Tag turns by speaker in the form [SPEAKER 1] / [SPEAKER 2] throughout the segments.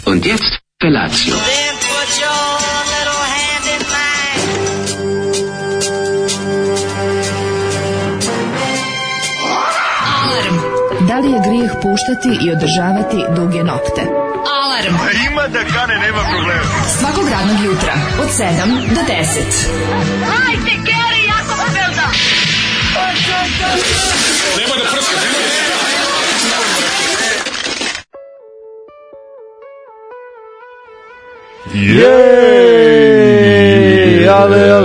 [SPEAKER 1] Und jetzt Felatio.
[SPEAKER 2] Then put your little hand in mine.
[SPEAKER 3] Alarm. Da li je grijeh puštati i održavati duge nokte? Alarm.
[SPEAKER 4] Ima da kane, nema problema.
[SPEAKER 3] Svakog radnog jutra od 7 do 10.
[SPEAKER 2] Hajde, Geri, jako se velda.
[SPEAKER 4] Nema da prska, nema da prska.
[SPEAKER 5] Jej, ale,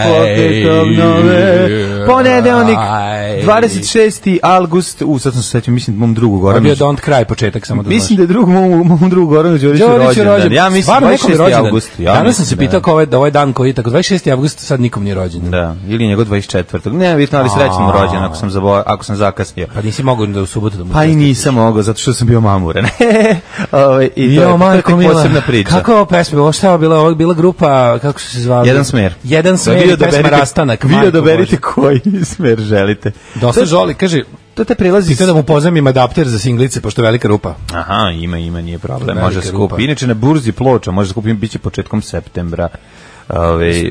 [SPEAKER 5] potekom nove, ponedeljnik, 26. avgust, sad sam se sećam, mislim mom drugu Goranu.
[SPEAKER 6] Bio Don't Cry početak, samo da znaš.
[SPEAKER 5] Mislim da je mom drugu Goranu Đoriću rođendan. Ja mislim 26. avgust.
[SPEAKER 6] Danas sam se pitao kao ovaj dan koji je tako 26. avgust, sad nikom nije rođendan.
[SPEAKER 5] Da, ili njegov 24. Ne, vidite, ali srećan mu rođendan ako sam zakasnio.
[SPEAKER 6] Pa nisi mogao da u subotu da mu.
[SPEAKER 5] Pa i nisam mogao, zato što sam bio mamuran. I to je posebna priča.
[SPEAKER 6] Kako je ovo pesma? Ovo šta je bila grupa, kako su se zvali?
[SPEAKER 5] Jedan smer.
[SPEAKER 6] Jedan smer i pesma Rastanak.
[SPEAKER 5] Vi odaberite koji smer želite.
[SPEAKER 6] Dosta žoli, kaže,
[SPEAKER 5] to te prilazi.
[SPEAKER 6] Ti da mu pozajmim adapter za singlice, pošto je velika rupa.
[SPEAKER 5] Aha, ima, nije problem. Može skupiti. Inače na burzi Ploča, može skupiti, biće početkom septembra.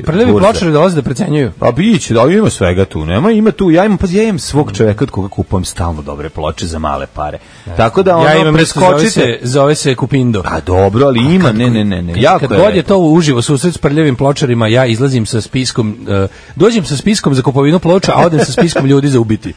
[SPEAKER 6] Prljavi pločari dolaze da precenjuju.
[SPEAKER 5] Pa biće, da ima svega tu. Ima tu, ja imam svog čoveka od koga kupujem stalno dobre ploče za male pare. Tako da ono preskočite.
[SPEAKER 6] Zove se Kupindo.
[SPEAKER 5] A dobro, ali ima, ne.
[SPEAKER 6] Kad god je to uživo susret s prljavim pločarima, ja izlazim sa spiskom, dođem sa spiskom za kupovinu ploča, a odem sa spiskom ljudi za ubiti.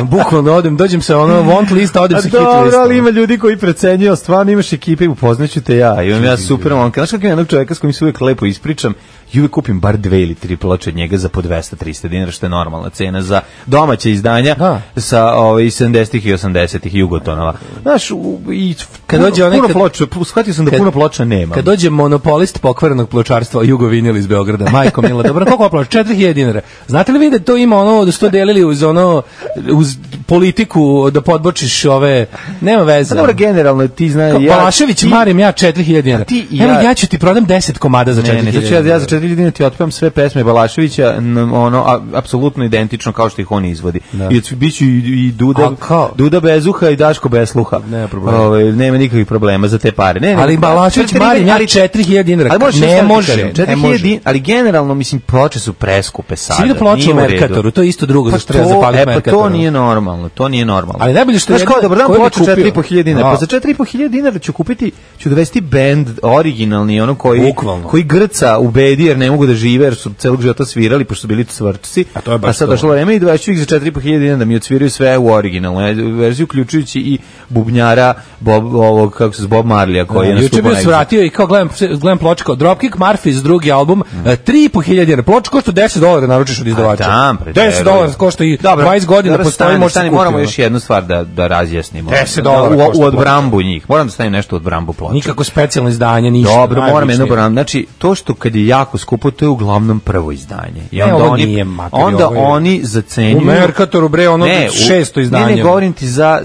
[SPEAKER 6] Bukvalno dođem sa want lista, odem sa hit lista.
[SPEAKER 5] Dobro, ali ima ljudi koji precenjuju, stvarno imaš ekipe, upoznaću te ja. Imam ja super momka. Znaš kako jednog čoveka s kojim se uvijek lepo ispričam, i uvijek kupim bar 2 ili 3 ploče od njega za po 200-300 dinara, što je normalna cena za domaće izdanja sa 70-ih i 80-ih Jugotonova. Znaš, i
[SPEAKER 6] kad dođe
[SPEAKER 5] puno ploča, shvatio sam da puno ploča nema.
[SPEAKER 6] Kad dođe monopolist pokvarenog pločarstva Jugo Vinil iz Beograda, majko mila, dobro, koliko ploča? 4000 dinara. Znate li vi da to ima ono, da su to delili uz politiku, da podbočiš ove, nema veze.
[SPEAKER 5] Dobro, generalno ti znaš,
[SPEAKER 6] Balašević, marim ja 4000 dinara. Evo, ja ću ti prodam 10 komada za 4000 dinara.
[SPEAKER 5] Ja za 4000 dinara ti otpevam sve pesme Balaševića, ono, apsolutno identično kao što ih on izvodi. I biću i Duda bez uha i Daško bez sluha.
[SPEAKER 6] Nema problema.
[SPEAKER 5] Nema nikakvih problema za te pare.
[SPEAKER 6] Ali Balašević, marim ja 4000 dinara. Ne može.
[SPEAKER 5] Ali generalno, mislim, ploče su preskupe sada.
[SPEAKER 6] Svi da ploče u Merkatoru, to je isto drugo, zašto treba zapaliti Merkatoru.
[SPEAKER 5] To nije normalno.
[SPEAKER 6] Ali najbolje što je
[SPEAKER 5] jedno, dobar dan, ploče 4500 dinara. Pa za 4500 dinara ću dovesti bend originalni, ono koji grca u bedi jer ne mogu da žive, jer su celog života svirali, pošto su bili cvrčci. A sad došlo vreme i dovešću ih za 4500 dinara da mi odsviraju sve u originalnu verziju, uključujući i bubnjara Bob Marlija koji je nastupao.
[SPEAKER 6] Juče bio svratio i kao gledam ploče kao Dropkick Murphys, drugi album, 3500 dinara. Ploča košta $10 naručiš od izdavača. $10 košta i 20 godina postoji, možeš kupiti.
[SPEAKER 5] Moramo još jednu stvar da razjasnimo.
[SPEAKER 6] $10
[SPEAKER 5] u odbrambu njih. Moram da stavim nešto u odbrambu ploča.
[SPEAKER 6] Nikako specijalno izdanje, ništa.
[SPEAKER 5] Dobro, moram jedno odbrambu. Znači, to što kad je jako skupo, to je uglavnom prvo izdanje. I onda oni zacenjuju.
[SPEAKER 6] U Merkatoru, bre, ono 600 izdanje.
[SPEAKER 5] Ne govorim ti za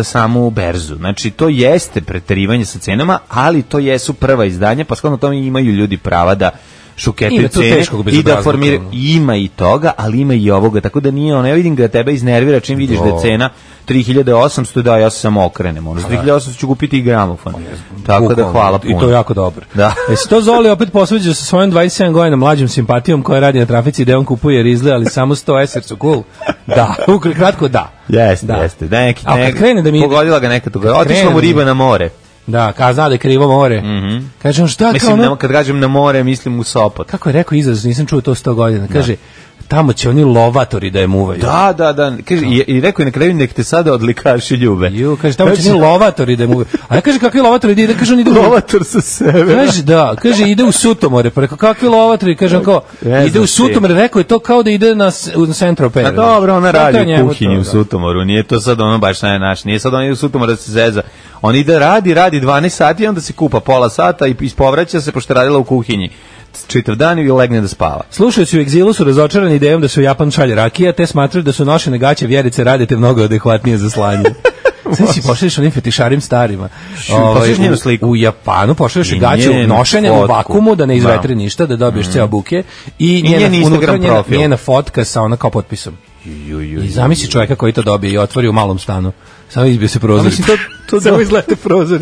[SPEAKER 5] samu berzu. Znači, to jeste preterivanje sa cenama, ali to jesu prva izdanja, pa skladno tome imaju ljudi prava da šuketaju cene i da formiraju. Ima i toga, ali ima i ovoga, tako da nije ono, ja vidim ga tebe iznervira čim vidiš da je cena 3800, da, ja se samo okrenem. Za 3800 ću kupiti i gramofon. Tako da hvala puno.
[SPEAKER 6] I to je jako dobro.
[SPEAKER 5] Da.
[SPEAKER 6] Jesi to Zoli opet posveđao sa svojom 27 godina mlađom simpatijom koja radi na trafici gde on kupuje rizle, ali samo 100 eser su cool? Da, kratko da.
[SPEAKER 5] Jeste. Pogodila ga neka toga. Otišla mu riba na more.
[SPEAKER 6] Da, zna da je krivo more. Kažem, šta
[SPEAKER 5] mislim, kao ono? Kad kažem na more, mislim u Sopot.
[SPEAKER 6] Kako je rekao izraz, nisam čuo to 100 godina. Kaže, tamo će oni lovatori da je muvaju.
[SPEAKER 5] Da. Kaže, i rekao je na kraju, nek te sada odlikaši ljube.
[SPEAKER 6] Kaže, tamo će oni lovatori da je muvaju. A ja kaže, kakvi lovatori ide? Kaže, on ide
[SPEAKER 5] lovator sa severa.
[SPEAKER 6] Kaže, ide u Sutomore. Pa rekao, kakvi lovatori? Kaže, on kao, ide u Sutomore. Rekao je to kao da ide na Central Perry.
[SPEAKER 5] A dobro, ona radi u kuhinji u Sutomoru. Nije to sad ono baš naš. Nije sad on ide u Sutomor da se zeza. On ide radi 12 sati i onda se kupa pola sata i ispovraća se pošto je radila u kuhinji čitav dan i legne da spava.
[SPEAKER 6] Slušajući u egzilu su razočarani idejom da se u Japan šalje rakija, te smatraju da su nošene gaće vjerice radite mnogo adekvatnije za slanje. Sad si pošalješ onim fetišarim starima. U Japanu pošalješ gaće nošenje u vakumu da ne izvetri ništa, da dobiješ ceo buke i njena fotka sa ona kao potpisom. I zamisli čovjeka koji to dobije i otvori u malom stanu Samo izbio se prozor. To samo izlete prozor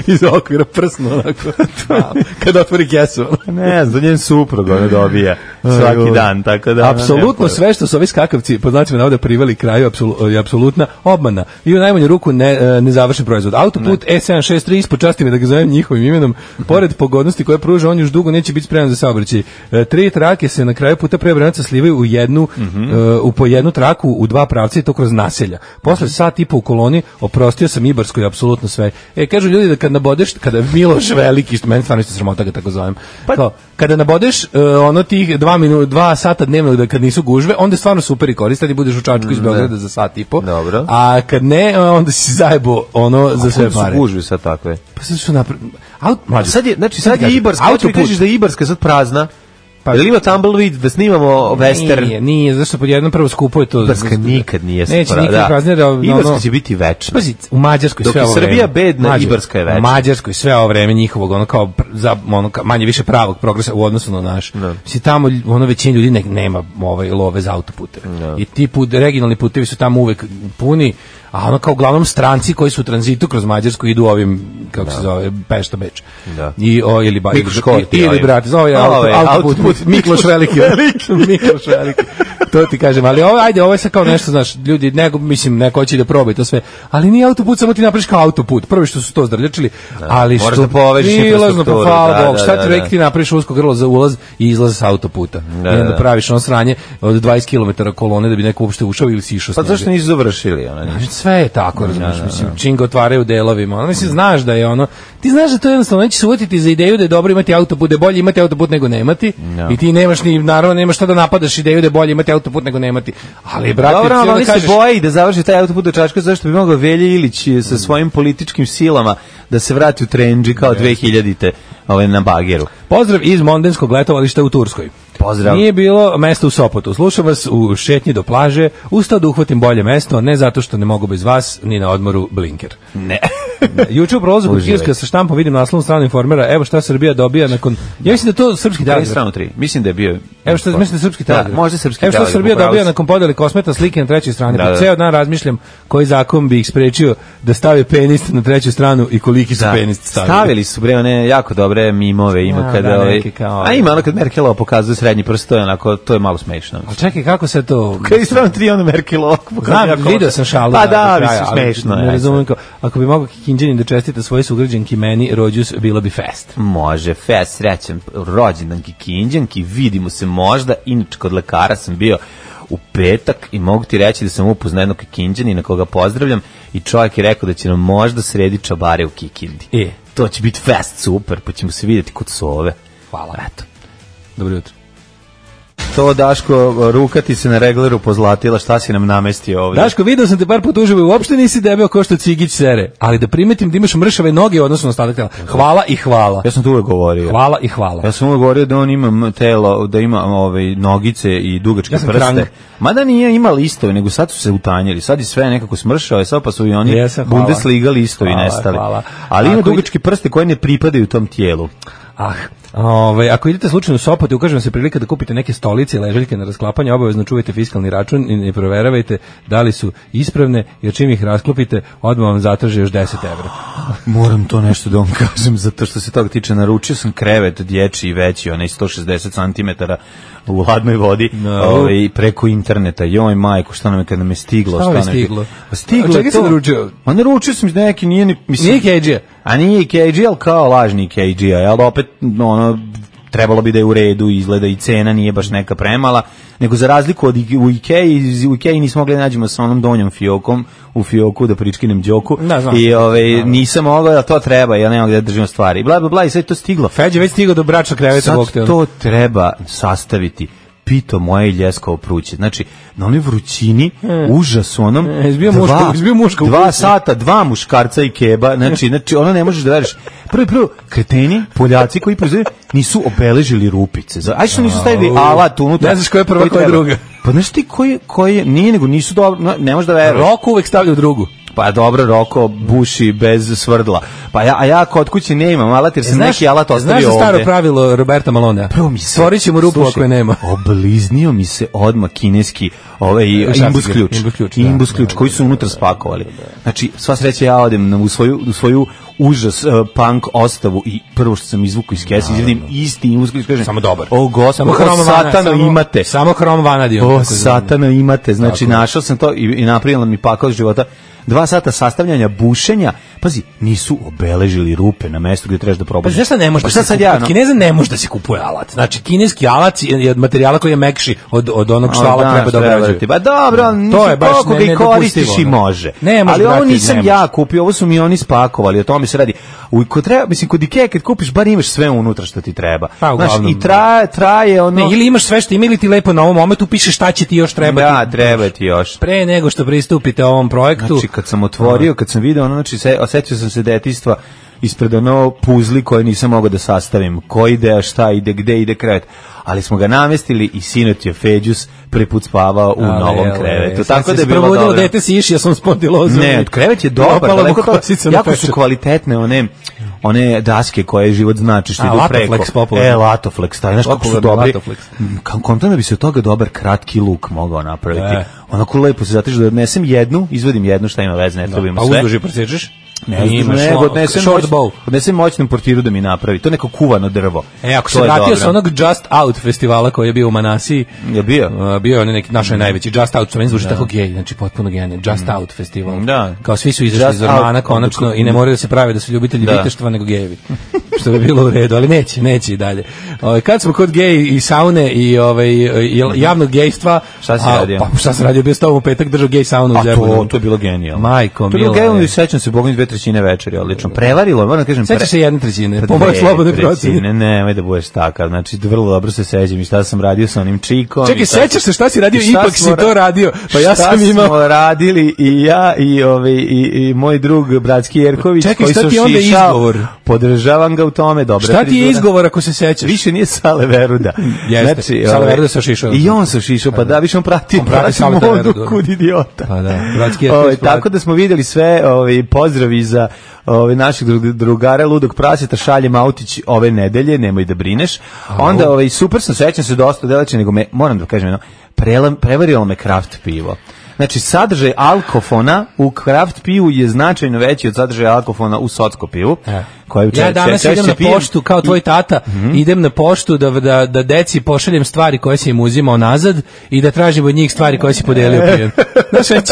[SPEAKER 6] iz okvira prsno onako. Kada otvori kesu.
[SPEAKER 5] Ne znam, njen suprug ona dobija svaki dan, tako da...
[SPEAKER 6] Apsolutno sve što su ovi skakavci, pod znacima navoda, priveli kraju, je apsolutna obmana. I u najmanju ruku nezavršen proizvod. Autoput E763, ispočasti me da ga zovem njihovim imenom, pored pogodnosti koje pruža, on još dugo neće biti spreman za saobraćaj. 3 trake se na kraju puta pre Obrenovca slivaju u po jednu traku u 2 pravca i to kroz naselja. Posle sat i po u koloni oprostio sam Ibarskoj apsolutno sve. Kažu ljudi da kad nabodeš, kada Miloš Veliki, što meni stvarno isto sramota ga tako zovem, kada nabodeš ono tih 2 sata dnevno da kad nisu gužve, onda je stvarno super i koristan i budeš u Čačku iz Beograda za sat i po.
[SPEAKER 5] Dobro.
[SPEAKER 6] A kad ne, onda si zajebo ono za sve pare.
[SPEAKER 5] A su gužve sad takve?
[SPEAKER 6] Pa sad su
[SPEAKER 5] sad je Ibarska, hoćeš mi kažeš da je Ibarska sad prazna? Pa ili ima Tumbleweed da snimamo western?
[SPEAKER 6] Nije, zašto pod jednom prvo skupo je to.
[SPEAKER 5] Ibarska nikad nije
[SPEAKER 6] neće nikad praznije da
[SPEAKER 5] Ibarska će biti večna.
[SPEAKER 6] Pazi, u Mađarskoj
[SPEAKER 5] sve ovo vreme. Dok je Srbija bedna, Ibarska je večna.
[SPEAKER 6] U Mađarskoj sve ovo vreme njihovog ono kao manje više pravog progresa u odnosu na naš. Mislim tamo ono većina ljudi nema love za autoputeve. I ti regionalni putevi su tamo uvek puni. A ono kao uglavnom stranci koji su u tranzitu kroz Mađarsku idu ovim, kako se zove, Pešta Beč. I ili brate, zove autoput Mikloš Veliki. Mikloš Veliki. To ti kažem, ali ovo je sad kao nešto, znaš, ljudi, neko hoće da probaju to sve, ali nije autoput, samo ti napraviš kao autoput. Prvi što su to zdrljačili, ali što
[SPEAKER 5] da povežeš infrastrukturu.
[SPEAKER 6] Hvala Bog, šta ti rekli, ti napraviš usko grlo za ulaz i izlaz sa autoputa. I onda praviš ono sranje od 20 km kolone da bi neko uopšte ušao ili si išao s njega.
[SPEAKER 5] Pa zašto nisu završili?
[SPEAKER 6] Sve je tako, razumiješ, mislim, čim ga otvaraju delovima, mislim, znaš da je ono, ti znaš da to jednostavno neće se uvjetiti za ideju da je dobro imati autoput, da je bolje imati autoput nego nemati, i ti nemaš naravno nemaš šta da napadaš ideju da je bolje imati autoput nego nemati, ali brate,
[SPEAKER 5] dobro, ali oni se boje da završi taj autoput do Čačka, zašto bi mogao Velja Ilić sa svojim političkim silama da se vrati u trendži kao 2000-te na bageru.
[SPEAKER 6] Pozdrav iz mondenskog letovališta u Turskoj.
[SPEAKER 5] Pozdrav.
[SPEAKER 6] Nije bilo mesta u Sopotu. Slušam vas u šetnji do plaže, ustao da uhvatim bolje mesto, ne zato što ne mogu bez vas, ni na odmoru blinker.
[SPEAKER 5] Ne.
[SPEAKER 6] Juče u prolazu kod Kirska sa štampom vidim naslovnu stranu Informera, evo šta Srbija dobija nakon... Ja mislim da to srpski telegraf.
[SPEAKER 5] Stranu 3. Mislim da je bio...
[SPEAKER 6] Evo šta mislim da je srpski telegraf.
[SPEAKER 5] Da, možda srpski telegraf.
[SPEAKER 6] Evo šta Srbija dobija nakon podele kosmeta slike na trećoj strani. Da. Ceo dan razmišljam koji zakon bi ih sprečio da stave penis na treću stranu i koliki su penis stavili.
[SPEAKER 5] Stavili su bre one jako dobre mimove, ima kada ima ono kad Merkelova pokazuje srednji prst, to je malo smešno.
[SPEAKER 6] Al čekaj, kako se to...
[SPEAKER 5] Kad je strana 3 ono Merkelova pokazuje.
[SPEAKER 6] Video sam šalu.
[SPEAKER 5] Pa da, smešno.
[SPEAKER 6] Ne razumem ako bi mogao Kikinđanin da čestita svoje sugrađanki meni, rođus, bilo bi fest.
[SPEAKER 5] Može, fest, srećan rođendan Kikinđanki, vidimo se možda, inače kod lekara sam bio u petak i mogu ti reći da sam upoznao jednog Kikinđanina koga pozdravljam i čovjek je rekao da će nam možda sredi čabare u Kikindi. To će biti fest, super, pa ćemo se vidjeti kod Sove.
[SPEAKER 6] Hvala.
[SPEAKER 5] Eto.
[SPEAKER 6] Dobro jutro.
[SPEAKER 5] To, Daško, ruka ti se na regleru pozlatila, šta si nam namestio ovdje?
[SPEAKER 6] Daško, vidio sam te par put uživo, uopšte nisi debeo kao što Cigić sere, ali da primetim da imaš mršave noge u odnosu na ostatak tela. Hvala i hvala.
[SPEAKER 5] Ja sam to uvek govorio.
[SPEAKER 6] Hvala i hvala.
[SPEAKER 5] Ja sam uvek govorio da on ima telo, da ima nogice i dugačke prste. Mada nije ima listovi, nego sad su se utanjili. Sad je sve nekako smršao, sad pa su i oni Bundesliga listovi nestali. Ali ima dugačke prste koje ne pripadaju tom tijelu.
[SPEAKER 6] Ako idete slučajno u Sopot i ukaže vam se prilika da kupite neke stolice i ležaljke na rasklapanje, obavezno čuvajte fiskalni račun i ne proveravajte da li su ispravne, jer čim ih rasklopite, odmah vam zatraže još 10 evra.
[SPEAKER 5] Moram to nešto da vam kažem, zato što se toga tiče, naručio sam krevet dječji veći, onaj 160 cm u hladnoj vodi, preko interneta. Joj majko, šta nam je kad nam je stiglo?
[SPEAKER 6] Šta nam je stiglo?
[SPEAKER 5] Stiglo
[SPEAKER 6] čega si naručio?
[SPEAKER 5] Naručio sam neki, nije
[SPEAKER 6] KG-a.
[SPEAKER 5] A nije KG, ali kao lažni KG-a, ali opet, trebalo bi da je u redu, izgleda i cena nije baš neka premala, nego za razliku od u Ikei nismo mogli nađemo sa onom donjom fiokom, u fioku da pričkinem Đoku, i nisam mogao da to treba, ja nemam gdje da držimo stvari, bla bla bla, i sve to stiglo.
[SPEAKER 6] Feđe već stigao do bračnog kreveta.
[SPEAKER 5] Sad to treba sastaviti. Pito moje ljeskovo pruće. Znači, na onoj vrućini, užas onom, 2 sata, 2 muškarca i keba, znači, ono ne možeš da veriš. Prvo, kreteni, Poljaci koji proizvode, nisu obeležili rupice. Ajde što nisu stavili alat unutra.
[SPEAKER 6] Ne znaš koja je prva, koja je druga.
[SPEAKER 5] Pa znaš ti koji nije, nego nisu dobro, ne možeš da veruješ.
[SPEAKER 6] Rok uvek stavlja u drugu.
[SPEAKER 5] Pa dobro, Roko buši bez svrdla. Pa ja kod kuće ne imam alat jer sam neki alat ostavio ovde.
[SPEAKER 6] Znaš za staro pravilo Roberta Malonea? Stvorit ćemo rupu ako je nema.
[SPEAKER 5] Obliznio mi se odmah kineski imbus ključ koji su unutra spakovali. Znači, sva sreća ja odem u svoju užas punk ostavu i prvo što sam izvukao iz kese, izvedim isti imbus ključ, kažem,
[SPEAKER 6] samo dobar.
[SPEAKER 5] O gospod, satano imate.
[SPEAKER 6] Samo hrom vanadi.
[SPEAKER 5] O satano imate. Znači, našao sam to i napravila mi pakao života. 2 sata sastavljanja, bušenja, pazi, nisu obeležili rupe na mestu gdje trebaš da probaš.
[SPEAKER 6] Pa šta ne može da se kupuje? Kineza ne može da se kupuje alat. Znači, kineski alat je od materijala koji je mekši od onog što alat treba da obrađuje.
[SPEAKER 5] Pa dobro, to je baš koliko ga i koristiš i može. Ali ovo nisam ja kupio, ovo su mi oni spakovali, o tome se radi. Kod Ikea kad kupiš, bar imaš sve unutra što ti treba. Znači, i traje ono...
[SPEAKER 6] Ne, ili imaš sve što ima ili ti lepo na ovom momentu piše šta će ti još trebati.
[SPEAKER 5] Da, treba ti još.
[SPEAKER 6] Pre nego što pristupite ovom projektu.
[SPEAKER 5] Znači, kad sam otvorio, kad sam video, znači, osjetio sam se detinjstva ispred ono puzli koje nisam mogao da sastavim. Ko ide, šta ide, gde ide krevet. Ali smo ga namestili i sinoć je Feđus prvi put spavao u novom krevetu. Tako da je bilo dobro.
[SPEAKER 6] Dete si išao sam spondilozu.
[SPEAKER 5] Ne, krevet je dobar. Jako su kvalitetne one daske koje život znači što idu preko. Latoflex, taj, znaš kako su dobri. Kontam da bi se od toga dobar kratki luk mogao napraviti. Onako lepo se zatiš da odnesem jednu, izvodim jednu, šta ima veze, ne trebamo sve.
[SPEAKER 6] A uzduži presečeš?
[SPEAKER 5] Odnesem moćnom portiru da mi napravi. To je neko kuvano drvo.
[SPEAKER 6] Ako se vratio sa onog Just Out festivala koji je bio u Manasiji.
[SPEAKER 5] Je bio?
[SPEAKER 6] Bio je neki naš najveći Just Out, što meni zvuči tako gej, znači potpuno genijalno. Just Out festival. Kao svi su izašli iz ormana konačno i ne moraju da se prave da su ljubitelji viteštva nego gejevi. Što bi bilo u redu, ali neće i dalje. Kad smo kod gej i saune i javnog gejstva,
[SPEAKER 5] šta si radio?
[SPEAKER 6] Pa šta se radio, bio s tobom u petak držao gej saunu u Zemunu.
[SPEAKER 5] To je bilo genijalno.
[SPEAKER 6] Majko,
[SPEAKER 5] to je bilo genijalno i sećam se, Bogom 2/3 večeri, odlično. Prevarilo, moram da kažem.
[SPEAKER 6] Sećaš se 1/3, po mojoj slobodnoj proceni.
[SPEAKER 5] Nemoj da budeš takav, znači vrlo dobro se sećam i šta sam radio sa onim čikom.
[SPEAKER 6] Čekaj, sećaš se šta si radio, ipak si to radio, pa ja sam imao.
[SPEAKER 5] Šta smo radili i ja i moj drug bratski Jerković, koji su šišao, podržavam ga u tome, dobro.
[SPEAKER 6] Šta ti je izgovor ako se sećaš?
[SPEAKER 5] Više nije Sale Veruda.
[SPEAKER 6] Znači, Sale Veruda se šišao.
[SPEAKER 5] I on se šišao, pa da, više on prati modu kud idiota.
[SPEAKER 6] Pa da, bratski Jerković.
[SPEAKER 5] Tako da smo vidjeli sve pozdravi za naših drugara Ludog praseta, šaljem autić ove nedelje, nemoj da brineš. Onda super sam, sećam se dosta deleće, nego moram da kažem, prevarilo me kraft pivo. Znači, sadržaj alkofona u kraft pivu je značajno veći od sadržaja alkofona u socko pivu.
[SPEAKER 6] Ja danas idem na poštu, kao tvoj tata, idem na poštu da deci pošaljem stvari koje si im uzimao nazad i da tražim od njih stvari koje si podelio pijen. Znaš,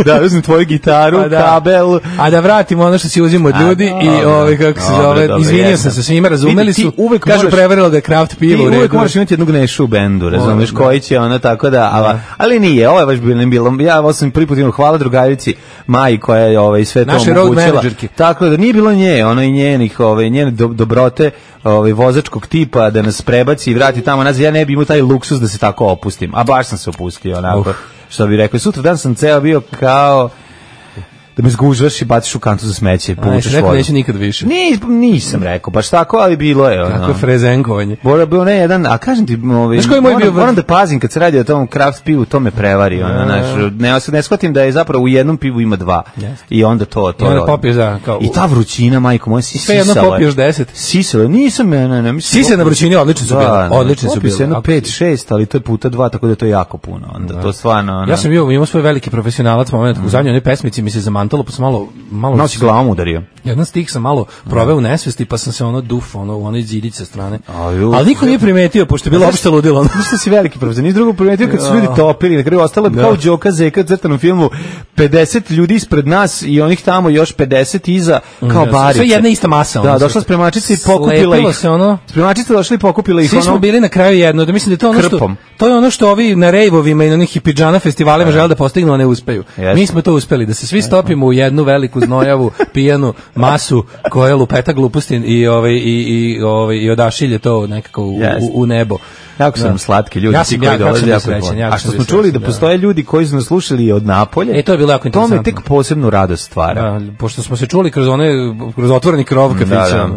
[SPEAKER 5] da, uzmem tvoju gitaru, kabel.
[SPEAKER 6] A da vratim ono što si uzimao od ljudi i kako se zove, izvinio sam se svima, razumeli su, kažu prevarilo da je kraft pivo.
[SPEAKER 5] Ti uvek moraš imati jednog nešu u bendu, razumeš, koji će ono tako da, ali nije, ovo je baš bilo, ja sam prvi put imao, hvala drugarici Maji koja je sve to omogućila. Tako da nije bilo nje, ono i njene dobrote vozačkog tipa da nas prebaci i vrati tamo nazad. Ja ne bi imao taj luksus da se tako opustim, a baš sam se opustio onako, što bi rekao. Sutra dan sam ceo bio kao da me zgužvaš i baciš u kantu za smeće, povučeš vodu.
[SPEAKER 6] Neću nikad više.
[SPEAKER 5] Nisam rekao, baš tako, ali bilo je.
[SPEAKER 6] Kako je frezenkovanje.
[SPEAKER 5] Bilo ne jedan, a kažem ti, moram da pazim kad se radi o tom kraft pivu, to me prevari. Ne shvatim da je zapravo u jednom pivu ima 2. I onda to. I ta vrućina, majko moja, si sisala.
[SPEAKER 6] Sve jedno popiješ 10.
[SPEAKER 5] Sisala, nisam, ne.
[SPEAKER 6] Sise na vrućini, odlični su bili. Odlični su bili.
[SPEAKER 5] Popio se jedno 5-6, ali to je puta 2, tako da to je jako puno. To stvarno.
[SPEAKER 6] Ja sam imao svoj veliki profesionalac moment, u zadnjoj onoj pesmici mi se zamantalo, pa sam malo
[SPEAKER 5] si glavom udario.
[SPEAKER 6] Jedan stih sam malo proveo u nesvesti, pa sam se u onoj zidić sa strane. Ali niko nije primetio, pošto je bilo opšte ludilo.
[SPEAKER 5] Što si veliki profesor, nisi drugo primetio kad su ljudi topili, na kraju ostalo je kao Đoka Zeka u crtanom filmu, 50 ljudi ispred nas i onih tamo još 50 iza, kao barice.
[SPEAKER 6] Sve jedna ista masa.
[SPEAKER 5] Da, došla spremačica i pokupila ih. Spremačica došla i pokupila ih.
[SPEAKER 6] Svi smo bili na kraju jedno, da mislim da to je ono što ovi na rejvovima i na onih hipidžana festivalima žele da postignu, a ne uspeju. Mi smo to uspeli, da se svi stopimo u jednu veliku znojavu, pijanu masu koja lupeta gluposti i odašilje to nekako u nebo.
[SPEAKER 5] Jako su nam slatki ljudi koji dolaze jako srećan. A što smo čuli da postoje ljudi koji su nas slušali od Napolje,
[SPEAKER 6] to je bilo jako interesantno.
[SPEAKER 5] To me tek posebnu radost stvara.
[SPEAKER 6] Pošto smo se čuli kroz otvoreni krov kafića.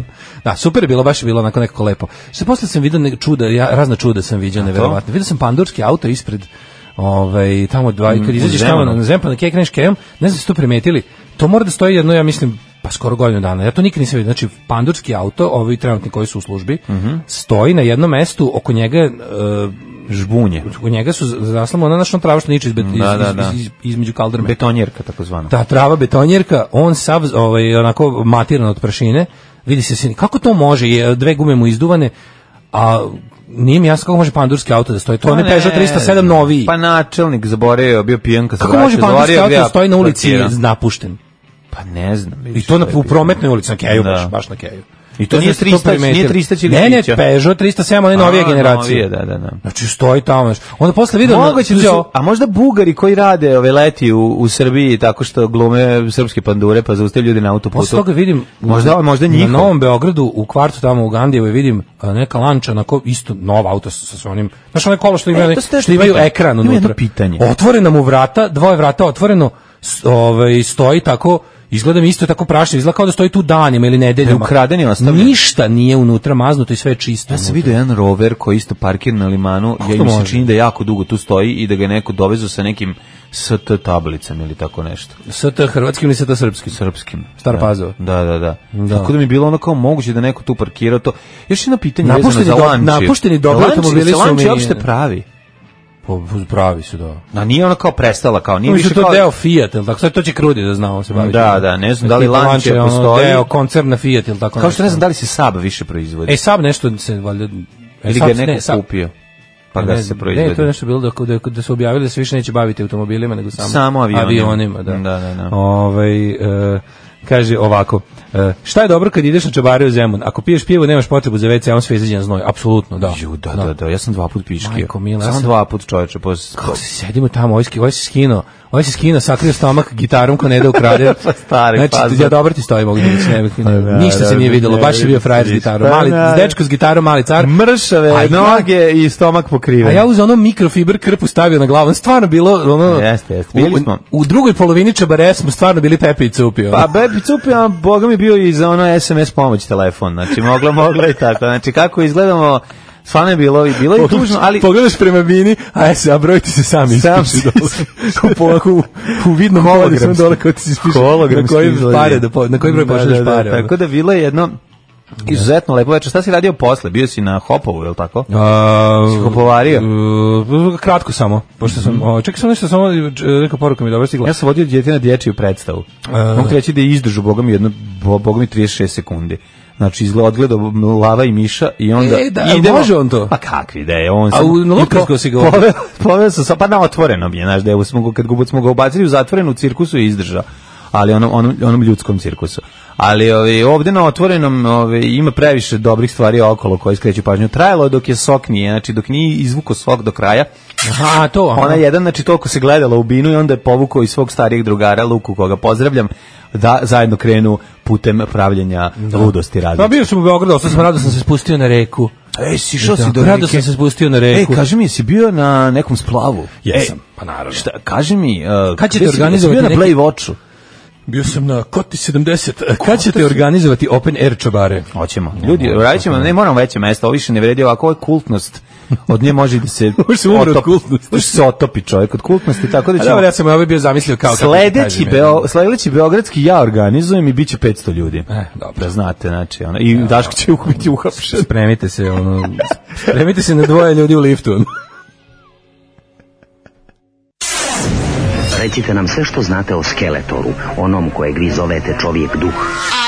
[SPEAKER 6] Da, super je bilo, baš je bilo onako nekako lepo. Što posle sam vidio razna čuda sam vidio, neverovatno. Vidio sam pandurski auto ispred tamo kad izađeš tamo na Zempan, na kreneš kejem, ne znam se to primetili, to mora da stoji jedno, ja mislim, pa skoro godinu dana. Ja to nikad nisam vidio. Znači, pandurski auto, ovi trenutni koji su u službi, stoji na jednom mestu, oko njega
[SPEAKER 5] žbunje.
[SPEAKER 6] U njega su zaslamo ona našla trava što niče između kaldrme.
[SPEAKER 5] Betonjerka takozvana.
[SPEAKER 6] Ta trava betonjerka, on sav onako matiran od prašine. Vidi se kako to može, dve gume mu izduvane, a nije mi jasno kako može pandurski auto da stoji. To je Peugeot 307 noviji.
[SPEAKER 5] Pa načelnik zaboravio, bio pijan kad se
[SPEAKER 6] vraća. Kako može pandurski auto da stoji na ulici napušten?
[SPEAKER 5] Pa ne znam.
[SPEAKER 6] I to u prometnoj ulici, na Keju, baš na Keju.
[SPEAKER 5] I to nije 300 ili
[SPEAKER 6] ne, Peugeot 307, one novije generacije.
[SPEAKER 5] Da.
[SPEAKER 6] Znači stoji tamo. Onda posle video
[SPEAKER 5] a možda Bugari koji rade ove leti u Srbiji tako što glume srpske pandure pa zaustavljaju ljudi na autoputu.
[SPEAKER 6] Posle toga vidim
[SPEAKER 5] možda njihov.
[SPEAKER 6] Na Novom Beogradu u kvartu tamo u Gandijevoj vidim neka lanča onako isto nov auto sa svojim. Znaš onaj kolo što imaju ekran unutra. Otvorena mu vrata, dvoje vrata otvoreno, stoji tako. Izgleda mi isto tako prašno, izgleda kao da stoji tu danima ili nedeljama.
[SPEAKER 5] Ukradeni ostavljen.
[SPEAKER 6] Ništa nije unutra maznuto i sve je čisto.
[SPEAKER 5] Ja sam vidio jedan rover koji isto parkira na limanu, mi se čini da jako dugo tu stoji i da ga neko dovezu sa nekim ST tablicama ili tako nešto.
[SPEAKER 6] ST hrvatskim ili ST srpskim?
[SPEAKER 5] Srpskim.
[SPEAKER 6] Star Pazova.
[SPEAKER 5] Da. Tako da mi je bilo ono kao moguće da neko tu parkirao to. Još jedno pitanje vezano za lanči.
[SPEAKER 6] Napušteni dobri automobili su
[SPEAKER 5] lanči uopšte pravi.
[SPEAKER 6] Pravi su, da.
[SPEAKER 5] A nije ona kao prestala, kao nije
[SPEAKER 6] više to deo Fiat, ili tako, sad to će Krudi da znamo se baviti.
[SPEAKER 5] Da, ne znam da li Lancia postoji.
[SPEAKER 6] Deo koncerna Fiat, ili tako.
[SPEAKER 5] Kao što ne znam da li se Saab više proizvodi.
[SPEAKER 6] Saab nešto se valjda...
[SPEAKER 5] Ili ga neko kupio, pa ga se proizvodi.
[SPEAKER 6] Ne, to je nešto bilo da su objavili da se više neće baviti automobilima, nego samo avionima. Da. Kaže ovako, šta je dobro kad ideš na čabare u Zemun? Ako piješ pivo, nemaš potrebu za WC, on sve izađe na znoj. Apsolutno, da.
[SPEAKER 5] Da, ja sam 2 puta piškio.
[SPEAKER 6] Samo
[SPEAKER 5] 2 puta, čoveče.
[SPEAKER 6] Kako se sedimo tamo, ovaj se skino, sakrio stomak gitarom ko ne da ukrade. Znači, ja dobro ti stoji, mogu da ništa se nije videlo, baš je bio frajer s gitarom. Dečko s gitarom, mali car.
[SPEAKER 5] Mršave noge i stomak pokriven.
[SPEAKER 6] A ja uz ono mikrofiber krpu stavio na glavu. Stvarno bilo,
[SPEAKER 5] jeste, bili smo.
[SPEAKER 6] U drugoj polovini čabare smo stvarno bili Pepe i Cupio.
[SPEAKER 5] Pa Pepe i Cupio, boga mi bio i za ono SMS pomoć telefon. Znači, mogla i tako. Znači, kako izgledamo... Stvarno je bilo je tužno, ali...
[SPEAKER 6] Pogledaš prema bini, a broj ti se sam ispiši dole. U vidnom polju sam dole kao ti se ispiši na koji broj pošalješ pare.
[SPEAKER 5] Tako da bilo je jedno izuzetno lepo večer. Šta si radio posle? Bio si na Hopovu, je li tako? Si hopovario?
[SPEAKER 6] Kratko samo. Pošto sam, čekaj sam nešto, samo neka poruka mi je dobro stigla.
[SPEAKER 5] Ja sam vodio djete na dječju predstavu. Mogu ti reći da je izdržu, boga mi 36 sekundi. Znači, odgledao Lava i Miša i onda idemo...
[SPEAKER 6] može on to?
[SPEAKER 5] Pa kakvi da je, on
[SPEAKER 6] sam... A na Lukarsko si ga
[SPEAKER 5] poveo sam, pa na otvorenom je, znaš, da je, kad smo ga ubacili u zatvorenu cirkusu i izdržao, ali onom ljudskom cirkusu. Ali ovde na otvorenom ima previše dobrih stvari okolo koje skreću pažnju. Trajalo dok je sok nije, znači dok nije izvuko sok do kraja.
[SPEAKER 6] Aha, to.
[SPEAKER 5] Ona jedan, znači toliko se gledala u binu i onda je povukao iz svog starijeg drugara Luku, koga pozdravljam, da zajedno krenu putem pravljenja ludosti različite.
[SPEAKER 6] Pa bio sam u Beogradu, sam rado sam se spustio na reku.
[SPEAKER 5] Sišao si do reke.
[SPEAKER 6] Rado sam se spustio na reku.
[SPEAKER 5] Kaži mi, jesi bio na nekom splavu?
[SPEAKER 6] Jesam, pa naravno.
[SPEAKER 5] Šta, kaži mi,
[SPEAKER 6] kad ćete organizovati
[SPEAKER 5] bio na Play Watchu?
[SPEAKER 6] Bio sam na Koti 70. Kad ćete organizovati open air čabare?
[SPEAKER 5] Hoćemo. Ljudi, radit ćemo, ne moramo veće mesta, ovo više ne vredi, ovako je kultnost. Od nje može da se otopi čovjek od kultnosti, tako da ćemo...
[SPEAKER 6] Dobro, ja sam bio zamislio kao...
[SPEAKER 5] Sledeći beogradski ja organizujem i bit će 500 ljudi.
[SPEAKER 6] Dobro.
[SPEAKER 5] Da znate, znači, i Daško će biti uhapšen.
[SPEAKER 6] Spremite se na 2 ljudi u liftu.
[SPEAKER 1] Recite nam sve što znate o Skeletoru, onom kojeg vi zovete čovjek duh.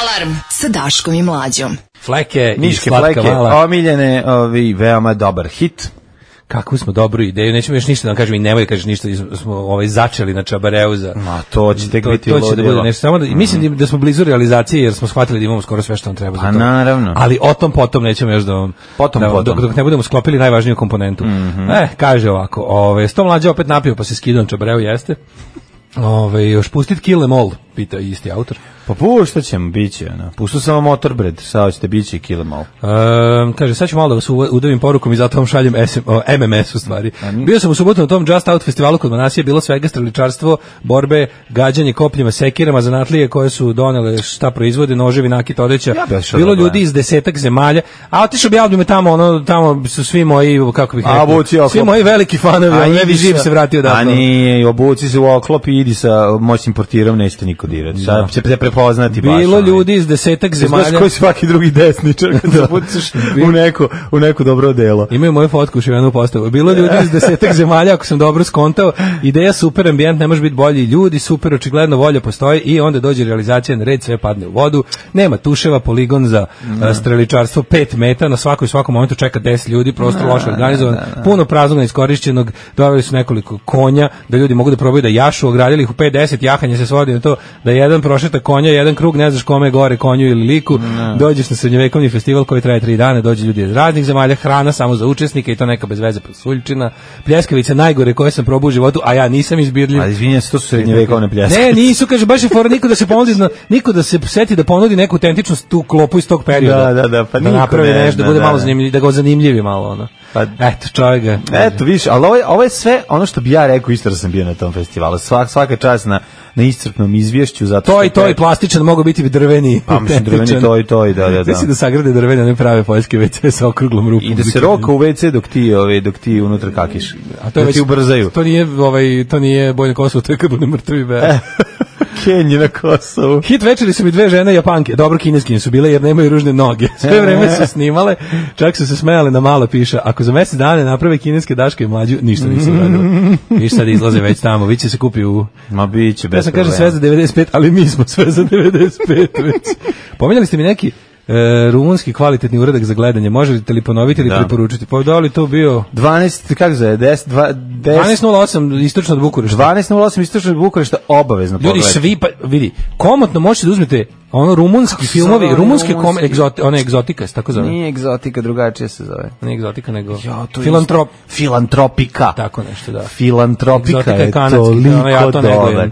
[SPEAKER 3] Alarm sa Daškom i Mlađom.
[SPEAKER 6] Fleke i
[SPEAKER 5] Niške
[SPEAKER 6] slatka
[SPEAKER 5] fleke,
[SPEAKER 6] mala.
[SPEAKER 5] omiljene, veoma dobar hit.
[SPEAKER 6] Kakvu smo dobru ideju, nećemo još ništa da kažem i nemoj da kažeš ništa, smo začeli na čabareu za...
[SPEAKER 5] Ma to će tek biti
[SPEAKER 6] to će da bude nešto, samo da, mislim da smo blizu realizacije jer smo shvatili da imamo skoro sve što nam treba za to.
[SPEAKER 5] Naravno.
[SPEAKER 6] Ali o tom potom nećemo još dok ne budemo sklopili najvažniju komponentu. Kaže ovako, 100 Mlađa opet napio pa se skidao na čabareu, jeste? Još pustit Kill Em All, pita isti autor.
[SPEAKER 5] Pa puštat ćemo, bit će. Pustao sam vam Motorbred, sad ćete bit će Kill Em All.
[SPEAKER 6] Kaže, sad ću malo da vas udavim porukom i zato vam šaljem MMS u stvari. Bio sam u subotu na tom Just Out festivalu kod Manasije, bilo svega streličarstvo, borbe, gađanje kopljima, sekirama, zanatlije koje su donele šta proizvode, noževi, nakit, odeća. Bilo ljudi iz 10 zemalja, a otišao bi album tamo su svi moji, kako bih rekao, svi moji veliki fanovi, ne bi živ se vratio da.
[SPEAKER 5] A nije, obuci se u oklop i idi sa moćnim portirom, nećete niko dirati. Sad će te prepoznati baš.
[SPEAKER 6] Bilo ljudi iz 10 zemalja.
[SPEAKER 5] Znaš koji svaki drugi desničar kad se pucaš u neku dobro delo.
[SPEAKER 6] Imaju moju fotku šivenu postavu. Bilo ljudi iz 10 zemalja, ako sam dobro skontao, ideja super, ambijent ne može biti bolji, ljudi super, očigledno volja postoji i onda dođe realizacija na red, sve padne u vodu, nema tuševa, poligon za streličarstvo 5 metara, na svakom momentu čeka 10 ljudi, prostor loše organizovan, puno praznog neiskorišćenog, doveli su nekoliko konja, da ljudi mogu da probaju da jašu, ogradili ih u 5-10, jahanje se svodi na to da jedan prošeta konja, jedan krug, ne znaš kome je gore, konju ili liku, dođeš na srednjovekovni festival koji traje 3 dana, dođe ljudi iz raznih zemalja, hrana samo za učesnike i to neka bez veze pasuljčina, pljeskavice najgore koje sam probao u životu, a ja nisam izbirljiv.
[SPEAKER 5] A izvinjam se, to su srednjevekovne pljeskavice.
[SPEAKER 6] Ne, nisu, kaže, baš je fora niko da se seti da ponudi neku autentičnost tu klopu iz tog perioda.
[SPEAKER 5] Pa
[SPEAKER 6] da napravi nešto, da bude malo zanimljiv, da ga zanimljivi malo, ono.
[SPEAKER 5] Pa,
[SPEAKER 6] eto, čovjek ga.
[SPEAKER 5] Eto, više, ali ovo je sve ono što bi ja rekao isto da sam bio na tom festivalu. Svaka čast na iscrpnom izvješću. Zato
[SPEAKER 6] to i plastičan, mogu biti drveni.
[SPEAKER 5] Pa mislim, drveni, to i da.
[SPEAKER 6] Mislim da sagrade drvene, one prave poljske WC sa okruglom rupom.
[SPEAKER 5] I da se roka u WC dok ti unutra kakiš.
[SPEAKER 6] A to je
[SPEAKER 5] ti ubrzaju.
[SPEAKER 6] To nije Bojno Kosovo, to je kad bude mrtvi be.
[SPEAKER 5] Kenji na Kosovu.
[SPEAKER 6] Hit večeri su mi 2 žene Japanke, dobro kineskinje su bile jer nemaju ružne noge. Sve vreme su snimale, čak su se smejale na malo piše, ako za mjesec dana naprave kineske Daške i Mlađu, ništa nisu radili. Viš sad izlaze već tamo, vi će se kupi u...
[SPEAKER 5] Ma biće, bez
[SPEAKER 6] problema. Ja sam kaže sve za 95, ali mi smo sve za 95 već. Pominjali ste mi neki rumunski kvalitetni uradak za gledanje. Možete li ponoviti ili preporučiti? Pa da li to bio
[SPEAKER 5] 12, kako zove,
[SPEAKER 6] 12:08 istočno od Bukurešta.
[SPEAKER 5] 12:08 istočno od Bukurešta obavezno
[SPEAKER 6] pogledajte. Ljudi svi pa vidi, komotno možete da uzmete ono rumunski filmovi, rumunske one egzotika, tako zove.
[SPEAKER 5] Nije egzotika, drugačije se zove.
[SPEAKER 6] Nije egzotika nego
[SPEAKER 5] filantropika.
[SPEAKER 6] Tako nešto, da.
[SPEAKER 5] Filantropika je toliko dobar.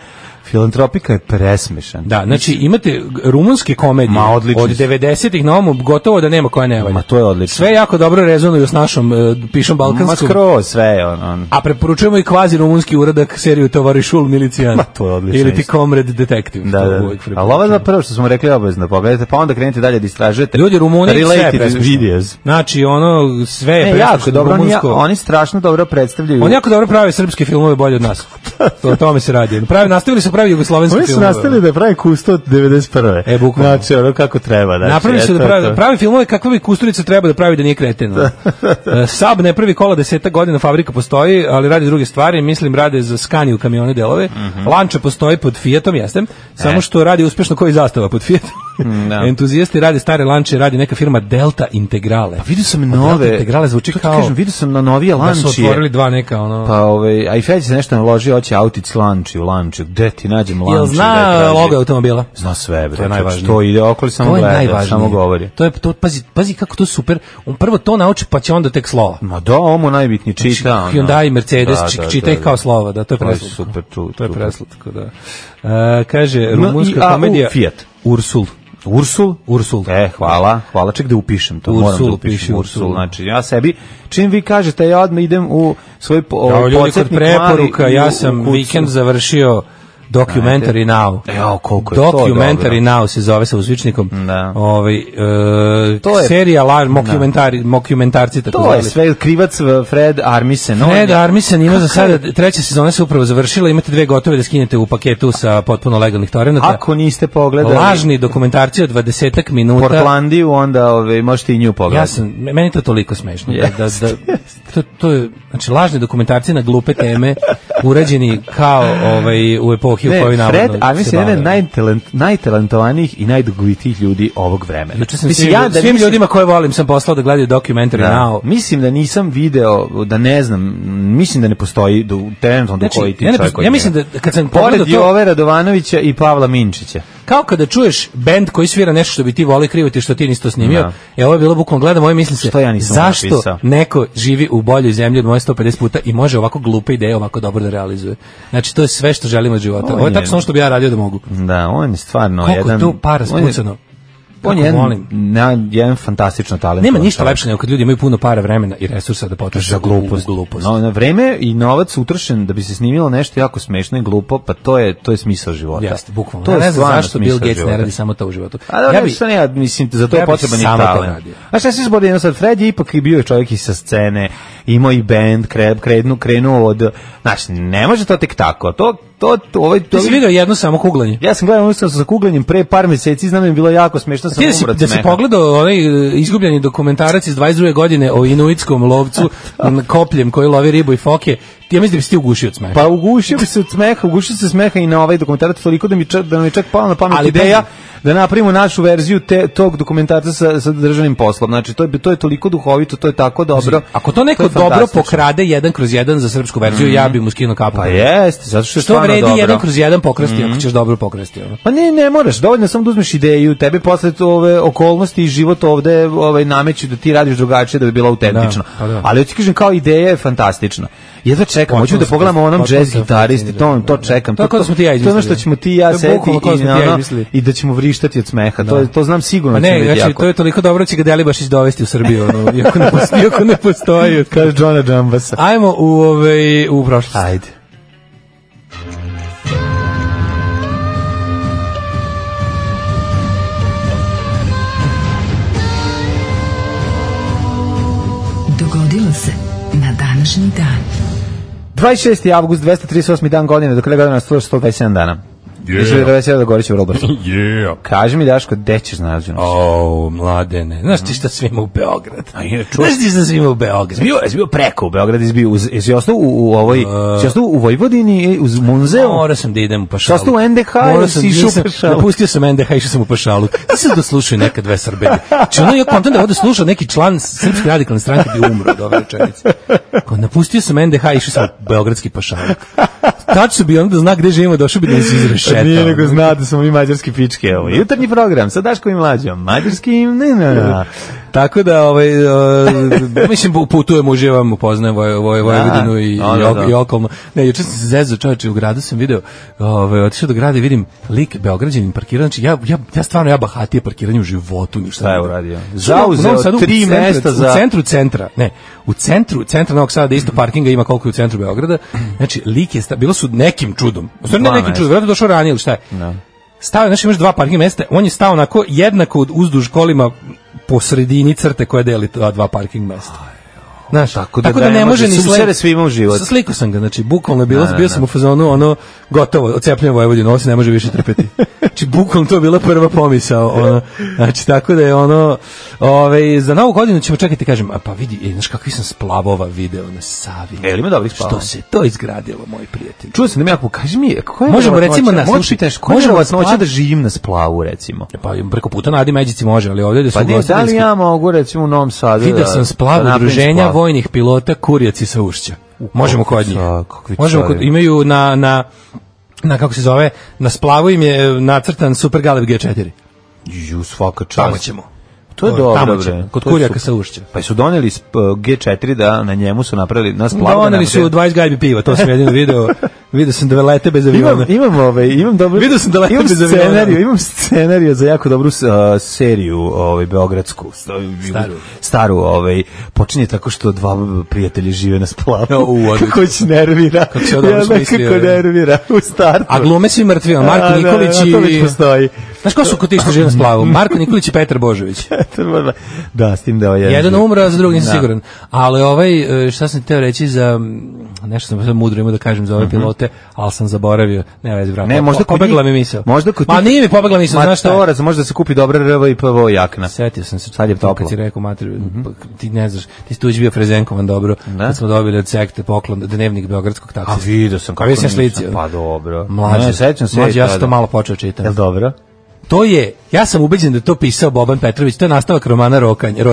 [SPEAKER 5] Filantropika je presmešan.
[SPEAKER 6] Da, znači imate rumunske komedije od 90-ih na ovom gotovo da nema koja ne valja.
[SPEAKER 5] Ma to je odlično.
[SPEAKER 6] Sve jako dobro rezonuju s našom pišom balkanskom.
[SPEAKER 5] Ma skroz sve je on.
[SPEAKER 6] A preporučujemo i kvazi rumunski uradak seriju Tovarišul Milicijan.
[SPEAKER 5] Ma to je odlično.
[SPEAKER 6] Ili ti Comrade Detective.
[SPEAKER 5] Da. Ali ovo je prvo što smo rekli obavezno pogledajte, pa onda krenete dalje da istražujete.
[SPEAKER 6] Ljudi, Rumuni sve
[SPEAKER 5] videos.
[SPEAKER 6] Znači ono sve je
[SPEAKER 5] jako dobro, oni strašno dobro predstavljaju.
[SPEAKER 6] Oni jako dobro prave srpske filmove bolje od nas. O tome se radi. Nastavili su pravi jugoslovenski film.
[SPEAKER 5] Oni su nastavili da pravi Kusto od 91.
[SPEAKER 6] Bukvalno.
[SPEAKER 5] Znači, ono kako treba. Znači,
[SPEAKER 6] napravili su da pravi filmove kakve bi Kusturica treba da pravi da nije kreten. Sab ne prvi kola 10 godina, fabrika postoji, ali radi druge stvari. Mislim, rade za Scania kamione delove. Lanča postoji pod Fiatom, jesem. Samo što radi uspešno koji Zastava pod Fiatom. Entuzijasti rade stare lanče, radi neka firma Delta Integrale.
[SPEAKER 5] Pa vidio sam nove.
[SPEAKER 6] Delta Integrale zvuči kao...
[SPEAKER 5] Kažem, vidio sam na novije lančije.
[SPEAKER 6] Da su otvorili 2 neka, ono...
[SPEAKER 5] Pa a i Feđi se nešto naložio, hoće autić lanči u lanči. Gde ti nađem lanči?
[SPEAKER 6] Jel zna logo automobila?
[SPEAKER 5] Zna sve, bre.
[SPEAKER 6] To je najvažnije.
[SPEAKER 5] To ide okoli samo gleda, samo govori.
[SPEAKER 6] To pazi kako to super. On prvo to nauči, pa će onda tek slova.
[SPEAKER 5] Ma da, ovo najbitnije čita.
[SPEAKER 6] Hyundai, Mercedes, čita ih kao slova, da, to je preslatko.
[SPEAKER 5] Super,
[SPEAKER 6] to je preslatko, da. Kaže, rumunska komedija
[SPEAKER 5] Fiat.
[SPEAKER 6] Ursul.
[SPEAKER 5] Hvala, ček da upišem to. Moram da upišem Ursul. Znači, ja sebi, čim vi kažete, ja odmah idem u svoj podsjetnik
[SPEAKER 6] preporuka, ja sam vikend završio Documentary Now.
[SPEAKER 5] Koliko je to dobro.
[SPEAKER 6] Documentary Now se zove sa uzvičnikom.
[SPEAKER 5] To je
[SPEAKER 6] serija mokumentarci tako
[SPEAKER 5] to je sve krivac Fred Armisen.
[SPEAKER 6] Fred Armisen ima za sada 3. sezona se upravo završila, imate 2 gotove da skinete u paketu sa potpuno legalnih torenata.
[SPEAKER 5] Ako niste pogledali
[SPEAKER 6] lažni dokumentarci od 20 minuta
[SPEAKER 5] Portlandiju, onda možete i nju pogledati.
[SPEAKER 6] Meni to toliko smešno to je, znači lažni dokumentarci na glupe teme urađeni kao u epohi u kojoj navodno
[SPEAKER 5] Fred Armisen je jedan najtalentovanijih i najdugovitijih ljudi ovog vremena.
[SPEAKER 6] Svim ljudima koje volim sam poslao da gledaju Documentary Now.
[SPEAKER 5] Mislim da nisam video, da ne znam, mislim da ne postoji trenutno do koji ti čovjek.
[SPEAKER 6] Ja mislim da kad sam
[SPEAKER 5] pored Jove Radovanovića i Pavla Minčića.
[SPEAKER 6] Kao kada čuješ bend koji svira nešto što bi ti volio kriviti što ti nisi to snimio, ovo je bilo bukvalno gledam, moje misli se, zašto neko živi u boljoj zemlji od moje 150 puta i može ovako glupe ideje ovako dobro da realizuje. Znači, to je sve što želimo od života. Ovo je tačno što bi ja radio da mogu.
[SPEAKER 5] Da, on je stvarno
[SPEAKER 6] koliko jedan... Koliko tu para spucano?
[SPEAKER 5] On je jedan fantastično talent.
[SPEAKER 6] Nema ništa lepše nego kad ljudi imaju puno para, vremena i resursa da potroše
[SPEAKER 5] za glupost. Na vreme i novac utrošen da bi se snimilo nešto jako smešno i glupo, pa to je smisao života.
[SPEAKER 6] Jeste, bukvalno. To ne znam zašto Bill Gates ne radi samo to u životu.
[SPEAKER 5] Mislim, za to je potreban i talent. A šta se zbori, Fred je ipak i bio čovjek i sa scene imao i bend, krenuo od, znaš, ne može to tek tako,
[SPEAKER 6] Ti si vidio jedno samo kuglanje?
[SPEAKER 5] Ja sam gledao sa kuglanjem pre par meseci, znam da je bilo jako smešno, sam umro od smeha.
[SPEAKER 6] Da si pogledao onaj izgubljeni dokumentarac iz 22. godine o inuitskom lovcu kopljem koji lovi ribu i foke, ja mislim da bi se ti ugušio od smeha.
[SPEAKER 5] Pa ugušio se smeha i na ovaj dokumentarac toliko da nam je čak pala na pamet ideja da napravimo našu verziju tog dokumentarca sa državnim poslom. Znači, to je toliko duhovito, to je tako dobro.
[SPEAKER 6] Ako to neko dobro pokrade 1/1 za srpsku verziju, ja bi mu skinuo kapu.
[SPEAKER 5] Pa jeste, zato što je stvarno
[SPEAKER 6] vredi
[SPEAKER 5] dobro.
[SPEAKER 6] 1/1 pokrasti ako ćeš dobro pokrasti.
[SPEAKER 5] Pa ne moraš, dovoljno samo da uzmeš ideju, tebi posle ove okolnosti i život ovde nameću da ti radiš drugačije da bi bila autentična. Ali ja ti kažem, kao ideja je fantastična. Jedva čekam, hoću da pogledamo onom jazz gitaristi, to čekam.
[SPEAKER 6] Tako da smo ti ja izmislili.
[SPEAKER 5] To je ono što ćemo ti i ja sedeti i da ćemo vrištati od smeha. To znam sigurno.
[SPEAKER 6] Ne, znači to je toliko dobro će ga Delibašić dovesti u Srbiju, iako ne postoji.
[SPEAKER 5] Kaže Džona Džambasa.
[SPEAKER 6] Ajmo u prošlost.
[SPEAKER 5] Ajde.
[SPEAKER 3] Dogodilo se na današnji dan.
[SPEAKER 5] 26. avgust, 238. dan godine, do kraja godina 127 dana. Yeah. Da Gorić u Rolbertu.
[SPEAKER 6] Yeah.
[SPEAKER 5] Kaži mi, Daško, gde ćeš na rođendan?
[SPEAKER 6] Mladene. Znaš ti šta svima u Beograd? Znaš ti šta svima u Beograd?
[SPEAKER 5] Jesi bio preko u Beograd, jesi ostao u Vojvodini, uz Munzeu?
[SPEAKER 6] Morao sam da idem u Pašalu.
[SPEAKER 5] Ostao u NDH ili si išao u Pašalu?
[SPEAKER 6] Napustio sam NDH i išao sam u Pašalu. Ti sam da slušaju neka dve Srbe. Či ono, ja kontam da ovde slušao neki član Srpske radikalne stranke bi umro od ove rečenice. Napustio sam NDH i išao sam u Beogradski Pašaluk. Tačno bi onda zna gde živimo, došao bi da nas izrešeta.
[SPEAKER 5] Nije nego zna da smo mi mađarski pičke. Jutarnji program sa Daškom i Mlađom. Mađarski, ne.
[SPEAKER 6] Tako da, mislim, putujem, uživam, upoznajem Vojvodinu i okolno. Ne, juče sam se zezao, čovječe, u gradu sam video, otišao do grada i vidim lik Beograđanin parkirao, znači ja stvarno bahatije parkiranje u životu ništa.
[SPEAKER 5] Šta je uradio? Zauzeo 3 mesta za...
[SPEAKER 6] U centru centra, ne, u centru Novog Sada, da isto parkinga ima koliko je u centru Beograda, znači lik je, bilo su nekim čudom, u stvari ne nekim čudom, vjerojatno došao ranije ili šta je. Stavio, znači imaš 2 parking mesta, on je stao onako jednako uzduž kolima po sredini crte koja deli 2 parking mesta. Znaš, tako da ne može ni
[SPEAKER 5] svima u život.
[SPEAKER 6] Slikao sam ga, znači bukvalno je bilo, bio sam u fazonu, gotovo, odcepljujem Vojvodinu, ovo se ne može više trpeti. Znači bukvalno to je bila prva pomisao, znači tako da je za Novu godinu ćemo čekati, kažem, pa vidi, znaš kakvi sam splavova video na Savi.
[SPEAKER 5] Ima dobrih splavova.
[SPEAKER 6] Što se to izgradilo, moj prijatelj.
[SPEAKER 5] Čuo sam da mi jako, kaži mi, koja je
[SPEAKER 6] možemo recimo na
[SPEAKER 5] možemo da živim na splavu, recimo.
[SPEAKER 6] Pa preko puta na Adi Međici može, ali ovdje da su
[SPEAKER 5] gostiteljski. Pa da li ja mogu recimo u Novom Sadu?
[SPEAKER 6] Vidio sam splav udruženja vojnih pilota Kurjaci sa Ušća. Možemo kod njih. Imaju na kako se zove, na splavu im je nacrtan Super Galeb G4.
[SPEAKER 5] Svaka čast.
[SPEAKER 6] Tamo ćemo.
[SPEAKER 5] To je dobro, bre.
[SPEAKER 6] Kod Kurjaka sa Ušća.
[SPEAKER 5] Pa su doneli G4 da na njemu su napravili na splavu.
[SPEAKER 6] Doneli su 20 gajbi piva, to sam jedino video. Vidio sam da lete bez aviona.
[SPEAKER 5] Imam dobro.
[SPEAKER 6] Vidio sam da lete bez aviona.
[SPEAKER 5] Imam scenariju za jako dobru seriju, beogradsku, staru, počinje tako što 2 prijatelji žive na splavu. Kako će nervira. Kako nervira u startu.
[SPEAKER 6] A glume svi mrtvi, Marko Nikolić i...
[SPEAKER 5] To već postoji.
[SPEAKER 6] Znaš ko su kod tih što žive na splavu? Marko Nikolić i Petar Božović.
[SPEAKER 5] Da, s tim da
[SPEAKER 6] jedan umro, a za drugog nisam siguran. Ali šta sam teo reći za... Nešto sam mudro imao da kažem za ove pilote, ali sam zaboravio. Ne, vezi, vrata.
[SPEAKER 5] Ne, možda
[SPEAKER 6] pobegla mi misao.
[SPEAKER 5] Ma
[SPEAKER 6] nije mi pobegla misao, znaš šta?
[SPEAKER 5] Matorac, možda se kupi dobra RV i PVO jakna.
[SPEAKER 6] Setio sam se.
[SPEAKER 5] Sad je toplo.
[SPEAKER 6] Kad si rekao, ti ne znaš, ti si tu već bio Frezenkovan, dobro. Kad smo dobili od sekte poklon, dnevnik beogradskog taksista.
[SPEAKER 5] A vidio sam kako
[SPEAKER 6] nisam slicio.
[SPEAKER 5] Pa dobro.
[SPEAKER 6] Mlađe, ja sam to malo počeo čitati.
[SPEAKER 5] Jel dobro?
[SPEAKER 6] To je, ja sam ubeđen da to pisao Boban Petrović, to je nastavak romana Rockanje.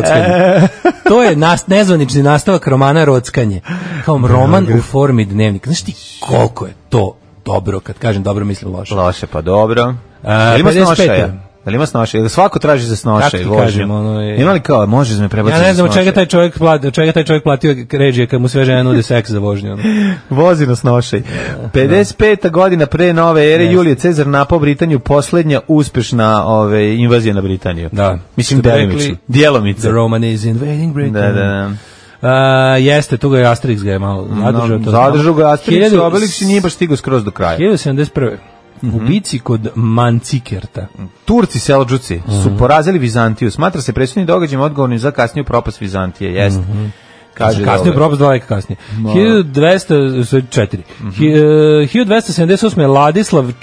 [SPEAKER 6] To je nezvanični nastavak romana Rockanje. Kao roman u formi dnevnika. Znaš ti koliko je to dobro, kad kažem dobro mislim loše.
[SPEAKER 5] Loše, pa dobro. Ima snošaja. Da li ima snošaja? Svako traži za snošaj. Ima li kao, možeš me prebaciti za snošaj?
[SPEAKER 6] Ja ne znam čega taj čovjek platio režije kad mu sve žene nude seks za vožnju.
[SPEAKER 5] Vozi na snošaj. 55. godina pre nove ere, Julije Cezar napao Britaniju, posljednja uspešna invazija na Britaniju.
[SPEAKER 6] Da.
[SPEAKER 5] Mislim, djelomice.
[SPEAKER 6] The Roman is invading Britain.
[SPEAKER 5] Da.
[SPEAKER 6] Jeste, tu ga je Asterix ga je malo
[SPEAKER 5] zadržao ga Asterix, Obelix i nije baš stigao skroz do kraja.
[SPEAKER 6] 1071. U bici kod Mancikerta.
[SPEAKER 5] Turci Selđuci su porazili Vizantiju. Smatra se presudnim događajem odgovornim za kasniju propast Vizantije. Jeste. Kaže
[SPEAKER 6] kasnije Probst 2 veka kasnije. 1278. Ladislav IV.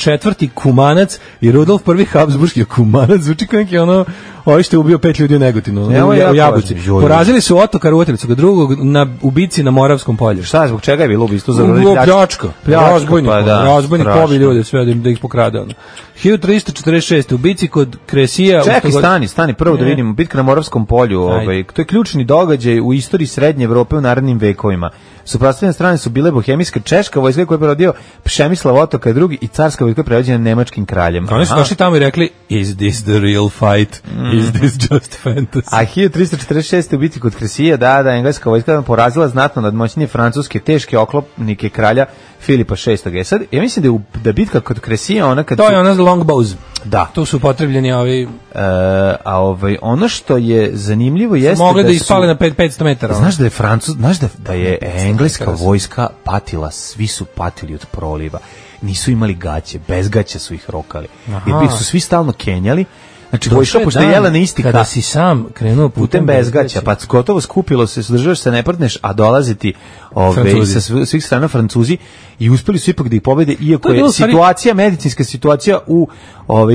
[SPEAKER 6] Kumanac i Rudolf I. Habsburški Kumanac. Zvuči kao neki ovaj što je ubio 5 ljudi u Negotinu, u Jabuci. Porazili su Otokara Uotilicu, drugog u bici na Moravskom polju.
[SPEAKER 5] Šta, zbog čega je bilo ubistvo?
[SPEAKER 6] Pljačka. Razbojnik pobi ljude, sve da ih pokrade. 1346. u bici kod Kresija...
[SPEAKER 5] Čekaj, stani, prvo da vidimo. Bitka na Moravskom polju, to je ključni događaj u istoriji Srednje Evrope u narednim vekovima. Suprotstavljene strane su bile bohemijska češka vojska koja je prevodio Pšemislav Otokar II i carska vojska prevođena nemačkim kraljem.
[SPEAKER 6] Oni su došli tamo i rekli, is this the real fight? Is this just fantasy?
[SPEAKER 5] A 1346. u bici kod Kresija, engleska vojska porazila znatno nadmoćnije francuske teške oklopnike kralja Filipa VI. Sad, ja mislim da bitka kod Kresija, ona kad...
[SPEAKER 6] To je ona longbows.
[SPEAKER 5] Da.
[SPEAKER 6] Tu su potrebljeni ovi...
[SPEAKER 5] ono što je zanimljivo jeste
[SPEAKER 6] mogli da ispale na 500 metara.
[SPEAKER 5] Znaš da je engleska vojska patila, svi su patili od proliva. Nisu imali gaće, bez gaća su ih rokali. Jer su svi stalno kenjali. Znači, vojska pošto je jela na isti
[SPEAKER 6] kada si sam krenuo putem
[SPEAKER 5] bez gaća, pa gotovo skupilo se, držaš se, ne prdneš, a dolazi ti sa svih strana Francuzi i uspeli su ipak da ih pobede, iako je situacija, medicinska situacija u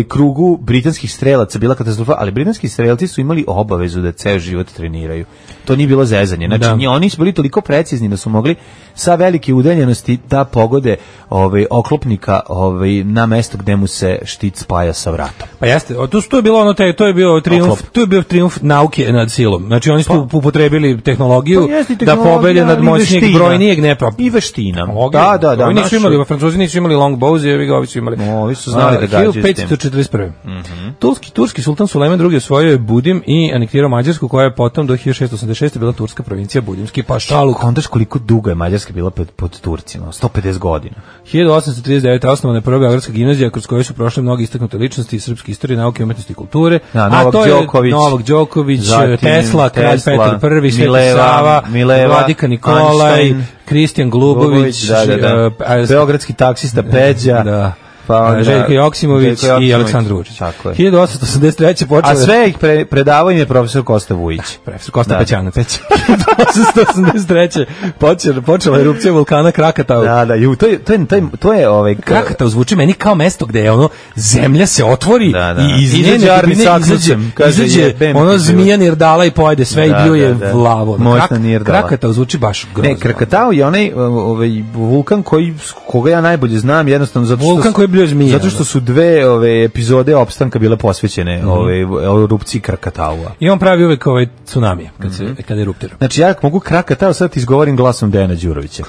[SPEAKER 5] krugu britanskih strelaca bila katastrofa, ali britanski strelci su imali obavezu da ceo život treniraju. To nije bilo zezanje. Znači, oni su bili toliko precizni da su mogli sa velike udaljenosti da pogode oklopnika na mesto gde mu se štit spaja sa vratom.
[SPEAKER 6] Pa jeste, to je bilo to je bio trijumf nauke nad silom. Znači oni su upotrebili tehnologiju da pobede nad moćnijeg brojnijeg
[SPEAKER 5] i veština.
[SPEAKER 6] Da. Oni nisu imali, Francuzi nisu imali longbows, ovi su imali.
[SPEAKER 5] Ovi su znali da gađaju s tim.
[SPEAKER 6] 1541. Turski sultan Sulejman II osvojio je Budim i anektirao Mađarsku, koja je potom do 1686. bila turska provincija Budimski pašaluk.
[SPEAKER 5] Kontaš koliko dugo je Mađarska bila pod Turcima? 150 godina.
[SPEAKER 6] 1839. osnovana je prva beogradska gimnazija kroz koju su prošle mnogi istaknute ličnosti iz srpske istorije, nauke, umetnosti i kulture. Novak Đoković, Tesla, kralj Petar I, Sveti Sava, Vladika Nikolaj, Kristijan Glubović,
[SPEAKER 5] beogradski taksista Peđa,
[SPEAKER 6] Željko Joksimović i Aleksandar Vučić. 1883. počela...
[SPEAKER 5] A sve ih predavao im je profesor Kosta Vujić.
[SPEAKER 6] Profesor Kosta Pećanac. 1883. počela erupcija vulkana Krakatau.
[SPEAKER 5] To je
[SPEAKER 6] Krakatau zvuči meni kao mesto gde je zemlja se otvori i iz njene izađe zmija Nirdala i pojede sve i bio je vlavo. Krakatau zvuči baš grozno.
[SPEAKER 5] Ne, Krakatau je onaj vulkan koga ja najbolje znam, jednostavno zato što su dve epizode opstanka bile posvećene erupciji Krakataua.
[SPEAKER 6] I on pravi uvek tsunami kad eruptira.
[SPEAKER 5] Znači ja mogu Krakatau sad ti izgovorim glasom Dejana Đurovića.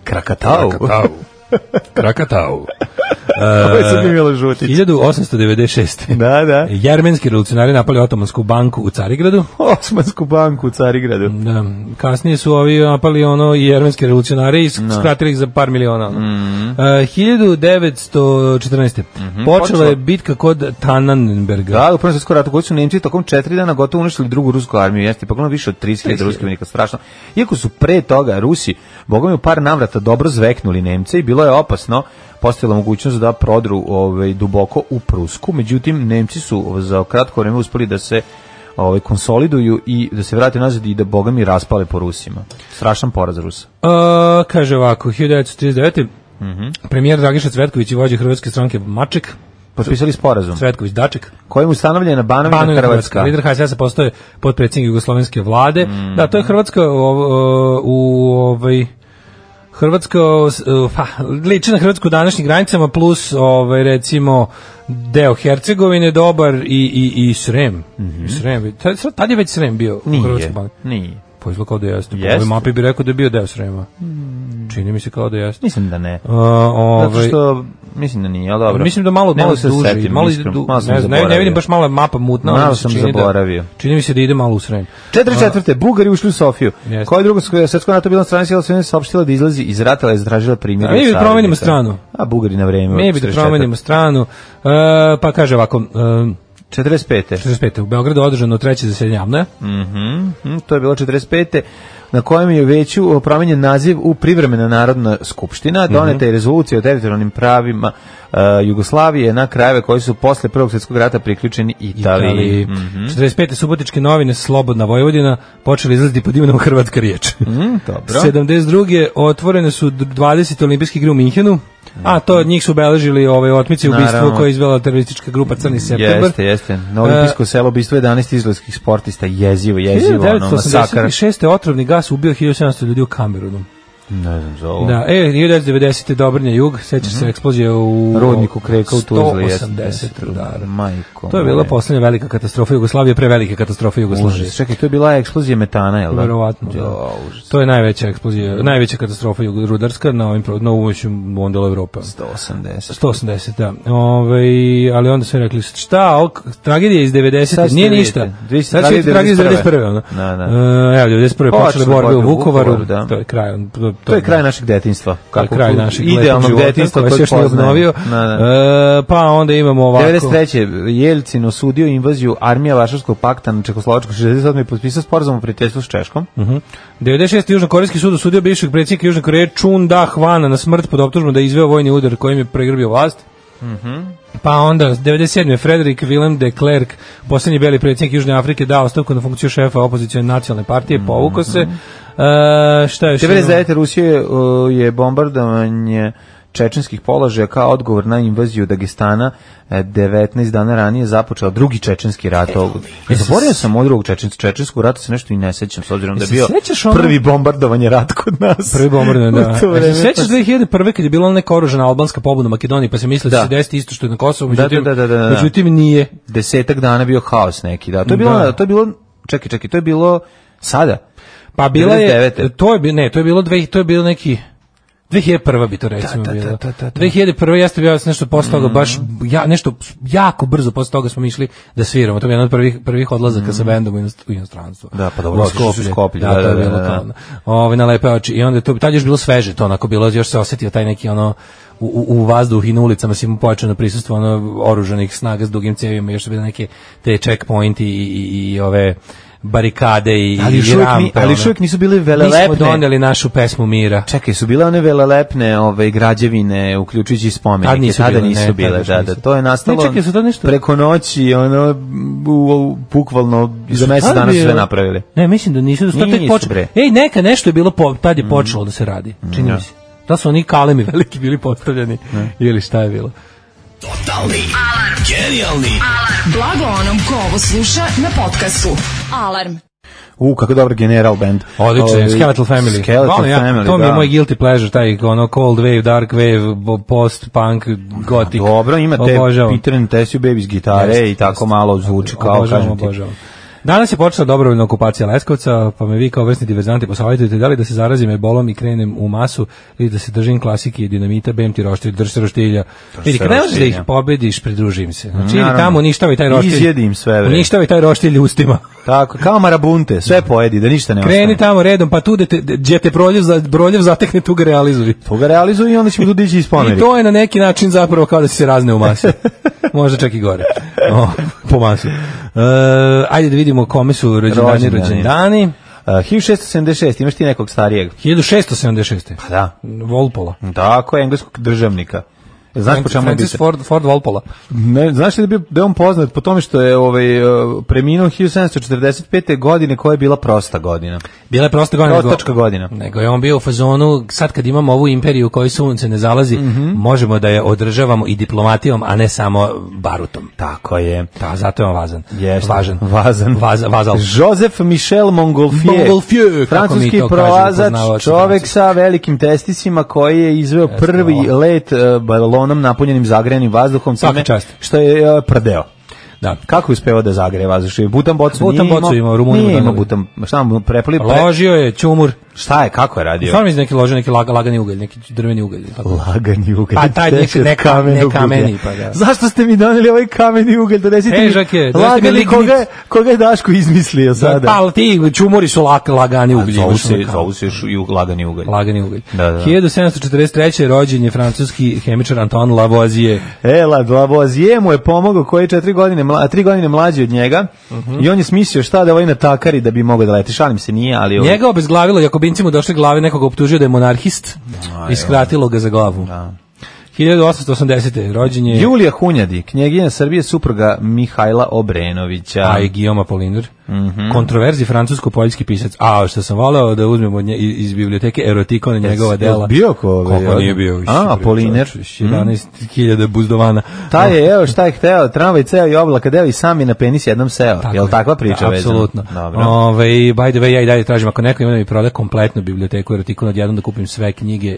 [SPEAKER 6] Krakatau.
[SPEAKER 5] Ovo je sad Milo Žutić.
[SPEAKER 6] 1896.
[SPEAKER 5] Da.
[SPEAKER 6] Jermenski revolucionari napali Otomansku banku u Carigradu. Da. Kasnije su ovi napali i jermenski revolucionari i skratili ih za par miliona. 1914. Počela je bitka kod Tannenberga.
[SPEAKER 5] Da, u Prvom svjetskom ratu koji su Nemci tokom 4 dana gotovo uništili drugu rusku armiju. Jeste pogledano više od 30.000 ruskih vojnika, strašno. Iako su pre toga Rusi, bogom u par navrata dobro zveknuli Nemce i bilo je opasno, postojala mogućnost da prodru duboko u Prusku, međutim Nemci su za kratko vreme uspeli da se konsoliduju i da se vrate nazad i da bogami raspale po Rusima. Strašan poraz Rusa.
[SPEAKER 6] Kaže ovako, 1939. Premijer Dragiša Cvetković i vođa Hrvatske stranke Maček
[SPEAKER 5] potpisali sporazum.
[SPEAKER 6] Cvetković Daček.
[SPEAKER 5] Kojim ustanovljena Banovina Hrvatska.
[SPEAKER 6] Lider HSS-a postoje potpredsjednik Jugoslovenske vlade. Da, to je Hrvatska Hrvatska liči na Hrvatsku u današnjim granicama plus recimo deo Hercegovine dobar i Srem. Srem. Tad je već Srem bio u Hrvatskoj.
[SPEAKER 5] Nije.
[SPEAKER 6] Pa izgleda kao da jeste. Po ovoj mapi bi rekao da je bio deo Srema. Čini mi se kao da jeste.
[SPEAKER 5] Mislim da ne. Zato što mislim da nije, ali dobro.
[SPEAKER 6] Mislim da malo duže. Ne vidim baš malo mapa mutna.
[SPEAKER 5] Malo sam zaboravio.
[SPEAKER 6] Čini mi se da ide malo u Srem.
[SPEAKER 5] 44. Bugari ušli u Sofiju. Koja je druga svjetsko NATO bila strana sila Sovjetske saopštila da izlazi iz rata, ali je zatražila primjer.
[SPEAKER 6] Mi bi promenimo stranu.
[SPEAKER 5] A Bugari na vreme.
[SPEAKER 6] Mi bi promenimo stranu. Pa kaže ovako...
[SPEAKER 5] 45.
[SPEAKER 6] U Beogradu održano treće zasedanje AMNO.
[SPEAKER 5] To je bilo 45. na kojem je veću promenjen naziv u Privremena narodna skupština, doneta je rezolucija o teritorijalnim pravima Jugoslavije na krajeve koji su posle Prvog svjetskog rata priključeni Italiji.
[SPEAKER 6] 45. Subotičke novine Slobodna Vojvodina počeli izlaziti pod imenom Hrvatska riječ.
[SPEAKER 5] Dobro.
[SPEAKER 6] 72. otvorene su 20. olimpijske igre u Minhenu. A to od njih su obeležili otmice ubistvo koje je izvela teroristička grupa Crni septembar.
[SPEAKER 5] Jeste. Na olimpijsko selo ubistvo 11 izraelskih sportista, jezivo, masakar.
[SPEAKER 6] 1986. otrovni gas ubio 1700 ljudi u Kamerunu.
[SPEAKER 5] Ne znam za ovo.
[SPEAKER 6] Da, 1990. Dobrnja jug, sećaš se eksplozije u
[SPEAKER 5] rodniku Kreka u Tuzli.
[SPEAKER 6] 180 rudara.
[SPEAKER 5] Majko.
[SPEAKER 6] To je bila poslednja velika katastrofa Jugoslavije, prevelike katastrofe Jugoslavije.
[SPEAKER 5] Užas. Čekaj, to je bila eksplozija metana, je li da?
[SPEAKER 6] Verovatno, da. To je najveća eksplozija, najveća katastrofa rudarska na ovom modelu Evrope. 180, da. Ali onda su rekli, šta, tragedija iz 90. Nije ništa. Sad će tragedija iz 91. Evo, 91. počele borbe u Vukovaru, to je kraj.
[SPEAKER 5] To je kraj našeg detinjstva.
[SPEAKER 6] To je kraj našeg
[SPEAKER 5] idealnog detinjstva
[SPEAKER 6] koje se još nije obnovio. Pa onda imamo ovako.
[SPEAKER 5] 93. Jelcin osudio invaziju armija Varšavskog pakta na Čekoslovačku, 68. potpisao sporazum o prijateljstvu s Češkom.
[SPEAKER 6] 96. Južnokorejski sud osudio bivšeg predsjednika Južne Koreje Chun Da-hwana na smrt pod optužbom da je izveo vojni udar kojim je pregrbio vlast. Pa onda 97. Frederick Willem de Klerk, posljednji beli predsjednik Južne Afrike, dao ostavku na funkciju šefa opozicione nacionalne partije, povukao se. Šta je
[SPEAKER 5] 99. Rusije je bombardovanje čečenskih položaja kao odgovor na invaziju Dagestana 19 dana ranije započeo drugi čečenski rat. Zaboravio sam od drugog čečenskog rata, se nešto i ne sećam, s obzirom da je bio prvi bombardovanje rat kod nas.
[SPEAKER 6] Prvi bombardovanje, da. Sećaš 2001. kad je bila neka oružana albanska pobuna u Makedoniji, pa se mislilo da se desiti isto što je na Kosovu, međutim nije.
[SPEAKER 5] 10 dana bio haos neki, da. To je bilo, čekaj, to je bilo sada.
[SPEAKER 6] Pa bila je, to je bilo neki 2001. bi to recimo bilo. 2001. jeste bio nešto posle toga, baš nešto jako brzo posle toga smo išli da sviramo. To je jedan od prvih odlazaka sa bendom u inostranstvo.
[SPEAKER 5] Da, pa dobro, Skoplje.
[SPEAKER 6] Da, to je bilo to. Na lepe oči. I onda tad još bilo sveže, to onako bilo, još se osetio taj neki u vazduh i na ulicama si mu pojačano prisustvo oružanih snaga s dugim cevima, još su bile neke te checkpointi i ove barikade i rampe.
[SPEAKER 5] Ali još uvijek nisu bile velelepne.
[SPEAKER 6] Mi smo doneli našu pesmu mira.
[SPEAKER 5] Čekaj, su bile one velelepne građevine, uključujući spomenike. Tada nisu bile. Da, to je nastalo preko noći, bukvalno za mjesec dana su sve napravili.
[SPEAKER 6] Ne, mislim da nisu. Neka nešto je bilo, tad je počelo da se radi. Čini mi se. Da su oni kalemi veliki bili postavljeni ili šta je bilo.
[SPEAKER 7] Totalni alarm. Genijalni alarm.
[SPEAKER 3] Blago onom ko ovo sluša na podcastu. Alarm.
[SPEAKER 5] Kako dobar General band.
[SPEAKER 6] Odlično, Skeletal Family.
[SPEAKER 5] Family,
[SPEAKER 6] to mi je moj guilty pleasure, taj Cold Wave, Dark Wave, Post-Punk, Gothic.
[SPEAKER 5] Dobro, ima te Peter and Tessie Babies gitare i tako malo zvuči kao, kažem ti.
[SPEAKER 6] Danas je počela dobrovoljna okupacija Leskovca, pa me vi kao vrsni diverzanti posavjetujete da li da se zarazim ebolom i krenem u masu ili da se držim klasike i dinamita, bem ti roštilj, drž se roštilja. Vidi, kad ne možeš da ih pobediš, pridružim se. Znači, ili tamo uništavaj taj roštilj.
[SPEAKER 5] Izjedim sve, bre.
[SPEAKER 6] Uništavaj taj roštilj ustima.
[SPEAKER 5] Tako, kao marabunte, sve pojedi, da ništa ne ostane.
[SPEAKER 6] Kreni tamo redom, pa tu gdje te broljev zatekne, tu ga realizuj.
[SPEAKER 5] Tu ga realizuj i onda ćemo tu dići iz pomeri.
[SPEAKER 6] I to je na neki način zapravo kao da se razne u masi. Možda čak i gore. Po masi. Ajde da vidimo kome su rođendani.
[SPEAKER 5] 1676, imaš ti nekog starijeg?
[SPEAKER 6] 1676.
[SPEAKER 5] Pa da.
[SPEAKER 6] Walpola.
[SPEAKER 5] Tako, engleskog državnika. Znaš po čemu
[SPEAKER 6] Francis Ford Walpola.
[SPEAKER 5] Ne, znaš li da je on poznat po tome što je preminuo 1745. godine koja je bila prosta godina.
[SPEAKER 6] Bila je prosta godina.
[SPEAKER 5] Prostačka godina.
[SPEAKER 6] Nego je on bio u fazonu, sad kad imamo ovu imperiju u kojoj sunce ne zalazi, možemo da je održavamo i diplomatijom, a ne samo barutom.
[SPEAKER 5] Tako je.
[SPEAKER 6] Da, zato je on vazan.
[SPEAKER 5] Vazal. Joseph Michel Montgolfier, francuski prolazač, čovek sa velikim testisima koji je izveo prvi let balonom napunjenim zagrejanim vazduhom, što je prdeo.
[SPEAKER 6] Da.
[SPEAKER 5] Kako je uspeo da zagreje vazduh? Butan bocu
[SPEAKER 6] imao, Rumuniju.
[SPEAKER 5] Nije imao butan, šta mu prepali?
[SPEAKER 6] Ložio je ćumur.
[SPEAKER 5] Šta je, kako je radio?
[SPEAKER 6] Stvarno mi neki lože, neki lagani ugalj, neki drveni ugalj.
[SPEAKER 5] Lagani ugalj.
[SPEAKER 6] Pa taj ne kameni, pa da.
[SPEAKER 5] Zašto ste mi doneli ovaj kameni ugalj? Donesite mi lagani, koga je Daško izmislio sada?
[SPEAKER 6] Pa ti čumori su lagani ugalj.
[SPEAKER 5] Zovu se još i lagani ugalj.
[SPEAKER 6] Lagani ugalj. 1743. rođen je francuski hemičar Antoine Lavoisier.
[SPEAKER 5] Lavoisier mu je pomogao, koji je 3 godine mlađi od njega, i on je smislio šta da ovaj natakari da bi mogao da leti. Šalim se, nije, ali...
[SPEAKER 6] Njega obezglavilo, Jakobinci mu došli glave, nekoga optužio da je monarhist i skratilo ga za glavu. Da. 1880. rođen je...
[SPEAKER 5] Julija Hunjadi, knjeginja Srbije, supruga Mihajla Obrenovića.
[SPEAKER 6] A i Guillaume Apollinaire. Kontroverzi francusko-poljski pisac. A što sam voleo da uzmemo iz biblioteke Erotikon njegova dela.
[SPEAKER 5] Bio ko?
[SPEAKER 6] Kako nije bio?
[SPEAKER 5] Apollinaire.
[SPEAKER 6] 11.000 buzdovana.
[SPEAKER 5] Taj je, evo šta je hteo, tramvaj ceo i oblaka deo i sam je na penis jednom seo. Je li takva priča vezana?
[SPEAKER 6] Apsolutno. By the way, ja i dalje tražim, ako neko ima da mi proda kompletnu biblioteku Erotikon odjednom da kupim sve knjige.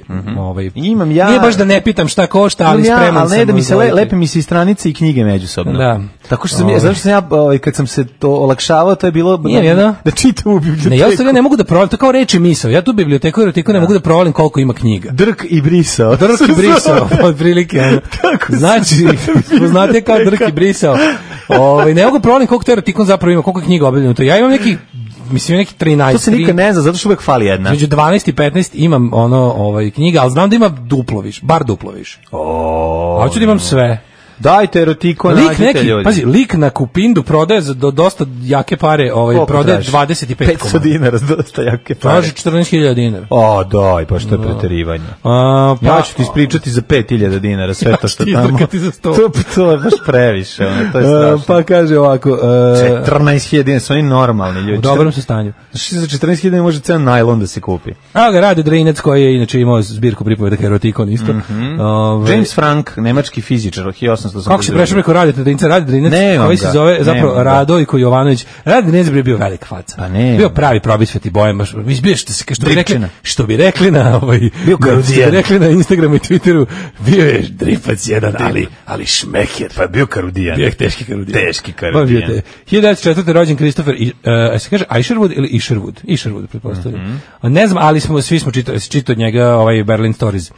[SPEAKER 5] Imam ja...
[SPEAKER 6] Nije baš da ne pitam šta košta, ali spreman sam.
[SPEAKER 5] Ali ne da mi se lepe mi se i stranice i knjige međusobno.
[SPEAKER 6] Da.
[SPEAKER 5] Tako što sam ja, kad sam se to olakšavao, to je bilo da čitam u biblioteku.
[SPEAKER 6] Ne, ja ne mogu da provalim, to kao reči misao. Ja tu biblioteku Erotiku ne mogu da provalim koliko ima knjiga.
[SPEAKER 5] Drk i brisao,
[SPEAKER 6] otprilike. Znači, znate kao drk i brisao. Ne mogu provalim koliko to Erotikon zapravo ima, koliko knjiga objavljeno to. Ja imam neki 13.
[SPEAKER 5] To se nikad ne zna, zato što uvek fali jedna.
[SPEAKER 6] Među 12 i 15 imam knjiga, ali znam da ima duplo više, bar duplo više. Hoću da imam sve.
[SPEAKER 5] Dajte Erotikon, nađite ljudi.
[SPEAKER 6] Pazi, lik na Kupindu prodaje za dosta jake pare, prodaje 25
[SPEAKER 5] 500 dinara za dosta jake pare.
[SPEAKER 6] Traži 14.000 dinara.
[SPEAKER 5] Daj, pa što je preterivanje. Ja ću ti ispričati za 5.000 dinara sve to što tamo. To je baš previše, to je strašno.
[SPEAKER 6] Pa kaže ovako...
[SPEAKER 5] 14.000 dinara, su oni normalni ljudi.
[SPEAKER 6] U dobrom su stanju.
[SPEAKER 5] Znači, za 14.000 dinara može ceo najlon da se kupi.
[SPEAKER 6] Evo ga, Rade Drinac, koji je inače imao zbirku pripovedaka Erotikon isto.
[SPEAKER 5] James Frank, nemački fizičar, 1800.
[SPEAKER 6] Kako se prešao preko Rade Drinac, koji se zove zapravo Radojko Jovanović. Rade Drinac bio velika faca.
[SPEAKER 5] Pa ne.
[SPEAKER 6] Bio pravi probisveti bojem, baš bio što bi rekli na
[SPEAKER 5] bio karudijan.
[SPEAKER 6] Što bi rekli na Instagramu i Twitteru, bio je dripac jedan, ali šmeker.
[SPEAKER 5] Pa bio karudijan.
[SPEAKER 6] Bio je teški karudijan.
[SPEAKER 5] 1904.
[SPEAKER 6] rođen Christopher, se kaže Isherwood ili Isherwood, pretpostavljam. Ne znam, ali svi smo čitali od njega Berlin Stories.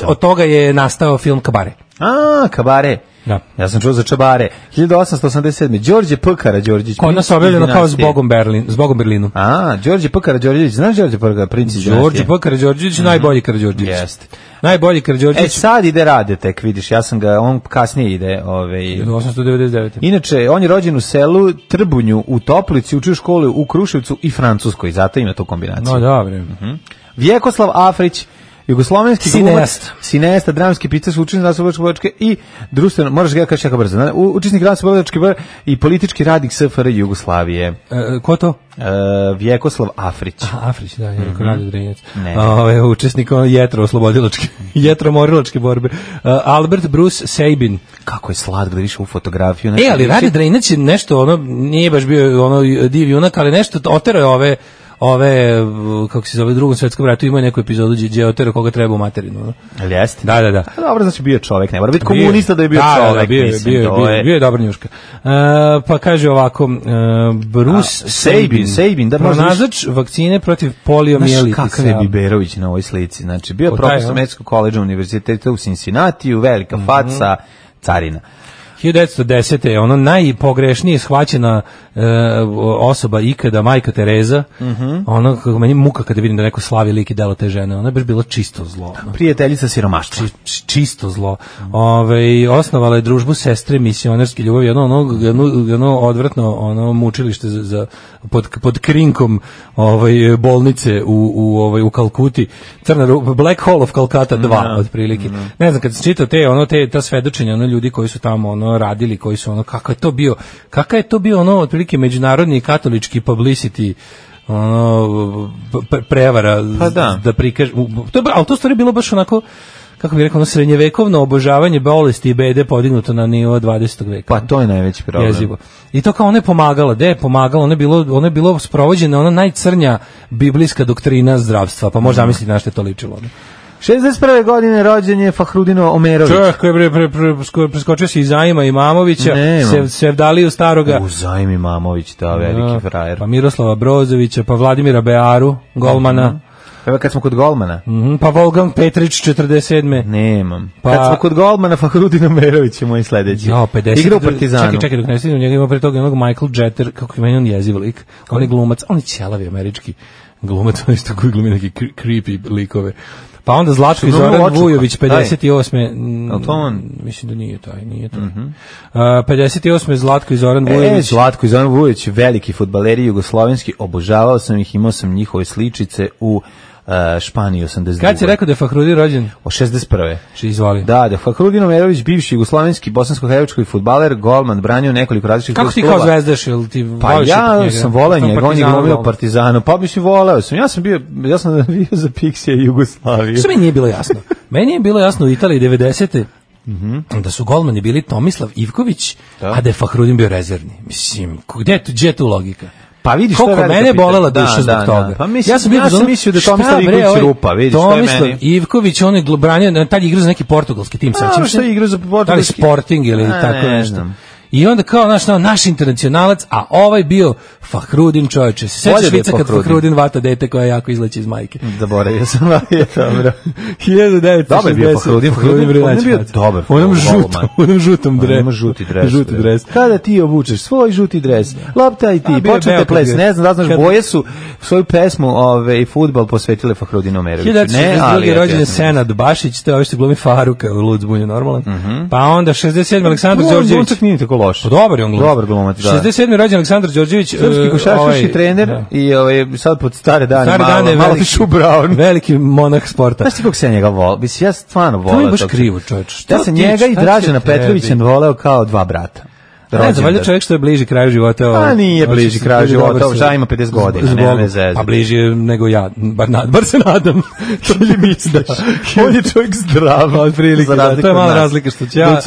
[SPEAKER 6] Od toga je nastao film Kabare.
[SPEAKER 5] Kabare.
[SPEAKER 6] Da.
[SPEAKER 5] Ja sam čuo za Čabare. 1887. Đorđe P. Karađorđević.
[SPEAKER 6] Kod nas objavljeno kao Zbogom Berlinu.
[SPEAKER 5] Đorđe P. Karađorđević. Znaš Đorđe P. Princ iz dinastije?
[SPEAKER 6] Đorđe P. Karađorđević, najbolji Karađorđević.
[SPEAKER 5] Jeste.
[SPEAKER 6] Najbolji Karađorđević.
[SPEAKER 5] Sad ide Rade tek, vidiš, ja sam ga, on kasnije ide.
[SPEAKER 6] 1899.
[SPEAKER 5] Inače, on je rođen u selu Trbunju, u Toplici, učio školu u Kruševcu i Francuskoj, zato ima tu kombinaciju.
[SPEAKER 6] No, dobro.
[SPEAKER 5] Vjekoslav Afrić, jugoslovenski cineasta, dramski pisac, učesnik Rasno-Slobodačke i društveno, moraš ga kaži jako brzo, učesnik Rasno-Slobodačke i politički radnik SFRJ Jugoslavije.
[SPEAKER 6] Ko to?
[SPEAKER 5] Vjekoslav Afrić.
[SPEAKER 6] Afrić, da, je Radio Drinac. Učesnik jetro-oslobodilačke, jetro-morilačke borbe. Albert Bruce Sabin.
[SPEAKER 5] Kako je slatko da vidiš u fotografiju.
[SPEAKER 6] Ali Radio Drinac je nešto, nije baš bio div junak, ali nešto oterao je kako se zove, Drugom svetskom ratu imaju neku epizodu gdje je otero koga treba u materinu.
[SPEAKER 5] Ali jeste?
[SPEAKER 6] Da.
[SPEAKER 5] Dobro, znači bio čovjek, ne mora biti komunista da je bio čovjek.
[SPEAKER 6] Bio je dobar njuška. Pa kaže ovako, Bruce Sabin, pronalazač vakcine protiv poliomijelitisa.
[SPEAKER 5] Kakav je Biberović na ovoj slici? Znači, bio profesor Medicinskog koledža univerziteta u Cincinnatiju, velika faca, carina.
[SPEAKER 6] 1910. je ono najpogrešnije shvaćena osoba ikada, majka Tereza. Ono, kako meni muka kada vidim da neko slavi lik i delo te žene. Ona je baš bila čisto zlo.
[SPEAKER 5] Prijateljica siromaštva.
[SPEAKER 6] Čisto zlo. Osnovala je družbu sestre misionerske ljubavi, jedno odvratno mučilište pod krinkom bolnice u Kalkuti. Black Hole of Calcutta 2 otprilike. Ne znam, kad sam čitao ta svedočenja ljudi koji su tamo radili, koji su kakav je to bio otprilike međunarodni katolički publicity prevara da prikaže, ali to stvari bilo baš onako, kako bih rekao, srednjevekovno obožavanje bolesti i bede podignuto na nivo 20. veka.
[SPEAKER 5] Pa to je najveći problem.
[SPEAKER 6] Jezivo. I to kao ona je pomagala, ona je bilo sprovođena ona najcrnja biblijska doktrina zdravstva, pa možda zamisliti na što je to ličilo.
[SPEAKER 5] 61. godine rođen je Fahrudino Omerović.
[SPEAKER 6] Čovjek koji je preskočio se Izaima Imamovića, Sevdaliju Staroga.
[SPEAKER 5] Izaim Imamović, da, veliki frajer.
[SPEAKER 6] Pa Miroslava Brozovića, pa Vladimira Bearu, golmana.
[SPEAKER 5] Evo kad smo kod golmana.
[SPEAKER 6] Pa Wolfgang Petrić 47.
[SPEAKER 5] Nemam. Kad smo kod golmana, Fahrudin Omerović je moj sledeći.
[SPEAKER 6] Jo, 50.
[SPEAKER 5] Igra u Partizanu.
[SPEAKER 6] Čekaj, dok ne stignem, njega ima pre toga onog Michael Jeter, kako je meni on jeziv lik. On je glumac, on je ćelavi američki glumac, on je isto koji glumi neki creepy likove. Pa onda Zlatko i Zoran Vujović, 58.
[SPEAKER 5] To on?
[SPEAKER 6] Mislim da nije taj. 58. Zlatko i Zoran Vujović.
[SPEAKER 5] Zlatko i Zoran Vujović, veliki fudbaleri jugoslovenski, obožavao sam ih, imao sam njihove sličice u Španiji 82.
[SPEAKER 6] Kad si rekao da je Fahrudin rođen?
[SPEAKER 5] O 61.
[SPEAKER 6] Izvoli.
[SPEAKER 5] Da, Fahrudin Omerović, bivši jugoslovenski bosansko-hercegovački fudbaler, golman, branio nekoliko različitih
[SPEAKER 6] klubova. Kako ti kao zvezdaš, ili ti voliš?
[SPEAKER 5] Pa ja sam volao njega, on je glumio u Partizanu, pa mislim voleo sam. Ja sam bio za Pixija i Jugoslaviju.
[SPEAKER 6] Što meni nije bilo jasno? Meni je bilo jasno u Italiji 90. Da su golmani bili Tomislav Ivković, a da je Fahrudin bio rezervni. Mislim, gdje je tu logika?
[SPEAKER 5] Pa vidiš
[SPEAKER 6] što je velika mene bolela duša zbog toga.
[SPEAKER 5] Pa mislim, ja sam mislio da je Tomislav Ivković rupa, vidiš što je meni.
[SPEAKER 6] Tomislav Ivković, on je branio, tad je igrao za neki portugalski tim,
[SPEAKER 5] sećam se. Što je igrao za portugalski?
[SPEAKER 6] Sporting ili tako nešto. I onda kao naš internacionalac, a ovaj bio Fahrudin, čovječe. Sećaš švica kad Fahrudin vata dete koja jako izleće iz majke.
[SPEAKER 5] Zaboravio sam, je dobro.
[SPEAKER 6] 1960.
[SPEAKER 5] Dobar bio Fahrudin bio dobar.
[SPEAKER 6] Onom žutom dresu.
[SPEAKER 5] Žuti dres. Kada ti obučeš svoj žuti dres, lopta i ti, počnete ples. Ne znam da znaš, boje su svoju pesmu i fudbal posvetile Fahrudinu Omeroviću.
[SPEAKER 6] 1962. rođen je Senad Bašić, to je ovo što glumi Faruka u Lud zbunju normalan. Pa onda 67. Aleksandar Đorđević.
[SPEAKER 5] Loš.
[SPEAKER 6] Dobar je on glumac.
[SPEAKER 5] Dobar glumac, da.
[SPEAKER 6] 67. rođen Aleksandar Đorđević,
[SPEAKER 5] srpski košarkaški trener i sad pod stare dane malo Tišu Brown.
[SPEAKER 6] Veliki monah sporta.
[SPEAKER 5] Znaš ti kako se ja njega volao? Mislim, ja stvarno volao.
[SPEAKER 6] To je baš krivo, čovječ.
[SPEAKER 5] Ja sam njega i Dražena Petrovića voleo kao dva brata.
[SPEAKER 6] Ne znam, valjda čovjek što je bliži kraju života.
[SPEAKER 5] A nije bliži kraju života, ža ima 50 godina, nema veze.
[SPEAKER 6] Pa bliži nego ja, bar se nadam. To li misliš?
[SPEAKER 5] On je čovjek zdrav,
[SPEAKER 6] otprilike. To je mala razlika što će ja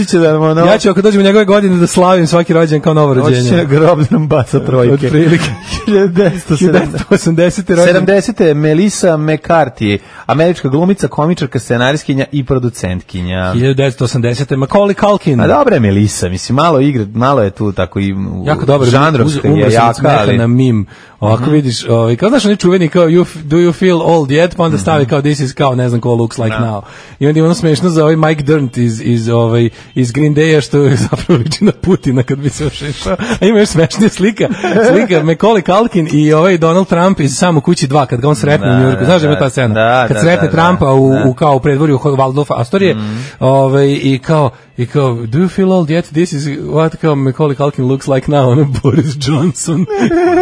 [SPEAKER 6] ću ako dođem u njegove godine da slavim svaki rođendan kao novo rođenje.
[SPEAKER 5] Hoće na groblje nam baca trojke.
[SPEAKER 6] Otprilike. 1980. rođendan.
[SPEAKER 5] 70. Melissa McCarthy, američka glumica, komičarka, scenarijskinja i producentkinja.
[SPEAKER 6] 1980. Macaulay Culkin.
[SPEAKER 5] A dobra je Melissa, mislim, malo je tu tako i
[SPEAKER 6] jako dobro
[SPEAKER 5] žanrovska je jaka, ali
[SPEAKER 6] na mim. Ovako vidiš, kao znaš oni čuveni kao do you feel old yet, pa onda stavi kao this is kao ne znam ko looks like now. I onda je ono smešno za ovaj Mike Dirnt iz Green Day-a što je zapravo liči na Putina kad bi se ošešao. A ima još smešnija slika Macaulay Culkin i ovaj Donald Trump iz Samo kući 2 kad ga on sretne u Njujorku. Znaš da je ta scena? Kad sretne Trumpa u kao u predvorju Waldorfa Astorije, i kao do you feel old yet? This is what kao Macaulay Culkin looks like now, ono Boris Johnson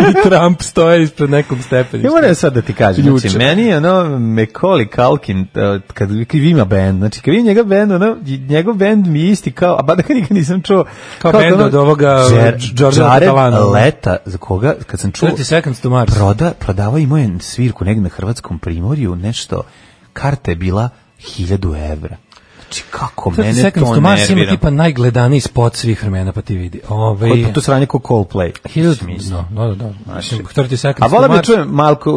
[SPEAKER 6] i Trump stoje ispred nekog stepeništa.
[SPEAKER 5] Ja moram sad da ti kažem, znači, meni je Macaulay Culkin, kad ima band, znači kad vidim njegov band mi je isti kao, a ba da ga nikad nisam čuo.
[SPEAKER 6] Kao band od ovoga Jordana Catalana.
[SPEAKER 5] Leta, za koga, kad sam čuo,
[SPEAKER 6] 30 Seconds to Mars.
[SPEAKER 5] Prodavao imao je svirku negdje na Hrvatskom primorju, nešto, karta je bila 1000 evra. Znači, kako mene to nervira.
[SPEAKER 6] Mars ima tipa najgledaniji spot svih vremena, pa ti vidi.
[SPEAKER 5] Pa to sranje ko Coldplay.
[SPEAKER 6] Da. 30 Seconds
[SPEAKER 5] a volim da čujem Malko,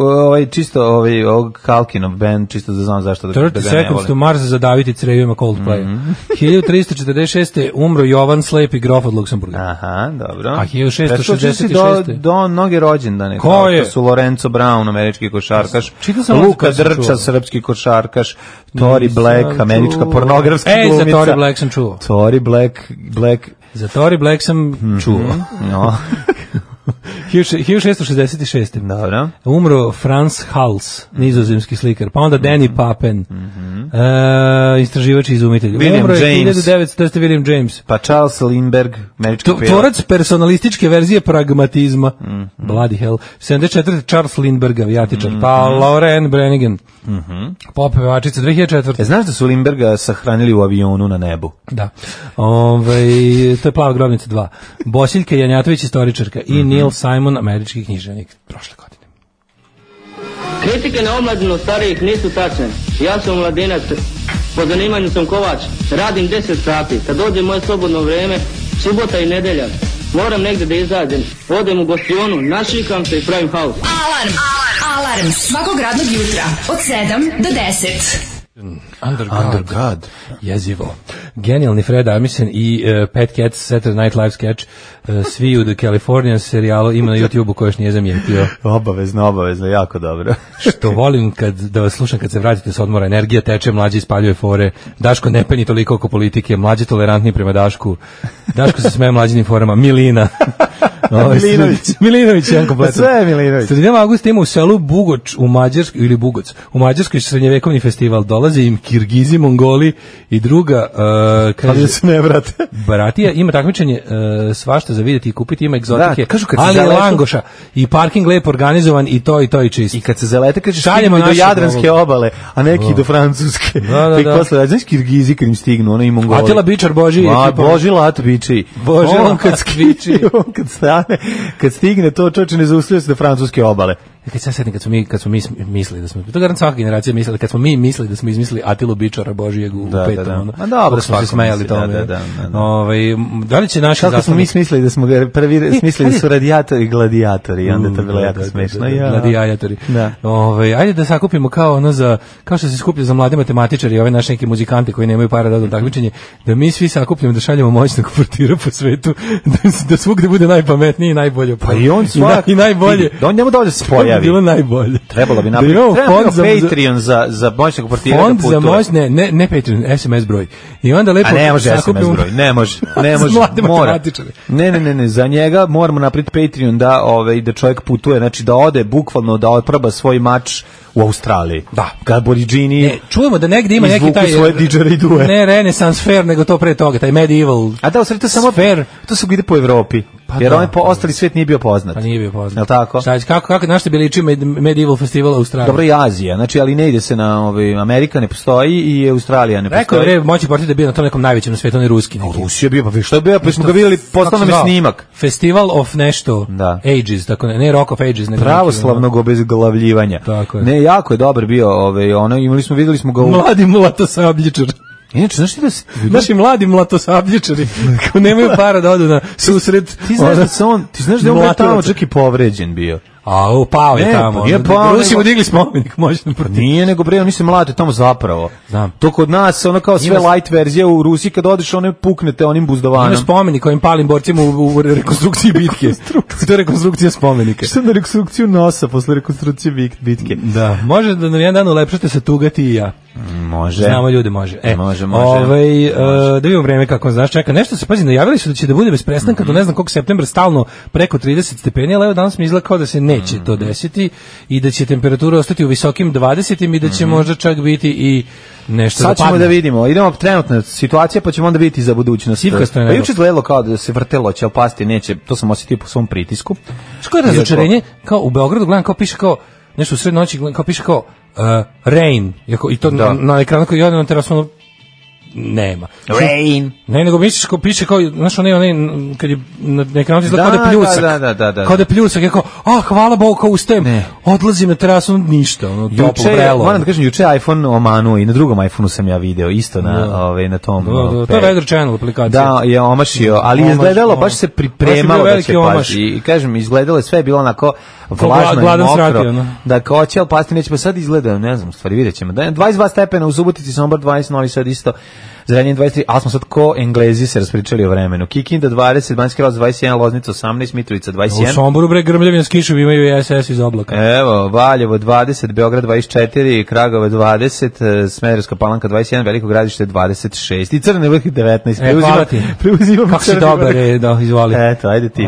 [SPEAKER 5] čisto ovog Kalkinov band, čisto da znam zašto da ga ne volim.
[SPEAKER 6] 30 Seconds to Mars za Daviti Crevima Coldplay. 1346. umro Jovan Slepi grof od Luksemburga.
[SPEAKER 5] Aha, dobro.
[SPEAKER 6] A 1666.
[SPEAKER 5] do mnoge rođendane.
[SPEAKER 6] Ko je?
[SPEAKER 5] Su Lorenzo Brown, američki košarkaš, Luka Drča, srpski košarkaš, Tori Black, američka pornografska glumica.
[SPEAKER 6] Za Tori Black sam čuo.
[SPEAKER 5] Tori Black.
[SPEAKER 6] Za Tori Black sam čuo.
[SPEAKER 5] No.
[SPEAKER 6] 1666.
[SPEAKER 5] Dobro.
[SPEAKER 6] Umro Franz Hals, nizozemski slikar. Pa onda Danny Papen, istraživač i izumitelj.
[SPEAKER 5] William James.
[SPEAKER 6] 1900. William James.
[SPEAKER 5] Pa Charles Lindbergh, američki pilot.
[SPEAKER 6] Tvorac personalističke verzije pragmatizma. Bloody hell. 74. Charles Lindbergh, avijatičar. Pa Lauren Brannigan. Pop pevačica 2004.
[SPEAKER 5] Znaš da su Lindbergha sahranili u avionu na nebu?
[SPEAKER 6] Da. To je Plava grobnica 2. Bosiljka Janjatović, istoričarka i Neil Simon, američki književnik, prošle godine.
[SPEAKER 8] Kritike na omladinu starijih nisu tačne. Ja sam mladinac, po zanimanju sam kovač, radim 10 sati. Kad dođe moje slobodno vreme, subota i nedelja, moram negde da izađem. Odem u gostionu, našikam se i pravim haos.
[SPEAKER 3] Alarm svakog radnog jutra od 7 do 10.
[SPEAKER 6] Under God. Jezivo. genijalni Fred Armisen i Pat Cats Saturday Night Live sketch svi u The Californian serijalu ima na YouTubeu koji još nije zamijetio.
[SPEAKER 5] Obavezno, jako dobro.
[SPEAKER 6] Što volim da vas slušam kad se vratite s odmora, energija teče, mlađi ispaljuje fore, Daško ne peni toliko oko politike, mlađi tolerantni prema Dašku, Daško se smeje mlađinim forama, Milina. Milinović jedan kompletan.
[SPEAKER 5] Sve je Milinović.
[SPEAKER 6] Sredinom avgusta ima u selu Bugoč u Mađarskoj ili Bugoc. U Mađarskoj srednjevekovni festival, dolaze im Kirgizi, Mongoli i druga
[SPEAKER 5] kaže da se ne vrate.
[SPEAKER 6] Baratija ima takmičenje svašta za vidjeti i kupiti, ima egzotike.
[SPEAKER 5] Da, kažu
[SPEAKER 6] ali je langoša i parking lepo organizovan i to i čist.
[SPEAKER 5] I kad se zalete kaže šaljemo do Jadranske obale, a neki do Francuske. Da. I posle znaš Kirgizi kad im stignu, ono i Mongoli.
[SPEAKER 6] Atila Bičar Boži,
[SPEAKER 5] Boži Lat Biči.
[SPEAKER 6] Boži Lat Biči.
[SPEAKER 5] Kad stigne to čoče ne zaustavlja se do francuske obale.
[SPEAKER 6] Kad se setim kad smo mi mislili da smo, to garant svaka generacija mislila, kad smo mi mislili da smo izmislili Atilu Bičara Božijeg u petom.
[SPEAKER 5] A dobro,
[SPEAKER 6] smo se smejali tome. Da li će naši
[SPEAKER 5] kako smo mi smislili da smo prvi smislili da su radijatori i gladijatori, onda to bilo jako smešno.
[SPEAKER 6] Gladijatori. Ajde da sakupimo kao što se skuplja za mlade matematičari i ove naše neke muzikanti koji nemaju para da odu takmičenje, da mi svi sakupljamo da šaljemo moćnog portira po svetu, da svugde bude najpametniji i najbolje.
[SPEAKER 5] Pa i on svak
[SPEAKER 6] i najbolje.
[SPEAKER 5] Da on njemu dođe spoja.
[SPEAKER 6] Bilo najbolje.
[SPEAKER 5] Trebalo bi napraviti Patreon za moćnog portira
[SPEAKER 6] fond za moć, ne Patreon, SMS broj. I onda lepo
[SPEAKER 5] ne može SMS broj, ne može. Mora. Ne, za njega moramo napraviti Patreon da čovjek putuje, znači da ode bukvalno da otproba svoj mač u Australiji.
[SPEAKER 6] Da.
[SPEAKER 5] Aboridžini.
[SPEAKER 6] Čujemo da negde ima neki taj
[SPEAKER 5] svoje didgeridue.
[SPEAKER 6] Ne Renaissance fair, nego to pre toga, taj medieval.
[SPEAKER 5] A da, u stvari to samo fair, to se ide po Evropi. Jer ostali svijet nije bio poznat.
[SPEAKER 6] Pa nije bio poznat.
[SPEAKER 5] Jel tako?
[SPEAKER 6] Kako našta bi liči medieval festival u Australiji?
[SPEAKER 5] Dobro, i Azija, znači, ali ne ide se na Amerika ne postoji i Australija ne postoji.
[SPEAKER 6] Rekao je moći portir da je bio na tom nekom najvećem na svijetu, on je ruski.
[SPEAKER 5] Rusija bio, pa što je bio, pa smo ga vidjeli, poslao nam je snimak.
[SPEAKER 6] Festival of nešto, Ages, tako ne Rock of Ages.
[SPEAKER 5] Pravoslavnog obezglavljivanja. Ne, jako je dobar bio, videli smo ga u...
[SPEAKER 6] Mladi mlatosabljičar.
[SPEAKER 5] Inače, znaš ti da se...
[SPEAKER 6] Naši mladi mlatosabljičari, ko nemaju para da odu na susret...
[SPEAKER 5] Ti znaš da je on tamo čak i povređen bio.
[SPEAKER 6] A, pao je tamo. Rusi mu digli spomenik, možda protiv.
[SPEAKER 5] Nije, nego bre, oni se mlate tamo zapravo.
[SPEAKER 6] Znam.
[SPEAKER 5] To kod nas, ono kao sve light verzija u Rusiji, kad odeš, one puknete onim buzdovanom.
[SPEAKER 6] Ima spomenik ovim palim borcima u rekonstrukciji bitke. To je rekonstrukcija spomenika.
[SPEAKER 5] Što na rekonstrukciju nosa posle rekonstrukcije bitke?
[SPEAKER 6] Da. Može da na jedan dan ulepšate se tuga ti i ja.
[SPEAKER 5] Može.
[SPEAKER 6] Znamo ljude, može.
[SPEAKER 5] Može.
[SPEAKER 6] Da vidimo vreme kako znaš čeka. Nešto se, pazi, najavili su da će da bude bez prestanka do ne znam koliko septembra stalno preko 30 stepeni, ali evo danas mi izgleda kao da se neće to desiti i da će temperatura ostati u visokim 20 i da će možda čak biti i nešto
[SPEAKER 5] sad ćemo da vidimo. Idemo trenutna situacija, pa ćemo onda vidjeti za budućnost. Pa juče izgledalo kao da se vrtelo, će pasti, neće. To sam osjetio po svom pritisku.
[SPEAKER 6] Što je razočarenje? Kao u Beogradu gledam, kao piše kao nešto u sred noći, kao piše kao rain, i to na ekranu koji ode na terasu nema.
[SPEAKER 5] Rain.
[SPEAKER 6] Ne, nego misliš kao piše kao, znaš, onaj kad je na ekranu izgleda kao da pljusak.
[SPEAKER 5] Da.
[SPEAKER 6] Kao da pljusak, je kao, hvala Bogu, kao ustajem, odlazim na terasu, ništa, toplo vrelo.
[SPEAKER 5] Moram da kažem, juče iPhone omanuo i na drugom iPhoneu sam ja video, isto na tom.
[SPEAKER 6] To je Weather Channel aplikacija.
[SPEAKER 5] Da, je omašio, ali izgledalo, baš se pripremalo da će pasti. I kažem, izgledalo je sve bilo onako vlažno i mokro. Da, kao će, ali pasti neće, pa sad izgleda, ne znam, stvari vidjet ćemo. 22 stepena u Subotici, Sombor 20, Novi Sad isto. Zrenjanin 23, ali smo sad ko Englezi se raspričali o vremenu. Kikinda 20, Banjski Karlovac 21, Loznica 18, Mitrovica 21.
[SPEAKER 6] U Somboru bre grmljavina s kišom imaju i SS iz oblaka.
[SPEAKER 5] Evo, Valjevo 20, Beograd 24, Kragovac 20, Smederevska Palanka 21, Veliko Gradište 26 i Crni Vrh 19. Preuzimam
[SPEAKER 6] kako si dobar, izvoli.
[SPEAKER 5] Eto, ajde ti.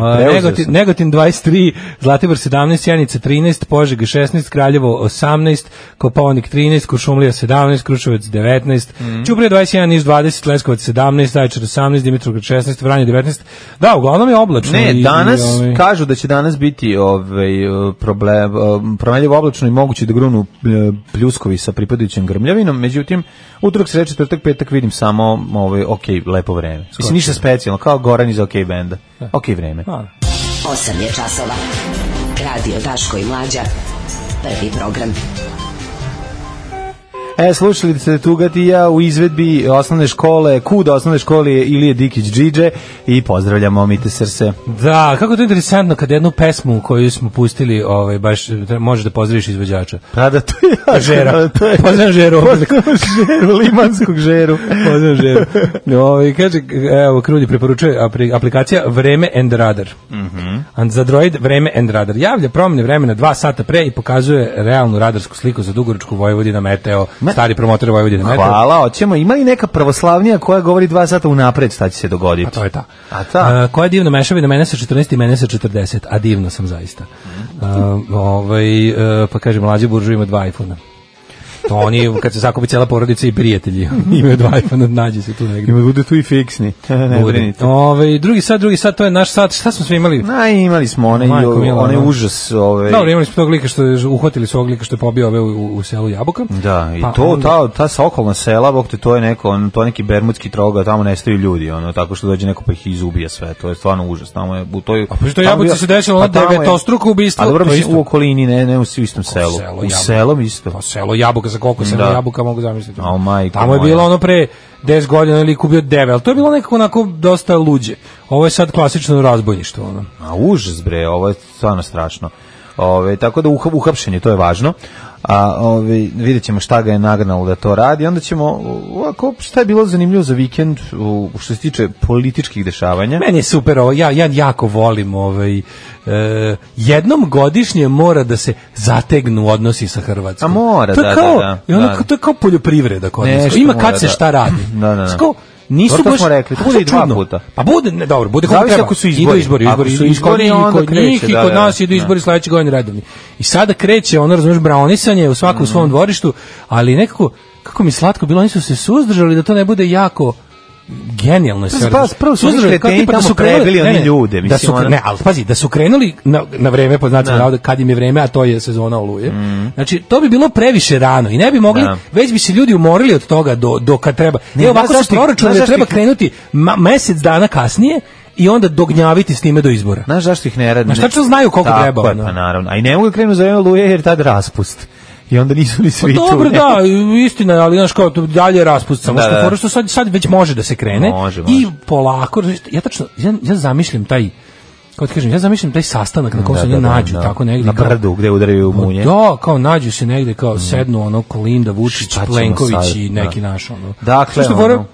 [SPEAKER 6] Negotin 23, Zlatibor 17, Sjenica 13, Požega 16, Kraljevo 18, Kopaonik 13, Kuršumlija 17, Kruševac 19, Ćuprija 21, Niš 20, Leskovac 17, Zaječar 18, Dimitrovgrad 16, Vranje 19. Da, uglavnom je oblačno.
[SPEAKER 5] Ne, danas kažu da će danas biti promenljivo oblačno i moguće da grunu pljuskovi sa pripadajućim grmljavinom, međutim, utorak, sreda, četvrtak, petak vidim samo lepo vreme. Mislim, ništa specijalno, kao Goran iz OK benda. OK vreme.
[SPEAKER 9] 8 je časova. Radio Daško i Mlađa. Prvi program.
[SPEAKER 5] Slušali ste Tugatija u izvedbi osnovne škole, KUD osnovne škole Ilije Dikić Džidže i pozdravljamo Mite Srse.
[SPEAKER 6] Da, kako je to interesantno kad jednu pesmu koju smo pustili, baš možeš da pozdraviš izvođača.
[SPEAKER 5] Pa da, to je
[SPEAKER 6] Žera. Pozdravljam Žeru.
[SPEAKER 5] Limanskog Žeru.
[SPEAKER 6] Pozdravljam Žeru. Kaže, evo, Krudi preporučuje aplikacija Vreme and Radar. Za Android Vreme and Radar javlja promjene vremena 2 sata pre i pokazuje realnu radarsku sliku za Dugoročku, Vojvodina, Meteo, stari promotor Vojvodine, Meteo.
[SPEAKER 5] Hvala, hoćemo. Ima li neka pravoslavnija koja govori 2 sata unapred šta će se dogoditi?
[SPEAKER 6] A to je ta. Koja je divna mešavina mene sa 14 i mene sa 40, a divno sam zaista. Pa kaže, mlađi buržu ima 2 iPhone-a. To oni, kad se zakupi cijela porodica i prijatelji, imaju 2 iPhone, nađe se tu negdje.
[SPEAKER 5] Ima bude tu i fiksni, ne brinite.
[SPEAKER 6] Drugi sat, to je naš sat. Šta smo sve imali?
[SPEAKER 5] Imali smo onaj užas.
[SPEAKER 6] Dobro, imali smo tog lika što je, uhvatili su ovog lika što je pobio ove u selu Jabuka.
[SPEAKER 5] Da, i ta okolna sela, bok te, to je neki bermudski troga, tamo nestaju ljudi, tako što dođe neko pa ih izubija sve, to je stvarno užas. Tamo je u toj...
[SPEAKER 6] A pa što Jabuci se desilo ono devetostruko ubistvo?
[SPEAKER 5] A dobro, u okolini, ne u istom selu. U selom isto.
[SPEAKER 6] Pa selo Jabuka, za koliko selo Jabuka mogu zamisliti.
[SPEAKER 5] Tamo
[SPEAKER 6] je bilo ono pre 10 godina lik ubio 9, ali to je bilo nekako onako dosta luđe. Ovo je sad klasično razbojništvo.
[SPEAKER 5] A užas bre, ovo je stvarno strašno. Tako da uhapšenje, to je važno. Vidjet ćemo šta ga je nagnalo da to radi. Onda ćemo, šta je bilo zanimljivo za vikend što se tiče političkih dešavanja.
[SPEAKER 6] Meni je super ovo, ja jako volim jednom godišnje mora da se zategnu odnosi sa Hrvatskom.
[SPEAKER 5] A mora,
[SPEAKER 6] to je kao poljoprivreda kod nas. Ima kad se šta radi. Nisu baš
[SPEAKER 5] rekli, to bude i 2 puta.
[SPEAKER 6] Pa bude, ne, dobro, bude kako treba. Idu izbori kod njih i kod nas idu izbori sledeće godine redovni. I sada kreće, razumeš, braunisanje u svakom svom dvorištu, ali nekako, kako mi slatko bilo, oni su se suzdržali da to ne bude jako genijalno je sve.
[SPEAKER 5] Prvo su kreteni tamo prebili oni ljude.
[SPEAKER 6] Ali pazi, da su krenuli na vreme, po znacima navoda, kad im je vreme, a to je sezona oluje. Znači, to bi bilo previše rano i ne bi mogli, već bi se ljudi umorili od toga do kad treba. Ovako se proračuna da treba krenuti mesec dana kasnije i onda dognjaviti s time do izbora.
[SPEAKER 5] Znaš zašto ih ne radi?
[SPEAKER 6] Znaš tačno znaju koliko treba.
[SPEAKER 5] Pa naravno. A i ne mogu krenu za oluje jer tad raspust. I onda nisu ni svi tu.
[SPEAKER 6] Dobro, da, istina, ali znaš kao, dalje je raspust, samo što sad već može da se krene. Može. I polako, ja zamišljam taj, kako ti kažem, taj sastanak na kom se oni nađu, tako negdje.
[SPEAKER 5] Na brdu, gde udaraju munje.
[SPEAKER 6] Da, kao nađu se negdje, kao sednu, Kolinda, Vučić, Plenković i neki naš,
[SPEAKER 5] Dakle,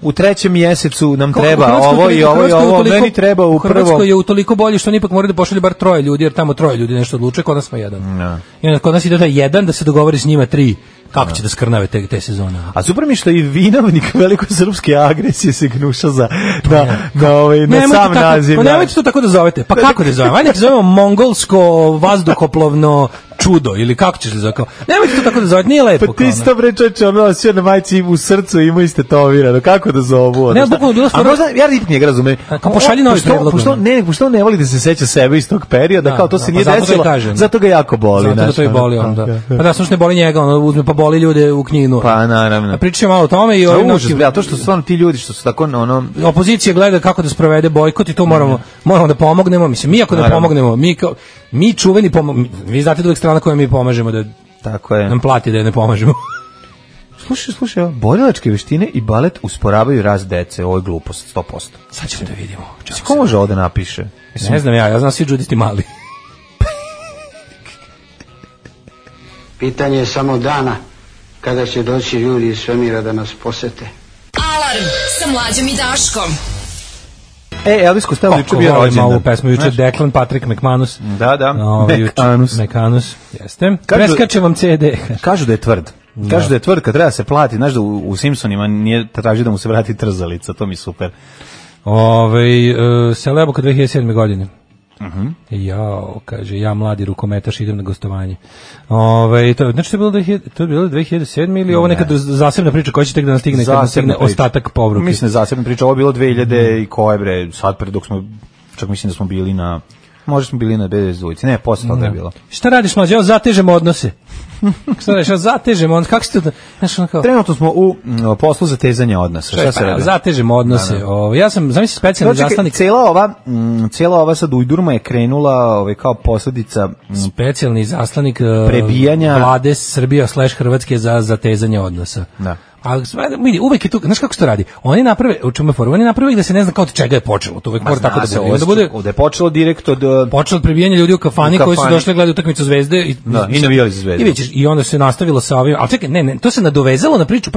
[SPEAKER 5] u 3. mjesecu nam treba ovo i ovo, meni treba u prvom.
[SPEAKER 6] Hrvatskoj je utoliko bolje što oni ipak moraju da pošalju bar 3 ljudi, jer tamo 3 ljudi nešto odlučuje, kod nas smo 1. I onda kod nas ide taj 1 da se dogovori s njima 3. Kako će da skrnave te sezone?
[SPEAKER 5] A super mi što i vinovnik velikosrpske agresije se gnuša na sam naziv.
[SPEAKER 6] Pa nemojte to tako da zovete. Pa kako da zovemo? Ajde, zovemo mongolsko vazduhoplovno čudo, ili kako ćeš li zove? Nemojte to tako da zovete, nije lepo.
[SPEAKER 5] Pa ti si to bre čoveče, osjeća na majci u srcu ima istetovirano, kako da zovu?
[SPEAKER 6] Ne, bukvalno bilo
[SPEAKER 5] stvarno. A možda, ja rip njega razumem.
[SPEAKER 6] Kao pošalji novi predlog.
[SPEAKER 5] Pošto ne voli da se seća sebe iz tog perioda, kao to se nije desilo, zato ga jako boli.
[SPEAKER 6] Zato to i boli onda. Pa da, slušno ne boli njega, uzme pa boli ljude u knjinu.
[SPEAKER 5] Pa naravno.
[SPEAKER 6] Pričamo malo o tome i
[SPEAKER 5] to što su stvarno ti ljudi što su tako
[SPEAKER 6] opozicija gleda kako da sprovede bojkot i to moramo da pomognemo. Mislim, mi ako ne pomognemo, mi čuveni vi znate da uvek strana koja mi pomažemo da
[SPEAKER 5] tako je.
[SPEAKER 6] Nam plati da je ne pomažemo.
[SPEAKER 5] Slušaj, borilačke veštine i balet usporavaju rast dece, ovo je glupost 100%.
[SPEAKER 6] Sad ćemo da vidimo.
[SPEAKER 5] Ko može ovo da napiše?
[SPEAKER 6] Ne znam ja znam svi džudisti mali.
[SPEAKER 10] Pitanje je samo dana kada će doći ljudi iz svemira da nas posete.
[SPEAKER 9] Alarm sa Mlađom i Daškom.
[SPEAKER 5] Elvis Costello juče bio rođendan.
[SPEAKER 6] Ovu pesmu juče Declan Patrick McManus.
[SPEAKER 5] Da.
[SPEAKER 6] McManus, jeste. Preskače vam CD.
[SPEAKER 5] Kažu da je tvrd. Kažu da je tvrd kad treba se plati. Znaš da u Simpsonima nije traži da mu se vrati trzalica. To mi super.
[SPEAKER 6] Selo Jabuka 2007. godine. Kaže, ja mladi rukometaš idem na gostovanje. Znači to je bilo 2007 ili ovo neka zasebna priča koja će tek da nas stigne kad nas stigne ostatak povruke?
[SPEAKER 5] Mislim da zasebna priča, ovo je bilo 2000 i koje bre, sad pre dok smo, čak mislim da smo bili na Možda smo bili na Bezdvojci. Ne, posle toga je bilo.
[SPEAKER 6] Šta radiš, mlađe? Evo, zatežemo odnose. Šta radiš? Zatežemo odnose. Kako si to?
[SPEAKER 5] Trenutno smo u poslu zatezanja odnosa. Šta se radi?
[SPEAKER 6] Zatežemo odnose. Ja sam, zamisli, specijalni zaslanik.
[SPEAKER 5] Cijela ova sad ujdurma je krenula kao posljedica
[SPEAKER 6] specijalni zaslanik
[SPEAKER 5] prebijanja
[SPEAKER 6] vlade Srbije / Hrvatske za zatezanje odnosa.
[SPEAKER 5] Da.
[SPEAKER 6] A vidi, uvek je tu, znaš kako se to radi? Oni naprave, u čemu je fora? Oni naprave da se ne zna kao od čega je počelo. To uvek mora tako da bude.
[SPEAKER 5] Da je počelo direkt od
[SPEAKER 6] prebijanja ljudi u kafani koji su došli gledati utakmicu Zvezde i
[SPEAKER 5] navijali za Zvezdu.
[SPEAKER 6] I onda se nastavilo sa ovim. Al čekaj, ne, to se nadovezalo na priču.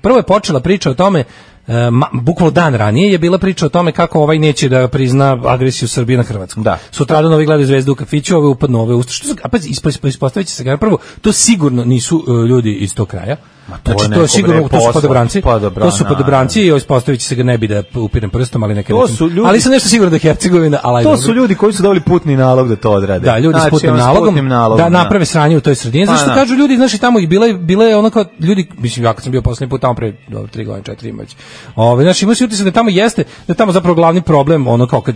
[SPEAKER 6] Prvo je počela priča o tome, bukvalno dan ranije je bila priča o tome kako ovaj neće da prizna agresiju Srbije na Hrvatsku.
[SPEAKER 5] Da.
[SPEAKER 6] Sutradan ovi gledaju Zvezdu u kafiću, ove upadnu, ove usta. Ispostavit će se prvo, to sigurno nisu ljudi iz tog kraja. Znači, to je sigurno, to su podobranci. To su podobranci i ispostavit će se ga, ne bi da upirem prstom, ali neke ljudi, ali sam nešto sigurno da je Hercegovina.
[SPEAKER 5] To su ljudi koji su dobili putni nalog da to odrade.
[SPEAKER 6] Da, ljudi s putnim nalogom da naprave sranje u toj sredini. Zašto kažu ljudi, znači tamo i bile je ono kao ljudi, mislim, ja kad sam bio poslednji put tamo pre 3 godine, 4 imać. Znači ima se utisak da tamo jeste, da tamo zapravo glavni problem, ono kao kad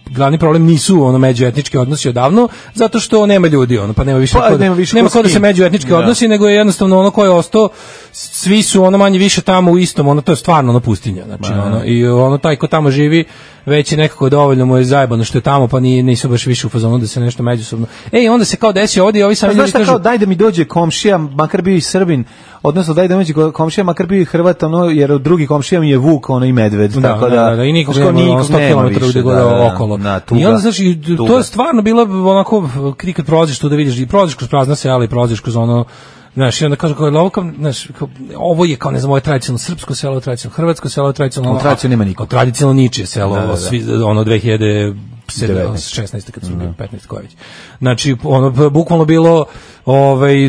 [SPEAKER 6] glavni problem nisu ono međuetnički odnosi odavno, zato što nema ljudi, ono pa nema više ko da se međuetnički odnosi, nego je jednostavno ono ko je ostao, svi su ono manje više tamo u istom, ono to je stvarno ono pustinja, znači ono i ono taj ko tamo živi već je nekako dovoljno mu je zajebano što je tamo, pa nisu baš više u fazonu da se nešto međusobno. Onda se kao desi ovdje i ovi sami ljudi kažu,
[SPEAKER 5] kao daj da mi dođe komšija, makar bio i Srbin, odnosno daj da mi dođe komšija, makar bio i Hrvat, ono, jer od drugi komšija mi je vuk, ono i medved, tako da
[SPEAKER 6] i nikog nema 100 km gdje god okolo. I onda znači to je stvarno bilo onako, ti kad prolaziš tu da vidiš, i prolaziš kroz prazna sela i prolaziš kroz ono, znaš, i onda kažu ovo je kao, ne znam, ovo je tradicionalno srpsko selo, tradicionalno hrvatsko selo, tradicionalno...
[SPEAKER 5] Tradicionalno nema niko.
[SPEAKER 6] Tradicionalno ničije selo, ono 2016. kad su bili 15 koje već. Znači, ono, bukvalno bilo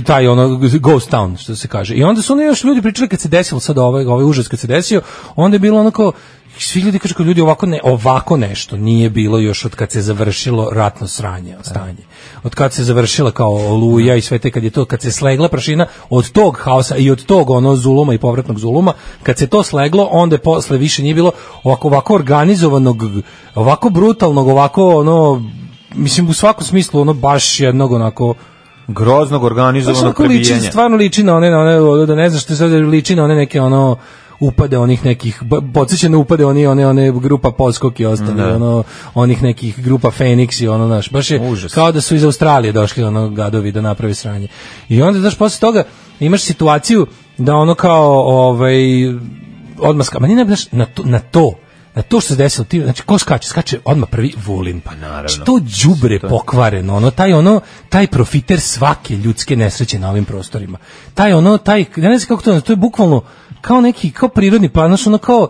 [SPEAKER 6] taj, ono, ghost town, što se kaže. I onda su oni još ljudi pričali kad se desilo sad ovaj užas kad se desio, onda je bilo onako, svi ljudi kažu kao ljudi ovako nešto nije bilo još od kad se završilo ratno stanje. Od kad se završila kao Oluja i sve te kad se slegla prašina od tog haosa i od tog ono zuluma i povratnog zuluma, kad se to sleglo, onda je posle više nije bilo ovako organizovanog, ovako brutalnog, ovako ono, mislim u svakom smislu ono baš jednog onako
[SPEAKER 5] groznog organizovanog prebijanja.
[SPEAKER 6] Stvarno liči na one, da ne znaš što se liči na one neke ono upade onih nekih, podsjećane upade one grupa Podskok i ostali, onih nekih grupa Fenix i ono, znaš, baš je užas. Kao da su iz Australije došli ono gadovi da napravi sranje. I onda, znaš, posle toga imaš situaciju da ono kao, odmah na to što se desilo, znači ko skače odmah prvi Vulin.
[SPEAKER 5] Pa naravno.
[SPEAKER 6] Što đubre pokvareno, taj profiter svake ljudske nesreće na ovim prostorima. Ja ne znam kako to je bukvalno kao prirodni plan, ono kao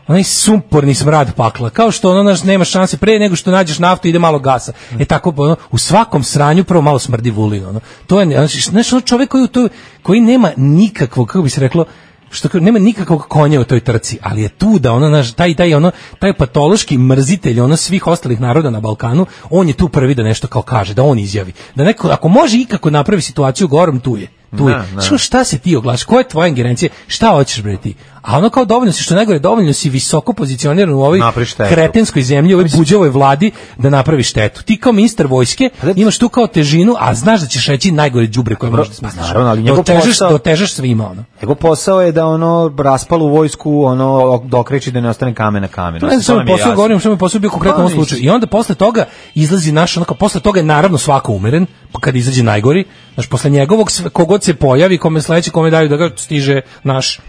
[SPEAKER 6] onaj sumporni smrad pakla, kao što ono nema šanse pre nego što nađeš naftu ide malo gasa. Tako u svakom sranju prvo malo smrdi Vulin, to je znači čovjek koji nema nikakvog, kako bi se reklo, što nema nikakvog konja u toj trci, ali je tu da taj patološki mrzitelj svih ostalih naroda na Balkanu, on je tu prvi da nešto kao kaže, da on izjavi, da neko ako može ikako napravi situaciju gorom, tu je. Šta se ti oglaš, koja je tvoja ingerencija, šta hoćeš bre ti? A ono kao dovoljno si, što najgore, dovoljno si visoko pozicioniran u ovoj kretenskoj zemlji, u ovoj buđevoj vladi da napravi štetu. Ti kao ministar vojske imaš tu kao težinu, a znaš da ćeš reći najgore đubre koje možeš da smisliš. Dotežeš svima ono.
[SPEAKER 5] Njegov posao je da raspalu vojsku dokreći da ne ostane kamen na kamenu.
[SPEAKER 6] Ne znam, posao govorim, što mi posao bio konkretno u ovom slučaju. I onda posle toga izlazi posle toga je naravno svako umeren, pa kad izađe najgori, znači posle njegovog kogod se pojavi, kome sledeći, kome daju da ga stiže naš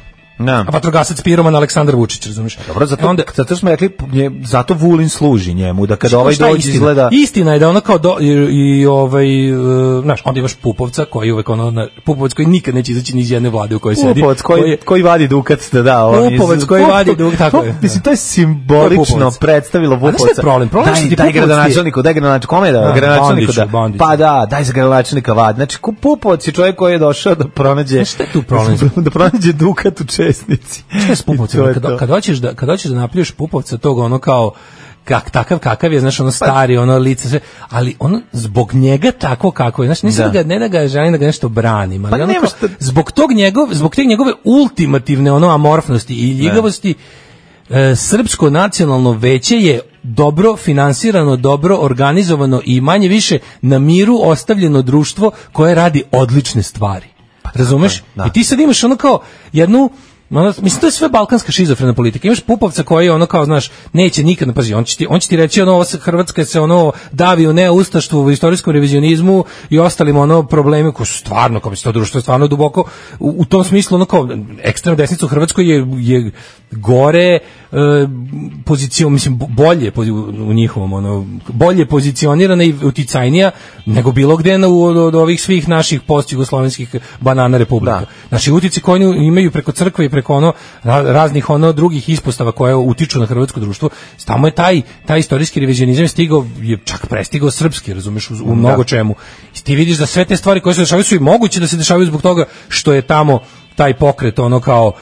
[SPEAKER 6] vatrogasac piroman Aleksandar Vučić, razumiješ?
[SPEAKER 5] Dobro, zato smo rekli, zato Vulin služi njemu, da kada ovaj dođe izgleda...
[SPEAKER 6] Istina je da ono kao znaš, onda imaš Pupovca, koji uvek Pupovac koji nikad neće izaći ni iz jedne vlade u kojoj sedi.
[SPEAKER 5] Pupovac koji vadi dukat,
[SPEAKER 6] Pupovac koji vadi dukat, tako je.
[SPEAKER 5] Mislim, to je simbolično predstavilo Pupovca.
[SPEAKER 6] A znaš problem?
[SPEAKER 5] Daj gradonačelniku, kome da? Gradonačelniku da. Pa da, daj za gradonačelnika vadi. Znači, Pupovac je čovjek koji je došao da pronađe...
[SPEAKER 6] Šta je tu problem?
[SPEAKER 5] Da pronađe dukat u Česnici.
[SPEAKER 6] Šta je s Pupovcem? Kad hoćeš da napljuješ Pupovca tog ono kao kakav je, znaš, stari, lice, sve, ali zbog njega tako kako je, znaš, nisam ne da ga želim da ga nešto branim, ali zbog te njegove ultimativne amorfnosti i ljigavosti, Srpsko nacionalno veće je dobro finansirano, dobro organizovano i manje više na miru ostavljeno društvo koje radi odlične stvari. Razumeš? Da. I ti sad imaš ono kao jednu, mislim, to je sve balkanska šizofrena politika. Imaš Pupovca koji je ono kao, znaš, neće nikad, pazi, on će ti reći ono, Hrvatska se ono davi u neustaštvu, u istorijskom revizionizmu i ostalim ono problemi koji su stvarno, kao bi se to društvo je stvarno duboko, u tom smislu ono kao ekstremna desnica u Hrvatskoj je gore mislim, bolje u njihovom, ono, bolje pozicionirana i uticajnija nego bilo gde od ovih svih naših post-jugoslovenskih banana republika. Znači, utice koje imaju preko crkve i preko ono raznih ono drugih ispostava koje utiču na hrvatsko društvo, tamo je taj istorijski revizionizam stigao, je čak prestigao srpski, razumeš, u mnogo čemu. I ti vidiš da sve te stvari koje se dešavaju su i moguće da se dešavaju zbog toga što je tamo taj pokret ono kao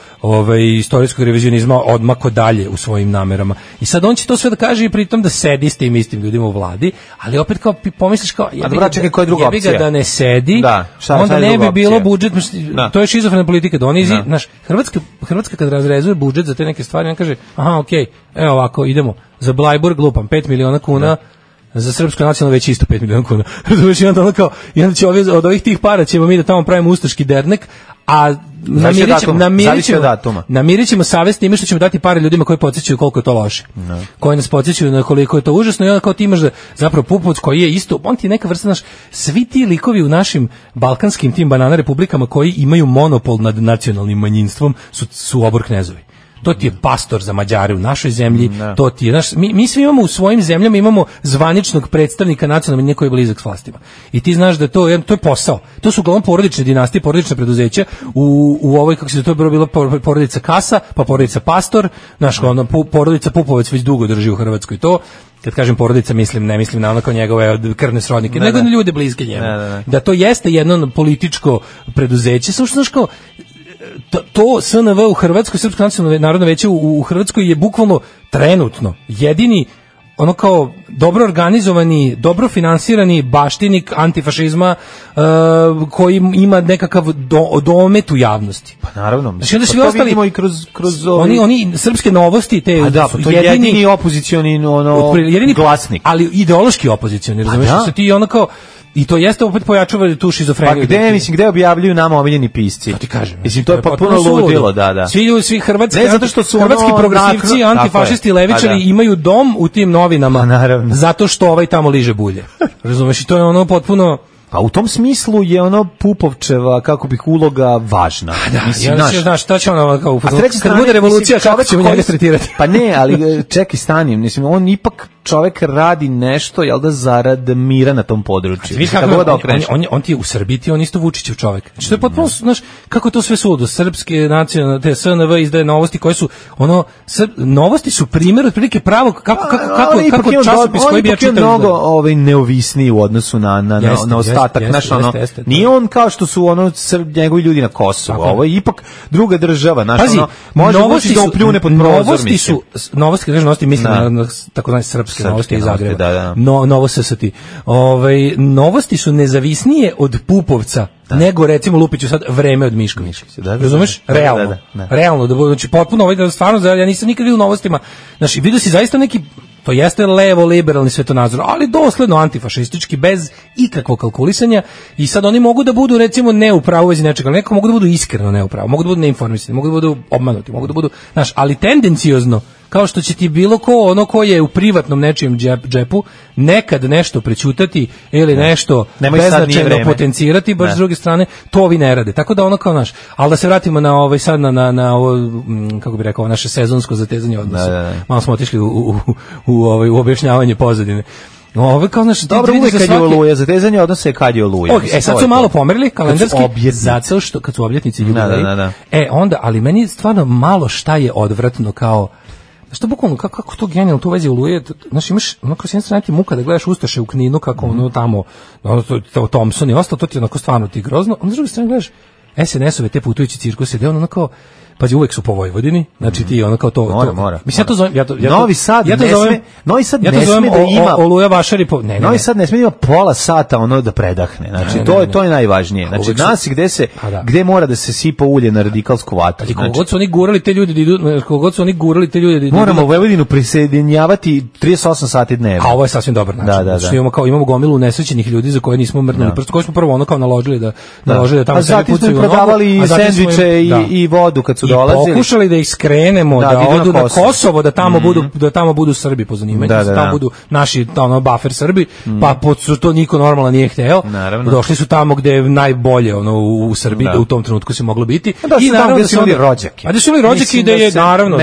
[SPEAKER 6] istorijskog revizionizma odmako dalje u svojim namerama. I sad on će to sve da kaže i pritom da sedi s tim istim ljudima u vladi, ali opet kao pomisliš kao jebi ga da ne sedi, onda ne bi bilo budžet, to je šizofrena politika, da oni znaš, Hrvatska kad razrezuje budžet za te neke stvari, on kaže, aha, okej, evo ovako, idemo, za Blajburg lupam 5 miliona kuna, za Srpsko nacionalno već isto 5 miliona kuna. Razumiješ, i onda kao, i onda će od ovih tih para ćemo mi da tamo pravimo ustaški dernek, a namirit ćemo savest time što ćemo dati pare ljudima koji podsjećaju koliko je to loše. Koji nas podsjećaju na koliko je to užasno i onda kao ti imaš da zapravo Pupovac koji je isto, on ti je neka vrsta naš, svi ti likovi u našim balkanskim tim banana republikama koji imaju monopol nad nacionalnim manjinstvom su obor knezovi. To ti je pastor za Mađare u našoj zemlji, to ti je, znaš, mi svi imamo u svojim zemljama, imamo zvaničnog predstavnika nacionalne manjine koji je blizak s vlastima. I ti znaš da to je posao. To su uglavnom porodične dinastije, porodična preduzeća, u ovoj, kako se to bilo porodica Kasa, pa porodica Pastor, znaš, porodica Pupovac već dugo drži u Hrvatskoj to. Kad kažem porodica, ne mislim na ono kao njegove krvne srodnike, nego na ljude bliske njemu. Da to jeste jedno političko preduzeće, samo što znaš kao, to SNV u Hrvatskoj, Srpsko nacionalno narodno veće u Hrvatskoj je bukvalno trenutno jedini ono kao dobro organizovani, dobro finansirani baštinik antifašizma koji ima nekakav domet u javnosti.
[SPEAKER 5] Pa naravno.
[SPEAKER 6] Znači onda svi ostali
[SPEAKER 5] vidimo i kroz
[SPEAKER 6] oni srpske novosti te
[SPEAKER 5] to je jedini opozicioni glasnik.
[SPEAKER 6] Ali ideološki opozicioni, razumiješ, što ti ono kao. I to jeste opet pojačava tu šizofreniju.
[SPEAKER 5] Pa gde objavljuju nama omiljeni pisci?
[SPEAKER 6] To ti kažem.
[SPEAKER 5] Mislim, to je potpuno ludilo, da.
[SPEAKER 6] Svi hrvatski progresivci, antifašisti, levičari imaju dom u tim novinama, zato što ovaj tamo liže bulje. Razumeš, i to je ono potpuno.
[SPEAKER 5] Pa u tom smislu je ono Pupovčeva, kako bih, uloga važna.
[SPEAKER 6] Mislim, znaš, šta će ono kao kad bude revolucija, kako ćemo njega tretirati?
[SPEAKER 5] Pa ne, ali čekaj, stanim, mislim, on ipak čovek radi nešto, jel da, zarad mira na tom području.
[SPEAKER 6] On ti je u Srbiji, on isto Vučićev čovek. Znači, to je potpuno, znaš, kako je to sve suludo, srpske nacionalne, te SNV izdaje novosti koje su, ono, novosti su primjer otprilike pravog, kako časopis koji bi ja čitao.
[SPEAKER 5] On je mnogo neovisniji u odnosu na ostatak, znaš, ono, nije on kao što su ono njegovi ljudi na Kosovu, ovo je ipak druga država, znaš, ono, može Vučić da upljune pod prozor, mislim.
[SPEAKER 6] Novosti, kažeš novosti, mislim na takozvane srpske novosti iz Zagreba. Novo SST. Novosti su nezavisnije od Pupovca, nego recimo Lupiću sad Vreme od Miškovića. Razumeš? Realno. Realno, znači potpuno stvarno, ja nisam nikad vidio u novostima. Znači, vidio si zaista neki, to jeste levo liberalni svetonazor, ali dosledno antifašistički, bez ikakvog kalkulisanja, i sad oni mogu da budu recimo ne u pravu vezi nečega, neko mogu da budu iskreno ne u pravu, mogu da budu neinformisani, mogu da budu obmanuti, mogu da budu, znaš, ali tendenciozno, kao što će ti bilo ko je u privatnom nečijem džepu nekad nešto prećutati ili nešto beznačajno potencirati, baš s druge strane, to ovi ne rade. Tako da ono kao naš, ali da se vratimo na sad na ovo, kako bi rekao, naše sezonsko zatezanje odnosa. Malo smo otišli u objašnjavanje pozadine. Kao naš,
[SPEAKER 5] dobro, uvek kad je Oluja, zatezanje odnose kad je Oluja.
[SPEAKER 6] Sad su malo pomerili kalendarski, zato što kad su obljetnici jubileji. Onda, ali meni je stvarno malo šta je odvratno kao. Što bukvalno, kako to genijalno, to u vezi Oluje, znaš, imaš, onako s jedne strane ti muka da gledaš Ustaše u Kninu, kako ono tamo, Thompson i ostalo, to ti onako stvarno ti grozno, onda s druge strane gledaš SNS-ove te putujući cirkuse, gde ono kao, pazi, uvek su po Vojvodini, znači ti ono kao to...
[SPEAKER 5] Mora.
[SPEAKER 6] Mislim, ja to zovem...
[SPEAKER 5] Novi Sad ne sme da ima...
[SPEAKER 6] Oluja Vašari...
[SPEAKER 5] Novi Sad ne sme da ima pola sata ono da predahne. Znači, to je najvažnije. Znači, nas gde mora da se sipa ulje na radikalsku vatru.
[SPEAKER 6] I kogod su oni gurali te ljude...
[SPEAKER 5] Moramo Vojvodinu prisjedinjavati 38 sati dnevno.
[SPEAKER 6] A ovo je sasvim dobar način. Da. Imamo gomilu nesrećenih ljudi za koje nismo mrnuli prst, koje smo prvo ono kao naložili da tamo sebi pucaju u nogu.
[SPEAKER 5] Prodavali i sendviče i vodu kad su dolazili.
[SPEAKER 6] I pokušali da ih skrenemo, da odu na Kosovo, da tamo budu Srbi po zanimanju, da tamo budu naši buffer Srbi, pa to niko normalno nije hteo. Došli su tamo gde je najbolje u Srbiji, da u tom trenutku se moglo biti.
[SPEAKER 5] I naravno da su imali rođake.
[SPEAKER 6] A da su imali rođake da je naravno...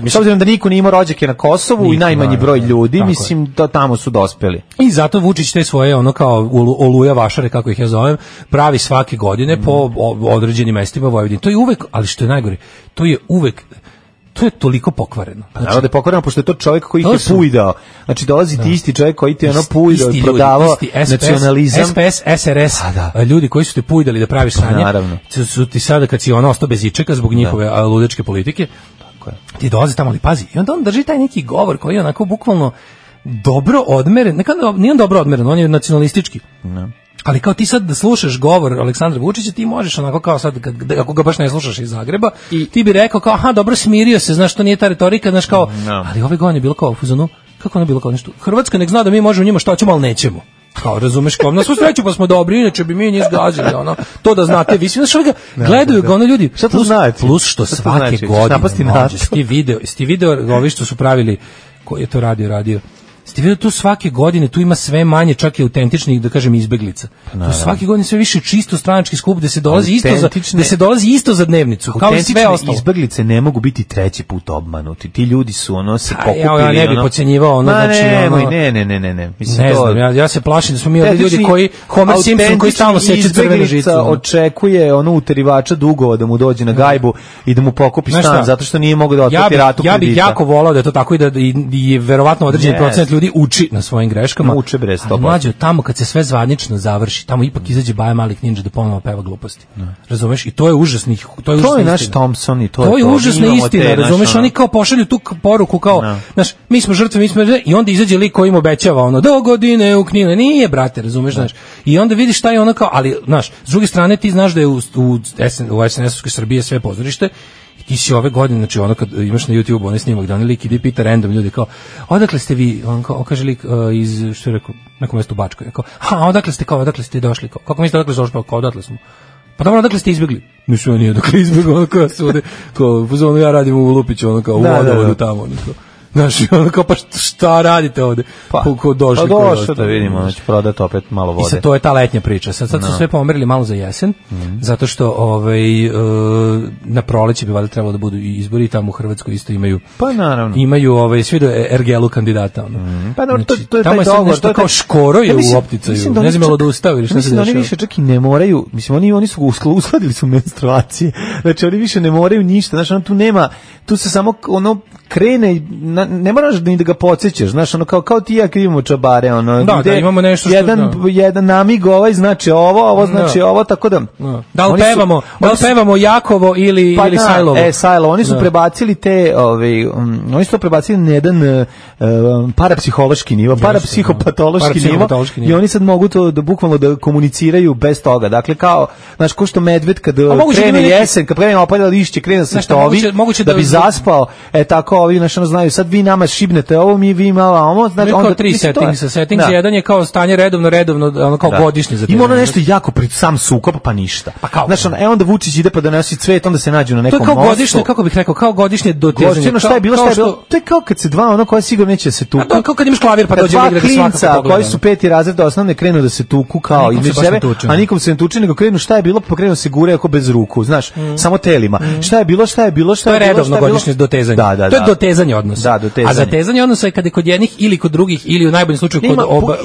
[SPEAKER 5] S obzirom da niko nije imao rođake na Kosovu i najmanji broj ljudi, mislim da tamo su dospeli.
[SPEAKER 6] I zato Vučić te svoje ono kao Oluja Vašare, kako ih ja zovem, pravi svake godine po određenim mestima Vojvodine. To je uvek, ali što je najgore, to je toliko pokvareno.
[SPEAKER 5] Znači, naravno da je pokvareno, pošto je to čovjek koji ih je pujdao. Znači, dolazi ti isti čovjek koji ti je ono pujdao i prodavao nacionalizam.
[SPEAKER 6] SPS, SRS, ljudi koji su te pujdali da praviš sranje, su ti sada, kad si ono ostao bez ičeka zbog njihove ludečke politike, ti dolazi tamo, ali pazi, i onda on drži taj neki govor koji je onako bukvalno dobro odmeren, nije on dobro odmeren, on je nacionalistički. Ali kao ti sad da slušaš govor Aleksandra Vučića, ti možeš onako kao sad, ako ga baš ne slušaš iz Zagreba, i ti bi rekao kao, aha, dobro, smirio se, znaš, to nije ta retorika, znaš, kao, ali ove godine je bilo kao u fuzonu, kako ono je bilo kao nešto, Hrvatska nek zna da mi možemo njima što ćemo, ali nećemo. Kao, razumeš, kao, na svu sreću pa smo dobri, inače bi mi njih zgazili, ono, to da znate, vi svi, znaš, gledaju ga, ono, ljudi, plus što svake godine, sti video, ovi što su pravili, koji je to radio, ste vidio tu svake godine, tu ima sve manje čak i autentičnih, da kažem, izbeglica. Tu svake godine sve više čisto stranački skup gde se dolazi isto za dnevnicu, kao i sve ostalo.
[SPEAKER 5] Izbeglice ne mogu biti treći put obmanuti. Ti ljudi su ono se pokupili.
[SPEAKER 6] Ja ne bih podcenjivao ono, znači
[SPEAKER 5] ne. Mislim,
[SPEAKER 6] ne znam, ja se plašim da smo mi ljudi koji Homer Simpson koji stalno seče crvenu žicu.
[SPEAKER 5] Očekuje ono uterivača dugova da mu dođe na gajbu i da mu pokupi stan zato što nije mogao da otplati ratu kredita.
[SPEAKER 6] Ja bih jako volao da je to tako i da je verovatno određeni procenat ljudi uči na svojim greškama.
[SPEAKER 5] Uče bre 100%.
[SPEAKER 6] Ali mlađe, tamo kad se sve zvanično završi, tamo ipak izađe Baja Malih Ninja da ponovo peva gluposti. Razumeš? I to je užasno. To je
[SPEAKER 5] naš Thompson i to
[SPEAKER 6] je užasna istina, razumeš? Oni kao pošalju tu poruku kao, znaš, mi smo žrtve, i onda izađe lik koji im obećava ono, do godine u Kninu. Nije, brate, razumeš, znaš. I onda vidiš šta je ono kao, ali, znaš, s druge strane ti znaš da je u SNS-ovskoj Srbije sve pozorište. Ti si ove godine, znači ono kad imaš na YouTube onaj snimak da onaj lik ide pita random ljudi kao, odakle ste vi, on kaže lik iz, što je rekao, nekom mjestu u Bačkoj, kao, odakle ste došli, kao, kako mislite odakle ste došli, kao, odatle smo. Pa dobro, odakle ste izbjegli? Mislim, nije odakle izbjegli, ono kao sude, kao, ja radim u Lupiću, ono kao, u vodovodu tamo, ono kao. Znaš, ono kao, pa šta radite ovde? Ko došli?
[SPEAKER 5] Pa došli da vidimo, znači prodati opet malo vode.
[SPEAKER 6] I sad to je ta letnja priča. Sad su sve pomerili malo za jesen, zato što na proleće bi valjda trebalo da budu i izbori, tamo u Hrvatskoj isto imaju.
[SPEAKER 5] Pa naravno.
[SPEAKER 6] Imaju svi do Ergelu kandidata.
[SPEAKER 5] Pa naravno, to je
[SPEAKER 6] tamo
[SPEAKER 5] taj dogovor.
[SPEAKER 6] Nešto kao Škoro je u opticaju. Ne znam, da ustao ili šta se dešava.
[SPEAKER 5] Mislim da oni više čak i ne moraju, mislim, oni su uskladili su menstruacije. Znači, oni više ne moraju ništa. Znači, ono tu nema, tu se samo krene, ne moraš ni da ga podsjećaš, znaš, ono kao ti ja krivimo čabare, ono,
[SPEAKER 6] da imamo nešto što
[SPEAKER 5] jedan namig znači ovo znači ovo, tako da
[SPEAKER 6] da li pevamo Jakovo ili Sajlovo.
[SPEAKER 5] Sajlovo, oni su prebacili oni su to prebacili na jedan parapsihološki nivo, parapsihopatološki nivo i oni sad mogu to da bukvalno da komuniciraju bez toga. Dakle, kao, znaš, ko što medved kad krene jesen, kad krene opada lišće, krene se štovi da bi zaspao, tako ovi našano znaju, sad vi nama šibnete ovo, vi malo ovo, znači
[SPEAKER 6] onda tri settings, jedan je kao stanje redovno, ono kao godišnje za
[SPEAKER 5] ima ono nešto jako pred sam sukob, pa ništa. Znači, onda Vučić ide pa donosi cvet, onda se nađu na nekom mostu.
[SPEAKER 6] To je kao godišnje, kako bih rekao, kao godišnje dotezanje.
[SPEAKER 5] Šta je bilo? To je kao kad se dva ono koja sigurno neće se tuku.
[SPEAKER 6] To je kao kad imaš klavir pa dođe igrati svakako pogleda.
[SPEAKER 5] Koji su 5. razred osnovne krenu da se tuku kao između sebe, a nikom se ne tuče, nego krenu šta je bilo, pa krenu se gure ako bez ruku, znaš, samo telima. Šta je bilo?
[SPEAKER 6] To je redovno godišnje dotezanje. To je dotezanje odnosa.
[SPEAKER 5] dotezanje.
[SPEAKER 6] A zatezanje odnosa je kada je kod jednih ili kod drugih ili u najboljem slučaju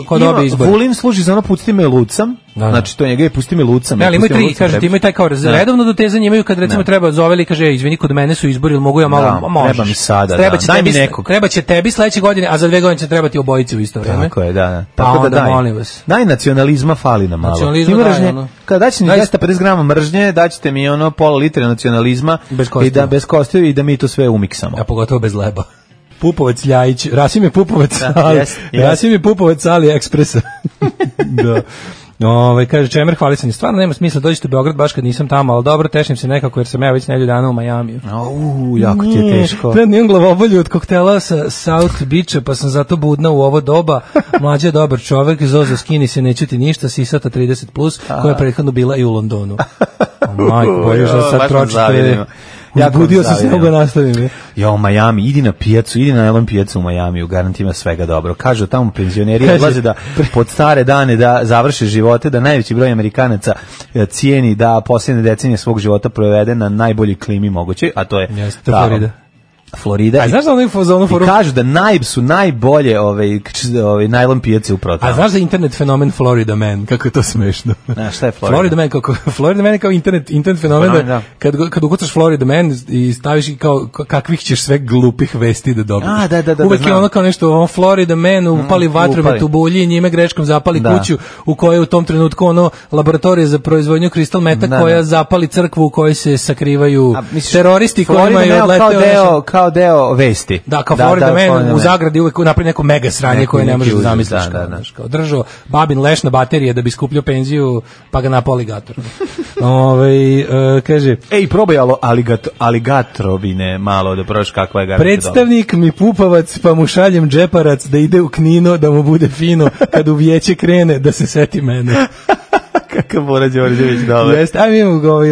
[SPEAKER 6] kod obe izbora.
[SPEAKER 5] Vulin služi za ono pusti me lucam, znači to njega je pusti me lucam.
[SPEAKER 6] Ali imaju tri, kažete, imaju taj kao redovno dotezanje, imaju kad recimo treba zoveli, kaže, izvini, kod mene su izbori, ili mogu ja malo, možeš.
[SPEAKER 5] Treba mi sada,
[SPEAKER 6] daj mi nekog. Treba će tebi sledeće godine, a za 2 godine će trebati obojici u isto vreme.
[SPEAKER 5] Tako je, da.
[SPEAKER 6] Tako da molim vas.
[SPEAKER 5] Daj nacionalizma, fali nam malo.
[SPEAKER 6] Nacionalizma, da.
[SPEAKER 5] Kada daći mi 250 grama mržnje, daćete mi ono pola litre nacionalizma bez kostiju i da mi to sve umiksamo.
[SPEAKER 6] A pogotovo bez leba. Pupovac Ljajić, Rasim je Pupovac, Rasim je Pupovac sa AliExpressa. Da. Kaže Čemer, hvali se, stvarno nema smisla dođite u Beograd baš kad nisam tamo, ali dobro, tešnim se nekako jer sam ja već nedelju dana u Majamiju.
[SPEAKER 5] Jako ti je teško.
[SPEAKER 6] Predno imam glavobolju od koktela sa South Beacha, pa sam zato budna u ovo doba. Mlađa je dobar čovek, Zozo skini se, neću ti ništa, sisata 30+, koja je prethodno bila i u Londonu. Majko, bolje što sad tročite. Ja budio sam se mnogo nastavim.
[SPEAKER 5] Jo, Miami, idi na pijacu, idi na Elon pijacu u Majamiju, garant ima svega dobro. Kažu tamo penzioneri odlaze da pod stare dane da završe živote, da najveći broj Amerikanaca cijeni da posljednje decenije svog života provede na najbolji klimi moguće, a to je Florida.
[SPEAKER 6] A znaš da oni
[SPEAKER 5] i kažu da su najbolje najlon pijace u protavu.
[SPEAKER 6] A znaš da internet fenomen Florida Man, kako je to smešno.
[SPEAKER 5] Šta je Florida
[SPEAKER 6] Man? Florida Man je kao internet fenomen da kad ukucaš Florida Man i staviš kao kakvih ćeš sve glupih vesti da dobiješ. Uvek je ono kao nešto, Florida Man upali vatromet u bulji i njime greškom zapali kuću u kojoj u tom trenutku laboratorija za proizvodnju kristal meta koja zapali crkvu u kojoj se sakrivaju teroristi koji imaju odleteo
[SPEAKER 5] kao deo vesti.
[SPEAKER 6] Da, kao Florida Man u zagradi uvek napravi neko mega sranje koje ne možeš da zamisliš. Kao držao babin leš na baterije da bi skupljao penziju, pa ga napao aligator. Kaže...
[SPEAKER 5] probaj aligatrovine malo da probaš kakva je garanta.
[SPEAKER 6] Predstavnik mi Pupovac, pa mu šaljem džeparac da ide u Knino, da mu bude fino, kad u vijeće krene, da se seti mene.
[SPEAKER 5] Kakav Bora Đorđević, dobro.
[SPEAKER 6] Jeste,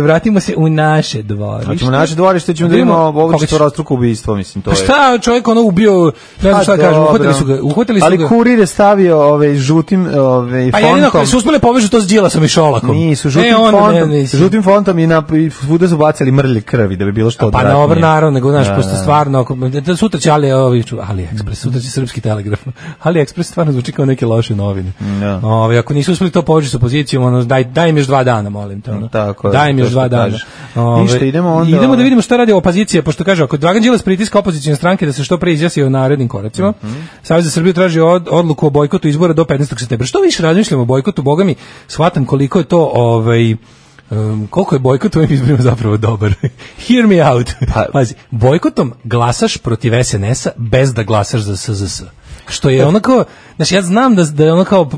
[SPEAKER 6] vratimo se u naše dvorište.
[SPEAKER 5] Hoćemo naše dvorište, ćemo da imamo ovo četvorostruko ubistvo, mislim, to je.
[SPEAKER 6] Šta, čovjek ubio, ne znam šta kažem, uhvatili su ga.
[SPEAKER 5] Ali kurir je stavio žutim fontom.
[SPEAKER 6] Pa jedino, kada su uspjeli povežu to s Đilasom i Šolakom.
[SPEAKER 5] Nisu, žutim fontom i svuda su bacili mrlje krvi, da bi bilo što odvratnije.
[SPEAKER 6] Pa dobro, naravno, nego, znaš, pošto stvarno, sutra će AliExpress, sutra će Srpski telegraf. AliExpress stvarno zvuči kao neke loše novine. Ako nisu uspjeli to povežu s opozicijom, daj im još 2 dana, molim te. Daj im još 2 dana.
[SPEAKER 5] Ništa, idemo
[SPEAKER 6] da vidimo šta radi opozicija, pošto kaže, ako Dragan Đilas pritiska opozicijne stranke da se što pre izjasni o narednim koracima, Savez za Srbiju traži odluku o bojkotu izbora do 15. septembra. Što više razmišljamo o bojkotu, boga mi, shvatam koliko je to, koliko je bojkot u ovim izborima zapravo dobar. Hear me out. Pazi, bojkotom glasaš protiv SNS-a bez da glasaš za SZS. Što je onako, znači ja znam da je ono kao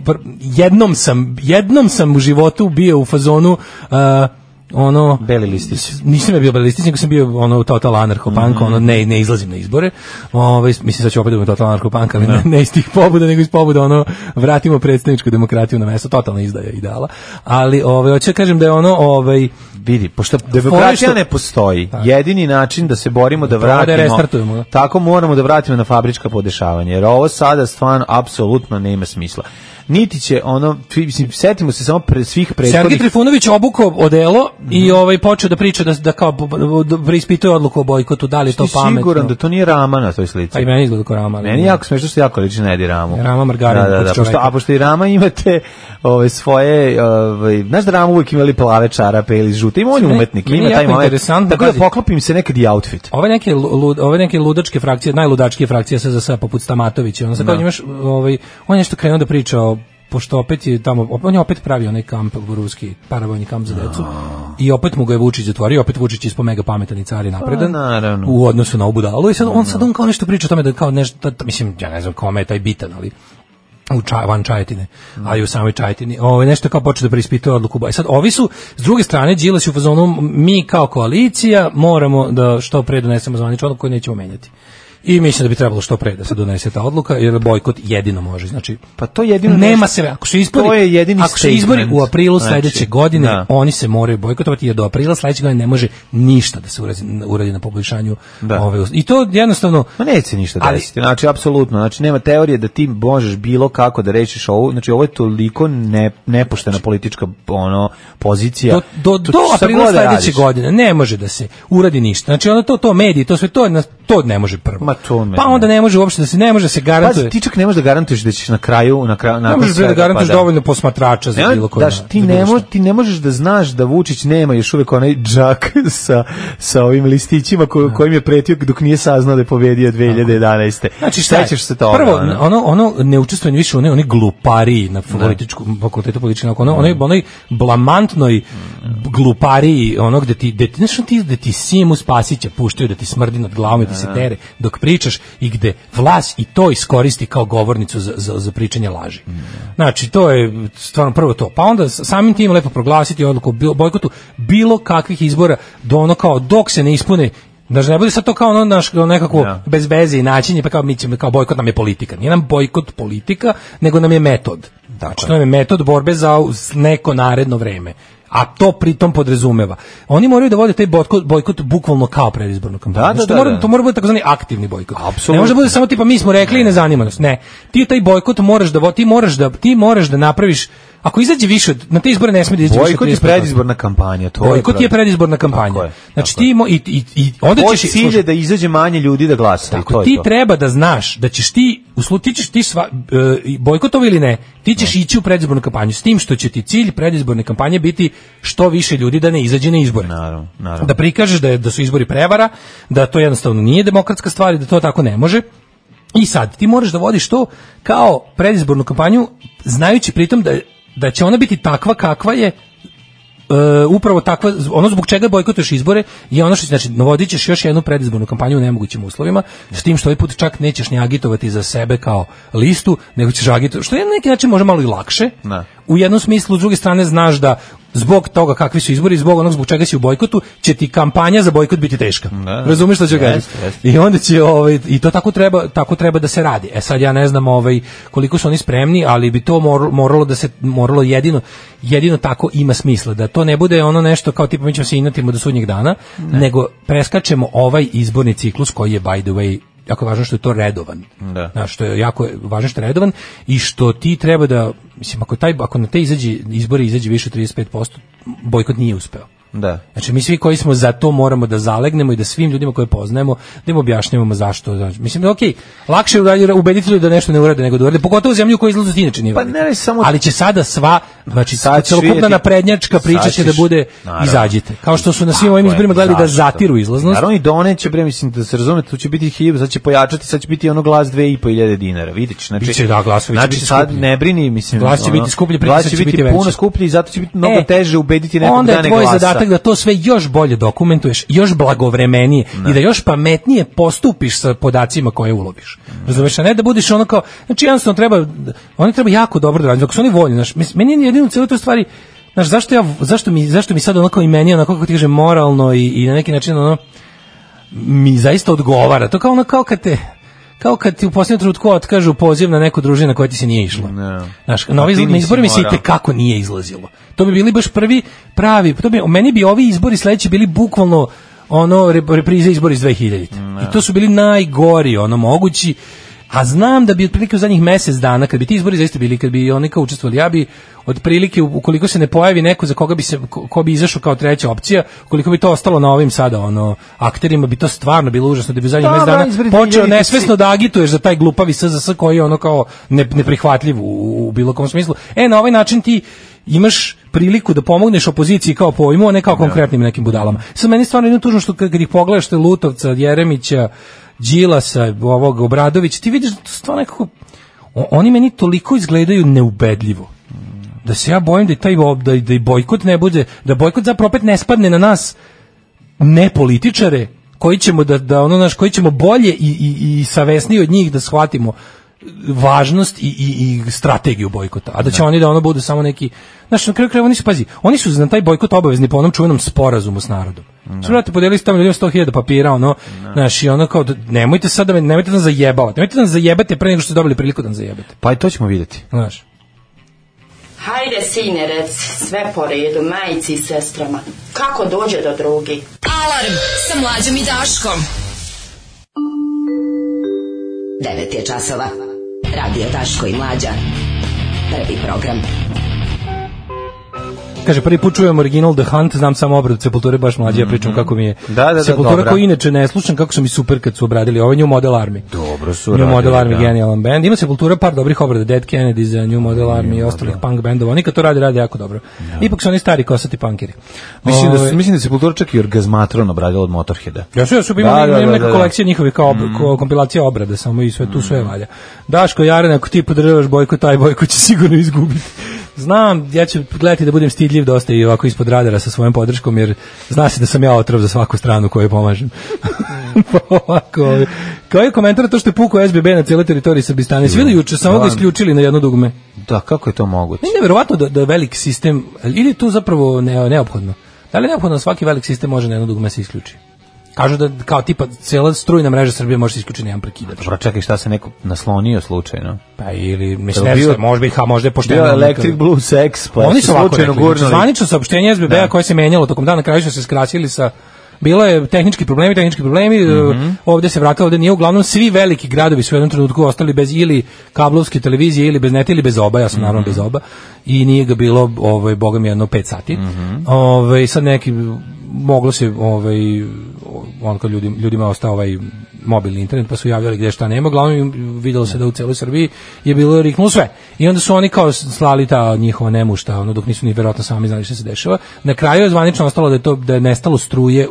[SPEAKER 6] jednom sam u životu bio u fazonu
[SPEAKER 5] beli listić.
[SPEAKER 6] Nisam ja bio beli listić, nego sam bio total anarcho-punk, ne izlazim na izbore. Mislim sad ću opet da budem total anarcho-punk, ali ne iz tih pobuda, nego iz pobuda vratimo predstavničku demokratiju na mesto, totalna izdaja ideala. Ali hoću kažem da je
[SPEAKER 5] vidi, pošto demokratija ne postoji, jedini način da se borimo da vratimo, tako moramo da vratimo na fabrička podešavanja, jer ovo sada stvarno apsolutno nema smisla. Niti će setimo se samo svih prethodnih.
[SPEAKER 6] Sergej Trifunović obukao odelo i počeo da priča da kao preispituje odluku o bojkotu, da li je to pametno.
[SPEAKER 5] Ti siguran da to nije Rama na toj slici?
[SPEAKER 6] Pa i meni izgleda kao Rama.
[SPEAKER 5] Meni jako smešno što jako liči na Edi Ramu.
[SPEAKER 6] Rama Margarin.
[SPEAKER 5] A pošto i Rama imate svoje, znaš da Rama uvijek imali plave čarape ili žute, ima on je umetnik, ima taj moment. Tako da poklopim se nekad i outfit.
[SPEAKER 6] Ove neke ludačke frakcije, najludačkije frakcije SZS poput Stamatovića, on je nešto krenuo da priča pošto opet je tamo, on je opet pravio onaj kamp ruski, paravojni kamp za decu i opet mu ga je Vučić zatvorio, opet Vučić ispo mega pametan i car i napredan u odnosu na ovu budalu i sad on kao nešto priča o tome da kao nešto, mislim, ja ne znam kome je taj bitan, ali van Čajetine, a i u samoj Čajetini, nešto kao počeo da preispituje odluku boja. Sad, ovi su, s druge strane, Đilas u fazonu, mi kao koalicija moramo da što pre donesemo zvaničnu odluku koju nećemo menjati. I mislim da bi trebalo što pre da se donese ta odluka, jer bojkot jedino može. Znači,
[SPEAKER 5] pa to jedino
[SPEAKER 6] nema se, ako se izbori u aprilu sledeće godine, oni se moraju bojkotovati, jer do aprila sledeće godine ne može ništa da se uradi na poboljšanju ove. I to jednostavno,
[SPEAKER 5] ma neće ništa desiti. Znači apsolutno, znači nema teorije da ti možeš bilo kako da rešiš ovo. Znači ovo je toliko nepoštena politička pozicija.
[SPEAKER 6] Do aprila sledeće godine ne može da se uradi ništa. Znači ono to mediji, to sve to To ne može prvo.
[SPEAKER 5] Pa
[SPEAKER 6] onda ne može uopšte ne može se garantuje.
[SPEAKER 5] Pa ti čak ne možeš da garantuješ da ćeš na kraju
[SPEAKER 6] ne možeš da garantuješ dovoljno posmatrača za bilo koga.
[SPEAKER 5] Ti ne možeš da znaš da Vučić nema još uvek onaj džak sa ovim listićima kojim je pretio dok nije saznao da je pobedio 2011.
[SPEAKER 6] Znači sećaš se toga? Prvo ono neučestvovanje više one glupari na fakultetu političke nauke, onoj blamantnoj glupari, ono gde ti Simu Spasića puštaju da ti smrdi nad glavom i ti se tere dok pričaš i gde vlast i to iskoristi kao govornicu za pričanje laži. Znači, to je stvarno prvo to. Pa onda samim tim lepo proglasiti odluku o bojkotu bilo kakvih izbora do ono kao dok se ne ispune. Znači, ne bude sad to kao ono nekako bez veze i načinje, pa kao mi ćemo, kao bojkot nam je politika. Nije nam bojkot politika, nego nam je metod. Znači, to nam je metod borbe za neko naredno vreme. A to pritom podrazumeva. Oni moraju da vode taj bojkot bukvalno kao predizbornu kampanju. To mora biti takozvani aktivni bojkot. Ne može da bude samo tipa mi smo rekli i ne zanima nas. Ne. Ti taj bojkot ti moraš da napraviš. Ako izađe više na te izbore ne sme da izađe više.
[SPEAKER 5] Bojkot je predizborna kampanja,
[SPEAKER 6] Bojkot je predizborna kampanja. Znači ti i onda ćeš
[SPEAKER 5] cilj da izađe manje ljudi da glasa.
[SPEAKER 6] Tako ti treba da znaš da ćeš ti bojkotovo ili ne, ti ćeš ići u predizbornu kampanju s tim što će ti cilj predizborne kampanje biti što više ljudi da ne izađe na izbore.
[SPEAKER 5] Naravno.
[SPEAKER 6] Da prikažeš da su izbori prevara, da to jednostavno nije demokratska stvar i da to tako ne može. I sad ti moraš da vodiš to kao predizbornu kampanju znajući pritom da će ona biti takva kakva je upravo takva, ono zbog čega bojkotuješ izbore je ono što znači navodit ćeš još jednu predizbornu kampanju u nemogućim uslovima, s tim što ovaj put čak nećeš ni agitovati za sebe kao listu, nego ćeš agitovati, što je na neki način može malo i lakše. U jednom smislu, s druge strane znaš da zbog toga kakvi su izbori, zbog onog zbog čega si u bojkotu, će ti kampanja za bojkot biti teška. Razumeš što ću kažem? I onda će i to tako treba da se radi. Sad ja ne znam koliko su oni spremni, ali bi to moralo jedino tako ima smisla, da to ne bude ono nešto kao tipa mi ćemo se inatimo do sudnjeg dana, nego preskačemo ovaj izborni ciklus koji je by the way jako važno što je to redovan. Što je jako važno što je redovan i što ti treba da, mislim, ako na te izbori izađe više od 35%, bojkot nije uspeo. Znači mi svi koji smo za to moramo da zalegnemo i da svim ljudima koje poznajemo da im objašnjavamo zašto. Znači, mislim da lakše je ubediti ljudi da nešto ne urade nego da urade, pogotovo u zemlju koja izlazi inače nije. Ali će sada celokupna naprednjačka priča će da bude izađite. Kao što su na svim ovim izborima gledali da zatiru izlaznost.
[SPEAKER 5] Naravno i doneće, mislim da se razumete, tu će biti 1000, sad će pojačati, sad će biti ono glas 2500 dinara, vidiš. Znači sad ne brini, mislim.
[SPEAKER 6] Glas će biti skuplji, pritisak će biti
[SPEAKER 5] puno skuplji i zato će biti mnogo teže ubediti nekog da ne glasa.
[SPEAKER 6] Da to sve još bolje dokumentuješ, još blagovremenije i da još pametnije postupiš sa podacima koje uloviš. Razumeš, a ne da budeš ono kao, znači jednostavno oni treba jako dobro da radi, dok su oni voljni, meni je jedino u cijeloj toj stvari, zašto mi sad onako i meni onako kako ti kažem moralno i na neki način ono mi zaista odgovara, to kao kad ti u posljednjem trenutku otkažu poziv na neku družinu na koja ti se nije išlo. Znaš, na izborima se i kako nije izlazilo. To bi bili baš prvi pravi, meni bi ovi izbori sledeći bili bukvalno reprize izbori iz 2000. I to su bili najgori, mogući. A znam da bi otprilike u zadnjih mjesec dana, kad bi ti izbori zaista bili, kad bi oni kao učestvovali, ja bi otprilike, ukoliko se ne pojavi neko za koga ko bi izašao kao treća opcija, ukoliko bi to ostalo na ovim sada akterima, bi to stvarno bilo užasno, da bi u zadnjih mjesec dana počeo nesvesno da agituješ za taj glupavi SZS koji je kao neprihvatljiv u bilo kom smislu. Na ovaj način ti imaš priliku da pomogneš opoziciji kao pojmu, a ne kao konkretnim nekim budalama. Sad meni stvarno jedno tužno što kad ih pogledaš te Lutovca, Jeremića, Đilasa, ovog Obradovića, ti vidiš da to stvarno nekako, oni meni toliko izgledaju neubedljivo, da se ja bojim da i bojkot ne bude, da bojkot zapravo opet ne spadne na nas ne političare, koji ćemo koji ćemo bolje i savesniji od njih da shvatimo važnost i strategiju bojkota, a da će oni da budu samo neki, znači na kraju krajeva oni su za taj bojkot obavezni po onom čuvenom sporazumu s narodom. Znači, podelili ste tamo ljudima 100.000 papira, znači kao nemojte sad nemojte nas zajebavati, nemojte nas zajebate pre nego što ste dobili priliku da nas zajebate.
[SPEAKER 5] Pa i to ćemo vidjeti.
[SPEAKER 6] Znaš.
[SPEAKER 11] Hajde, sine, rec, sve po redu, majici i sestrama. Kako dođe do drugi?
[SPEAKER 9] Alarm sa Mlađom i Daškom.
[SPEAKER 12] 9 je časova. Radio Daško i Mlađa. Prvi program.
[SPEAKER 6] Kaže, prvi put čujem original The Hunt, znam samo obradu Sepulture, baš mlađe, ja pričam kako mi je Sepultura koji inače ne slušam, kako su mi super kad su obradili ovaj New Model Army.
[SPEAKER 5] Dobro su
[SPEAKER 6] New Model Army, genijalan band. Ima Sepultura par dobrih obrada, Dead Kennedys, New Model Army i ostalih punk bendova. Oni kad to radi jako dobro. Ipak su oni stari kosati punkeri.
[SPEAKER 5] Mislim da Sepultura čak i Orgazmatron obradila od Motorheada.
[SPEAKER 6] Ja su imam neka kolekcija njihovih kao kompilacija obrada, samo i sve tu sve valja. Daško Jarene, ako ti podržavaš Bojko, taj Bojko će sigurno izgubiti. Znam, ja ću gledati da budem stidljiv dosta i ovako ispod radara sa svojom podrškom, jer zna se da sam ja otrov za svaku stranu koju pomažem. Pa ovako, kao je komentar to što je pukao SBB na cijeloj teritoriji Srbistana. Svi juče samo ga isključili na jedno dugme.
[SPEAKER 5] Da, kako je to moguće?
[SPEAKER 6] Neverovatno da veliki sistem, ili tu zapravo neophodno. Da li je neophodno da svaki veliki sistem može na jedno dugme se isključi? Kažu da kao tipa cijela strujna mreža Srbije može se isključiti na jedan prekidač.
[SPEAKER 5] Dobro, čekaj, šta se neko naslonio slučajno?
[SPEAKER 6] Pa ili mislim možda je pošteno.
[SPEAKER 5] Bio Electric Blue Sex, pa
[SPEAKER 6] oni su slučajno gurnuli. Zvanično saopštenje SBB-a koje se menjalo tokom dana, na kraju su se skrasili sa bilo je tehnički problemi, ovdje se vratilo, ovdje nije, uglavnom svi veliki gradovi su u jednom trenutku ostali bez ili kablovske televizije ili bez neta ili bez oba, ja sam naravno bez oba i nije ga bilo, boga mi, jedno 5 sati. Sad neki moglo se on kad ljudima ostao mobilni internet, pa su javljali gdje šta nema, glavno vidjelo se da u celoj Srbiji je bilo riknulo sve. I onda su oni kao slali ta njihova nemušta, dok nisu ni verovatno sami znali što se dešava. Na kraju je zvanično ostalo da je nestalo struje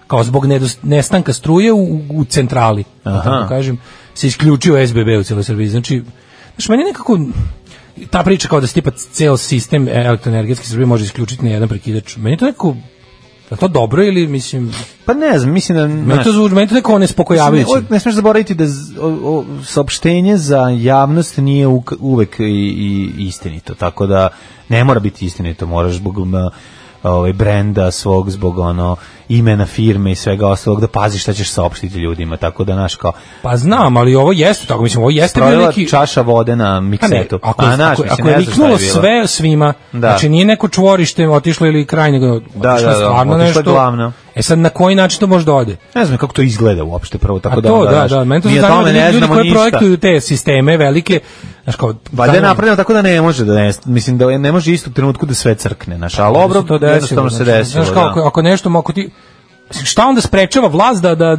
[SPEAKER 6] kao zbog nestanka struje u centrali. Tako kažem, se isključio SBB u celoj Srbiji. Znači meni nekako ta priča kao da se tipa ceo sistem elektroenergetski Srbije može isključiti na jedan prekidač. Meni to nekako je to dobro ili mislim...
[SPEAKER 5] Pa ne znam, mislim da...
[SPEAKER 6] Meni to neko nespokojavajuće.
[SPEAKER 5] Ne smiješ zaboraviti da saopštenje za javnost nije uvek i istinito, tako da ne mora biti istinito, moraš zbog brenda svog, zbog imena firme i svega ostalog da paziš šta ćeš saopštiti ljudima, tako da naš kao...
[SPEAKER 6] Pa znam, ali ovo jeste, tako mislim, ovo jeste bio neki...
[SPEAKER 5] čaša vode na miksetu.
[SPEAKER 6] Ako je riknulo sve svima, znači nije neko čvorište otišlo ili kraj, nego otišlo stvarno nešto...
[SPEAKER 5] Glavno.
[SPEAKER 6] Sad na koji način to može da ode?
[SPEAKER 5] Ne znam kako to izgleda uopšte prvo, tako
[SPEAKER 6] da meni to se zanima da ljudi koji projektuju te sisteme velike, znaš kao...
[SPEAKER 5] Valjda je napravljeno tako da ne može mislim da ne može istog trenutku da sve crkne, znaš, ali dobro, jednostavno se desilo.
[SPEAKER 6] Znaš kao, ako nešto, ako ti... Šta onda sprečava vlast da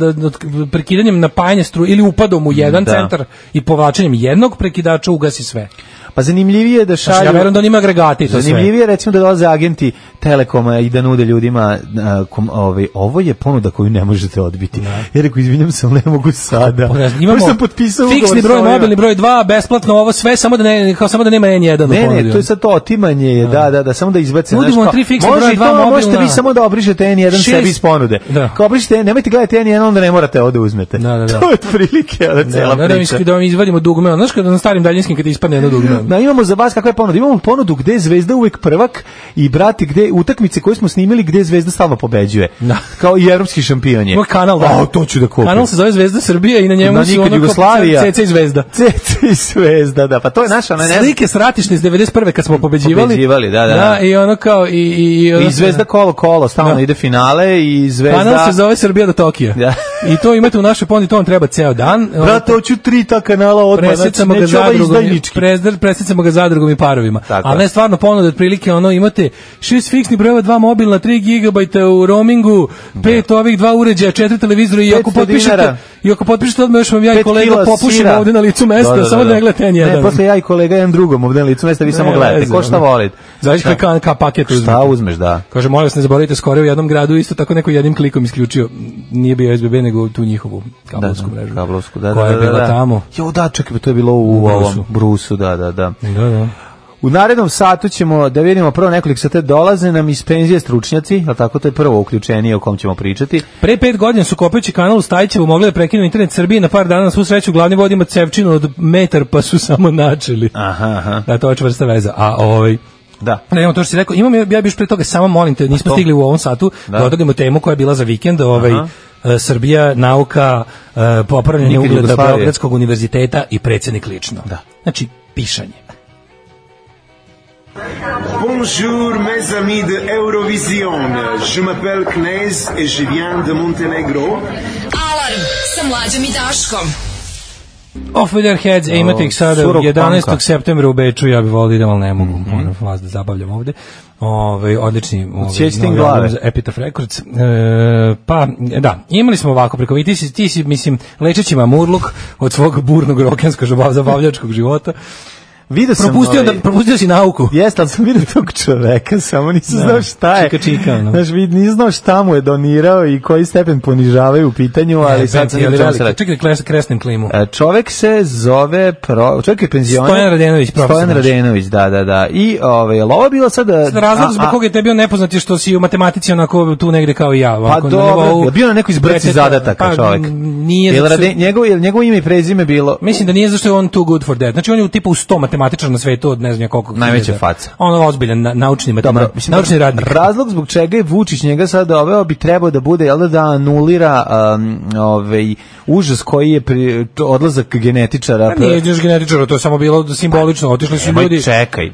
[SPEAKER 6] prekidanjem napajanja struje ili upadom u jedan centar i povlačenjem jednog prekidača ugasi sve?
[SPEAKER 5] Pa zanimljivije je da šalju...
[SPEAKER 6] Ja verujem da on ima agregati.
[SPEAKER 5] Zanimljivije recimo da dolaze agenti Telekoma i da nude ljudima ovo je ponuda koju ne možete odbiti. Ja rekao, izvinjam se, ali ne mogu sada.
[SPEAKER 6] Imamo fiksni broj, mobilni broj 2, besplatno ovo sve, samo da nema N1 u ponudi.
[SPEAKER 5] Ne, to je sad to otimanje, da, samo da izbace.
[SPEAKER 6] Nudimo 3 fiksni broj 2 mobilna.
[SPEAKER 5] Možete vi samo da obrišete N1 sebi iz ponude. Kao obrišete, nemojte gledati N1, onda ne morate ovde uzmete. To je otprilike cela priča.
[SPEAKER 6] Da vam izvadimo dugme, znaš kada na starim daljinskim kad ispadne jedno dugme.
[SPEAKER 5] Imamo za vas kakva je ponuda. Imamo ponudu gde je Zvezda uvek prvak i brati gde utakmice koje smo snimili gde je Zvezda stalno pobeđuje. Kao i evropski šampion je.
[SPEAKER 6] Kanal,
[SPEAKER 5] to ću da kupim.
[SPEAKER 6] Kanal se zove Zvezda Srbija i na njemu su Jugoslavija. CC i Zvezda.
[SPEAKER 5] CC i Zvezda, da. Pa to je naša,
[SPEAKER 6] slike s ratišne iz 91. kad smo pobeđivali.
[SPEAKER 5] Da.
[SPEAKER 6] I ono kao
[SPEAKER 5] i Zvezda kolo, stalno ide finale i Zvezda.
[SPEAKER 6] Kanal se zove Srbija do Tokija. I to imate u našoj ponudi, to vam treba ceo dan.
[SPEAKER 5] Brate, hoću 3 ta kanala odmah.
[SPEAKER 6] Presjecamo ga zadrugom i parovima. Ali ne stvarno ponuda, otprilike imate 6 fiksnih brojeva, 2 mobilna, 3 GB u roamingu, 5 ovih 2 uređaja, 4 televizora i ako potpišete odmah još vam ja i kolega popušimo ovdje na licu mesta, samo da ne gledate N1.
[SPEAKER 5] Ne, posle ja i kolega jedan drugom ovdje na licu mesta, vi samo gledate. Ko šta volite?
[SPEAKER 6] Zavisno ka paket uzmete.
[SPEAKER 5] Šta uzmeš, da.
[SPEAKER 6] Kaže, molim vas ne zaboravite, skoro u jednom gradu isto tako neko jednim klikom isključio, nije bio SBB nego tu njihovu kablovsku mrežu. Koja je bila tamo.
[SPEAKER 5] Jo, da, čekaj, to je bilo u ovom Brusu, da. U narednom satu ćemo da vidimo prvo nekoliko sata dolaze nam iz penzije stručnjaci, a tako to je prvo uključenje o kom ćemo pričati.
[SPEAKER 6] Pre 5 godina su kopajući kanal u Stajićevu mogli da prekinu internet Srbije na par dana, na svu sreću glavni vod ima cevčinu od metar pa su samo načeli.
[SPEAKER 5] Aha.
[SPEAKER 6] Da, to je čvrsta veza. A
[SPEAKER 5] da.
[SPEAKER 6] Ne, imamo to što si rekao, ja bih pre toga samo molim te, nismo stigli u ovom satu da odradimo temu koja je bila za vikend, Srbija, nauka, popravljanje ugleda Beogradskog univerziteta i predsjednik lično.
[SPEAKER 5] Da.
[SPEAKER 6] Znači, pišanje.
[SPEAKER 13] Bonjour mes amis de Eurovision. Je m'appelle Knez et je viens de Montenegro.
[SPEAKER 9] Alarm sa Mlađom i Daškom.
[SPEAKER 6] Off with their heads, imate ih sada 11. septembra u Beču, ja bih volio da, ali ne mogu, vas da zabavljam ovde. Odlični Epitaph Records. Pa, da, imali smo ovako preko, ti si, mislim, lečeći mamurluk od svog burnog rokenskog zabavljačkog života. Propustio si nauku.
[SPEAKER 5] Jeste, ali sam vidio tog čoveka, samo nisam znao šta je.
[SPEAKER 6] Čika, no.
[SPEAKER 5] Znaš, nisam znao šta mu je donirao i koji stepen ponižavaju u pitanju, ali sad sam vidio čemu se
[SPEAKER 6] čekaj, kresnem klimu.
[SPEAKER 5] Čovek se zove, čovek je penzioner.
[SPEAKER 6] Stojan Radenović, profesor.
[SPEAKER 5] Stojan Radenović, da. I ovo bilo sada...
[SPEAKER 6] Razlog zbog koga je te bio nepoznat je što si u matematici onako tu negde kao i ja.
[SPEAKER 5] Pa dobro, bio na nekoj izbrci zadataka čovek.
[SPEAKER 6] Nije
[SPEAKER 5] njegovo ime i prezime bilo...
[SPEAKER 6] Mislim da nije zašto je on too good for that. Znači on je u tipu 100 matematičar na svetu od ne znam koliko
[SPEAKER 5] najveća faca.
[SPEAKER 6] Ono ozbiljan naučni radnik.
[SPEAKER 5] Razlog zbog čega je Vučić njega sad doveo bi trebao da bude da anulira užas koji je odlazak genetičara.
[SPEAKER 6] Nije genetičara, to je samo bilo simbolično. Otišli su ljudi.
[SPEAKER 5] Čekaj,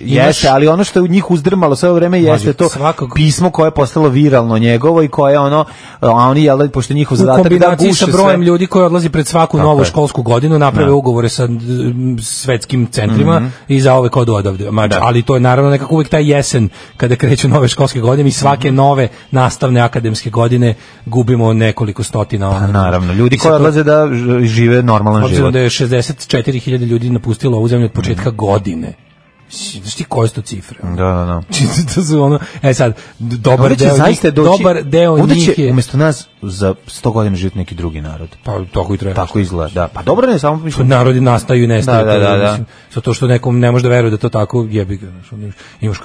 [SPEAKER 5] jeste, ali ono što je u njih uzdrmalo sve vreme jeste to pismo koje je postalo viralno njegovo i koje a oni pošto njihov zadatak da guše
[SPEAKER 6] sa brojem ljudi koji odlazi pred svaku novu školsku godinu naprave ugovore sa svetskim centrima i za ove kodu odavde. Ali to je naravno nekako uvijek taj jesen kada kreću nove školske godine i svake nove nastavne akademske godine gubimo nekoliko stotina.
[SPEAKER 5] Naravno, ljudi koji odlaze da žive normalan život.
[SPEAKER 6] Obzirom da je 64.000 ljudi napustilo ovu zemlju od početka godine. Znaš ti koje su to cifre?
[SPEAKER 5] Da.
[SPEAKER 6] To su ono... sad, dobar deo njih je...
[SPEAKER 5] Umjesto nas za 100 godina živjeti neki drugi narod.
[SPEAKER 6] Pa tako i treba.
[SPEAKER 5] Tako izgleda, da. Pa dobro ne, samo...
[SPEAKER 6] Narodi nastaju i nestaju. Da. Zato što nekom ne može da veruje da to tako jebi ga. Imaš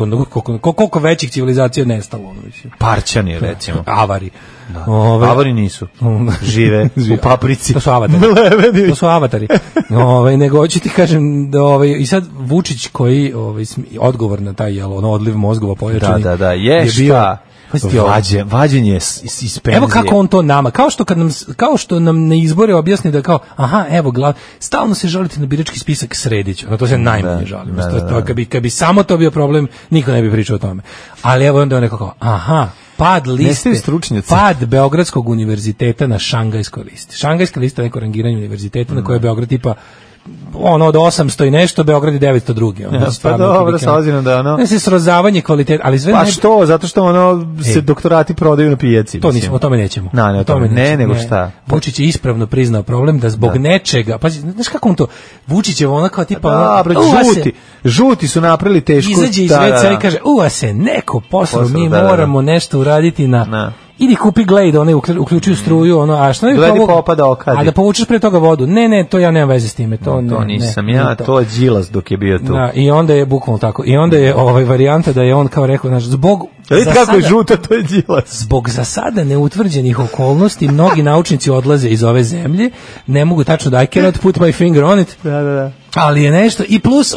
[SPEAKER 6] koliko većih civilizacija nestalo.
[SPEAKER 5] Parćani, recimo.
[SPEAKER 6] Avari.
[SPEAKER 5] Avari nisu. Žive u paprici.
[SPEAKER 6] To su avatari. Nego hoću ti kažem da i sad Vučić koji odgovor na taj odliv mozgova pojačani.
[SPEAKER 5] Da, je bio vađenje iz penzije.
[SPEAKER 6] Evo kako on to nama, kao što nam na izbore objasni da kao, stalno se žalite na birački spisak Sredić, to se najmanje žalim. Kad bi samo to bio problem, niko ne bi pričao o tome. Ali evo onda on neko kao, pad liste, pad Beogradskog univerziteta na Šangajskoj listi. Šangajska lista je neko rangiranje univerziteta na koje je Beograd tipa od 800 i nešto, Beograd je 902.
[SPEAKER 5] Pa dobro, sa ozirom da
[SPEAKER 6] se srozavanje kvaliteta, ali sve...
[SPEAKER 5] Pa što? Zato što se doktorati prodaju na pijaci.
[SPEAKER 6] O tome nećemo.
[SPEAKER 5] Nego šta?
[SPEAKER 6] Vučić je ispravno priznao problem da zbog nečega, pa znaš kako on to, Vučić je kao tipa...
[SPEAKER 5] Žuti su napravili tešku...
[SPEAKER 6] Izađe iz veca i kaže, se neko posao, mi moramo nešto uraditi na... Idi kupi Glade, one uključuju struju, a što ne
[SPEAKER 5] Glade popada okadi.
[SPEAKER 6] A da povučeš pre toga vodu. Ne, to ja nemam veze s time. To
[SPEAKER 5] nisam ja, to je Đilas dok je bio tu.
[SPEAKER 6] Da, i onda je bukvalno tako. I onda je varijanta da je on kao rekao, zbog
[SPEAKER 5] kako je žuta, to je Đilas.
[SPEAKER 6] Zbog za sada neutvrđenih okolnosti mnogi naučnici odlaze iz ove zemlje, ne mogu tačno da I cannot put my finger on it.
[SPEAKER 5] Da.
[SPEAKER 6] Ali je nešto i plus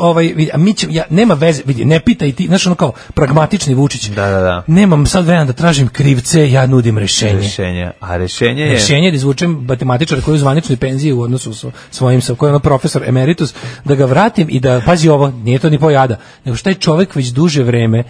[SPEAKER 6] nema veze, vidi, ne pitaj ti, znaš kao pragmatični Vučić.
[SPEAKER 5] Da.
[SPEAKER 6] Nemam sad vremena da tražim krivce, ja nudim rešenje.
[SPEAKER 5] A rešenje je
[SPEAKER 6] da izvučem matematičara koji je u zvaničnoj penziji u odnosu sa svojim koji je profesor emeritus, da ga vratim i da pazi ovo, nije to ni pojada, nego što taj čovjek već duže vreme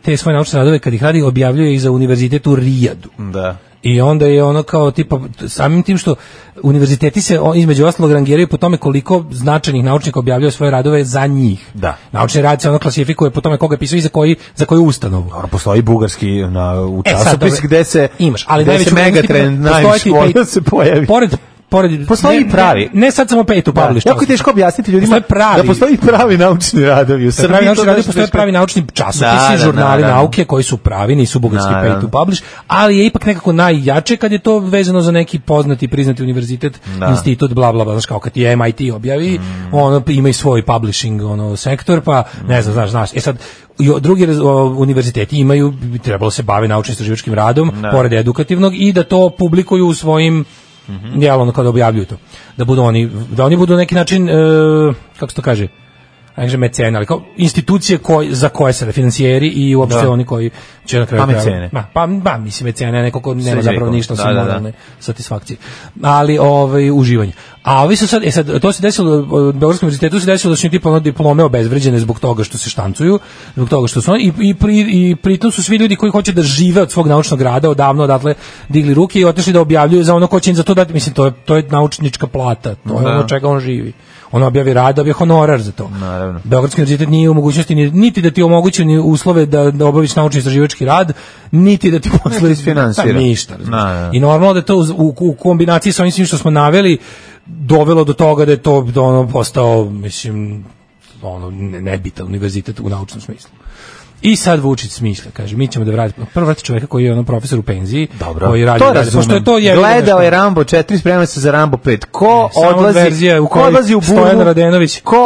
[SPEAKER 6] te svoje naučne radove kad ih radi objavljuje i za univerzitet u Rijadu.
[SPEAKER 5] Da.
[SPEAKER 6] I onda je ono kao tipa samim tim što univerziteti se između ostalog rangiraju po tome koliko značajnih naučnika objavljaju svoje radove za njih.
[SPEAKER 5] Da.
[SPEAKER 6] Naučni rad se klasifikuje po tome koga je pisao i za koju ustanovu.
[SPEAKER 5] Postoji bugarski u časopis gde se
[SPEAKER 6] imaš, ali
[SPEAKER 5] gde se Megatrend najviše se pojavi. Postoji pravi.
[SPEAKER 6] Ne sad samo pay to publish.
[SPEAKER 5] Jako je teško objasniti ljudima da postoji pravi naučni radovi u Srbiji.
[SPEAKER 6] Postoje pravi naučni časopisi, žurnali nauke koji su pravi, nisu bugarski pay to publish, ali je ipak nekako najjače kad je to vezano za neki poznati, priznati univerzitet, institut, bla, bla, bla, znaš kao kad je MIT objavi, ono ima i svoj publishing sektor, pa ne znam, znaš. Sad, drugi univerziteti imaju, trebalo se bave naučno-istraživačkim radom, pored edukativnog, i da to publikuju u svojim kada objavljuju to. Da oni budu na neki način, kako se to kaže, mecene, ali kao institucije za koje se financijeri i uopšte oni koji će na kraju
[SPEAKER 5] mecene.
[SPEAKER 6] Pa mislim mecene, neko ko nema zapravo ništa osim moralne satisfakcije. Ali uživanje. A ovi su sad to se desilo u Beogradskom univerzitetu, se desilo da su tipa diplome obezvređene zbog toga što se štancuju, zbog toga što su i pritom su svi ljudi koji hoće da žive od svog naučnog rada odavno odatle digli ruke i otišli da objavljuju za ono ko će im za to dati, mislim to je naučnička plata, to je ono čega on živi. On objavi rad, dobije honorar za to.
[SPEAKER 5] Naravno.
[SPEAKER 6] Beogradski univerzitet nije u mogućnosti niti da ti omogući ni uslove da obaviš naučni istraživački rad, niti da ti posle
[SPEAKER 5] finansira.
[SPEAKER 6] Ništa. I normalno da to u kombinaciji sa ovim svim što smo naveli dovelo do toga da je to postao, mislim, nebitan univerzitet u naučnom smislu. I sad Vučić smišlja, kaže, mi ćemo da vratimo. Prvo vrati čovjeka koji je profesor u penziji, koji radi,
[SPEAKER 5] što je to gledao je Rambo 4, sprema se za Rambo 5. Ko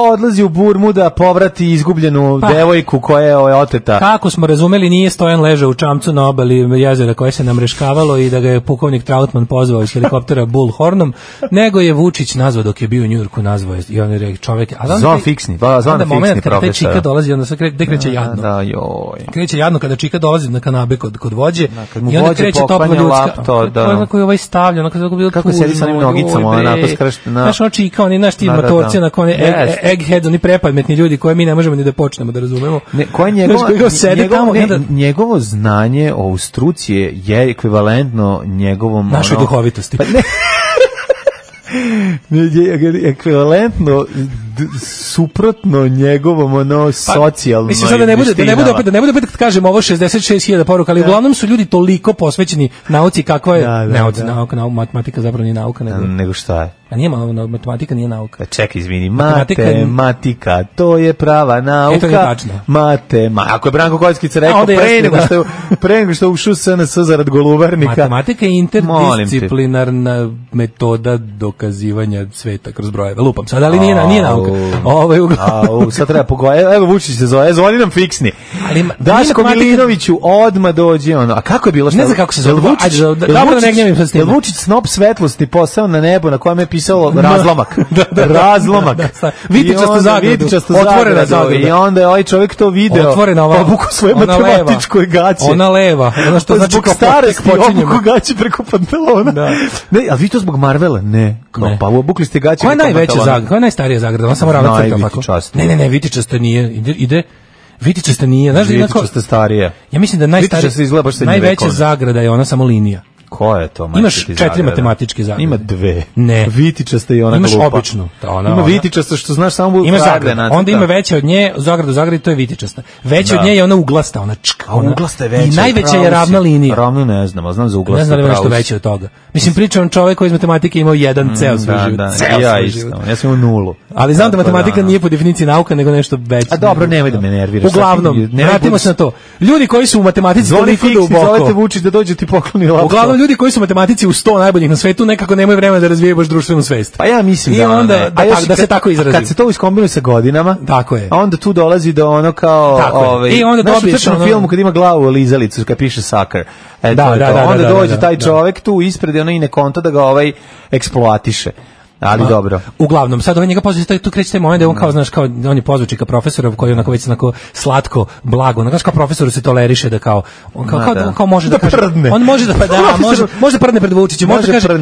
[SPEAKER 5] odlazi u Burmu da povrati izgubljenu devojku koja je oteta?
[SPEAKER 6] Kako smo razumeli, nije Stojan ležao u čamcu na obali jezera koje se namreškavalo i da ga je pukovnik Trautman pozvao iz helikoptera Bullhornom, nego je Vučić nazvao dok je bio u Njujorku, nazvao je i on je rekao čovjek, a
[SPEAKER 5] zvan fiksni
[SPEAKER 6] profesor. Taj čika dolazi, onda se kreće jadno. Kreće jadno kada čika dolazi na kanabe kod vođe i onda kreće topla ljudska koji ovaj stavlja
[SPEAKER 5] kako sedi sa onim nogicama onako skrštena.
[SPEAKER 6] Znaš ono čika, oni naš ti motorci onako egghead, oni prepametni ljudi koje mi ne možemo ni da počnemo da razumemo.
[SPEAKER 5] Njegovo znanje o struci je ekvivalentno njegovom
[SPEAKER 6] našoj duhovitosti.
[SPEAKER 5] Ekvivalentno suprotno njegovom socijalnoj.
[SPEAKER 6] Mislim sad da ne bude opet kad kažem ovo 66.000 poruka, ali uglavnom su ljudi toliko posvećeni nauci kakva je nauka, matematika zapravo nije nauka
[SPEAKER 5] nego šta je.
[SPEAKER 6] A nije matematika, nije nauka.
[SPEAKER 5] Čekaj, izvini, matematika, to je prava nauka.
[SPEAKER 6] To je tačno.
[SPEAKER 5] Ako je Branko Kockica rekao pre nego što ušao SNS zarad Golubarnika.
[SPEAKER 6] Matematika je interdisciplinarna metoda dokazivanja sveta kroz brojeve. Lupam sad, ali nije nauka.
[SPEAKER 5] Sad treba pogledati. Evo Vučić se zove, zvoni nam fiksni. Daško Milinoviću odmah dođe ono. A kako je bilo?
[SPEAKER 6] Ne znam kako se zove.
[SPEAKER 5] Jel Vučić snop svetlosti posao na nebo na kojem je pisalo razlomak. Razlomak.
[SPEAKER 6] Vitičastu zagradu. Otvorena zagrada.
[SPEAKER 5] I onda je ovaj čovjek to video.
[SPEAKER 6] Otvorena ova.
[SPEAKER 5] Obuku svoje matematičkoj gaće.
[SPEAKER 6] Ona leva. Ono što znači
[SPEAKER 5] kao starosti obuku gaće preko pantalona. Ne, a vi to zbog Marvela? Ne. Pa obukli ste gaće
[SPEAKER 6] preko pantalona. Koja je najstarija zagrada? Ona samo ravna crta tako. Ne, vitičasta nije. Ide vitičasta nije. Znaš da
[SPEAKER 5] vitičasta starija.
[SPEAKER 6] Ja mislim da najveća zagrada je ona samo linija.
[SPEAKER 5] Ko je to?
[SPEAKER 6] Imaš 4 matematičke zagrade.
[SPEAKER 5] Ima 2.
[SPEAKER 6] Ne.
[SPEAKER 5] Vitičasta i ona
[SPEAKER 6] glupa.
[SPEAKER 5] Imaš
[SPEAKER 6] običnu.
[SPEAKER 5] Ima vitičasta što znaš samo
[SPEAKER 6] ima zagrada. Onda ima veća od nje, zagrada, to je vitičasta. Veća od nje je ona uglasta, ona čka.
[SPEAKER 5] A uglasta je veća.
[SPEAKER 6] I najveća je ravna linija.
[SPEAKER 5] Ravnu ne znam, a znam za uglasta.
[SPEAKER 6] Ne znam da je nešto veće od toga. Mislim, pričam čovjek koji iz matematike imao jedan ceo svoj život.
[SPEAKER 5] Ja isto. Ja sam imao 0.
[SPEAKER 6] Ali znam da matematika nije po definiciji nauka, nego nešto veće.
[SPEAKER 5] A dobro, nemoj da me nerviraš.
[SPEAKER 6] Uglavnom, vratimo se na to. Ljudi koji su u matematici toliko duboko.
[SPEAKER 5] Zovete Vučić da dođe ti pokloni laptop.
[SPEAKER 6] Uglavnom ljudi koji su u matematici u 100 najboljih na svetu nekako nemaju vremena da razvijaju baš društvenu svest.
[SPEAKER 5] Pa ja mislim
[SPEAKER 6] i onda da se tako izrazi.
[SPEAKER 5] Kad se to iskombinuje sa godinama,
[SPEAKER 6] tako je.
[SPEAKER 5] A onda tu dolazi do ono kao
[SPEAKER 6] i onda dobiješ
[SPEAKER 5] u filmu kad ima glavu lizalicu kad piše sucker. Onda dođe taj čovjek tu ispred i ne konta da ga eksploatiše. Ali dobro.
[SPEAKER 6] Uglavnom, sad njega pozvao tu kreće taj moment da on kao, znaš, kao on je pozvao čika profesora koji onako već onako slatko, blago, onako kao profesoru se toleriše da kao on kao može da kaže, on može da može prdne pred Vučićem,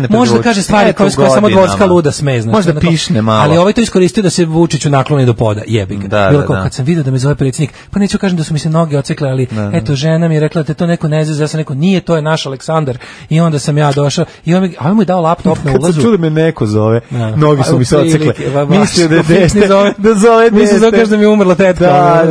[SPEAKER 6] može da kaže stvari koje samo dvorska luda sme, znači.
[SPEAKER 5] Može da pišne malo.
[SPEAKER 6] Ali ovaj to iskoristio da se Vučiću nakloni do poda, jebi ga. Bilo kao kad sam video da me zove predsjednik, pa neću kažem da su mi se noge odsekle, ali eto žena mi je rekla da to neko ne zna, ja sam rekao nije, to je naš Aleksandar. I onda sam ja došao i on mu je dao laptop na ulazu.
[SPEAKER 5] Kad čuli me neko zove. Nogi su mi se odsekle. Mislio da je dete. Da zove dete.
[SPEAKER 6] Mislio da kaže da mi je umrla tetka.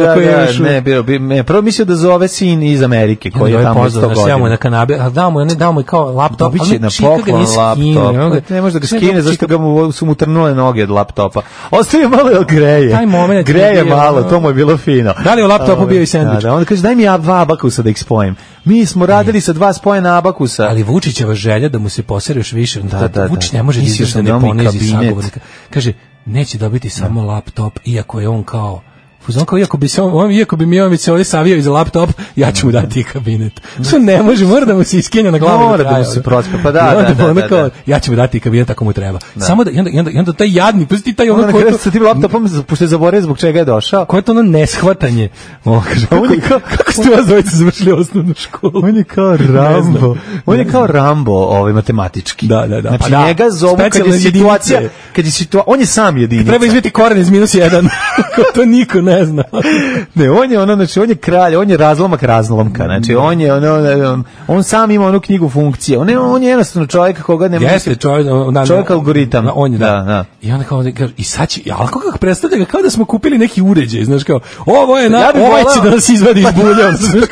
[SPEAKER 5] Ne, prvo mislio da zove sin iz Amerike koji je tamo 100 godina.
[SPEAKER 6] Ja mu na kanabe, a dao mu kao laptop.
[SPEAKER 5] Biće na poklon laptop. Ne može da ga skine, zašto su mu trnule noge od laptopa. Ostaje malo greje. Greje malo, to mu je bilo fino.
[SPEAKER 6] Da li je u laptopu bio i sendvič?
[SPEAKER 5] Onda kaže, daj mi ja 2 abakusa da ih spojim. Mi smo radili sa 2 spojena abakusa.
[SPEAKER 6] Ali Vučićeva želja da mu se posere još više. Vučić ne može da ne ponizi sagovornika. Kaže, neće dobiti samo laptop, iako je on kao Fuzon kao, iako bi mi se ovdje savio iz laptop, ja ću mu dati kabinet. Što ne može, mora da mu se iskenja na glavu.
[SPEAKER 5] Mora da mu se prospe, pa da.
[SPEAKER 6] Ja ću mu dati kabinet ako mu treba. Samo da, i onda taj jadnik, pusti taj ono
[SPEAKER 5] koji... Sa tim laptopom, pošto je zaboravio zbog čega je došao.
[SPEAKER 6] Koje je to ono neshvatanje? Kako ste vas dvojice završili osnovnu školu?
[SPEAKER 5] On je kao Rambo. On je kao Rambo, matematički.
[SPEAKER 6] Da.
[SPEAKER 5] Znači, njega zovu kad je situacija, on je sam jedinica.
[SPEAKER 6] Treba izviti koren iz -1. To niko ne zna.
[SPEAKER 5] Ne, on je znači on je kralj, on je razlomak razlomka. Znači on sam ima onu knjigu funkcije. On je jednostavno čovjek koga ne može.
[SPEAKER 6] Jeste
[SPEAKER 5] čovjek algoritam.
[SPEAKER 6] On je da. I onda kao i sad će, al kako predstavlja ga kao da smo kupili neki uređaj, znaš kao. Ovo je ovaj će da nas izvadi iz bulja, znaš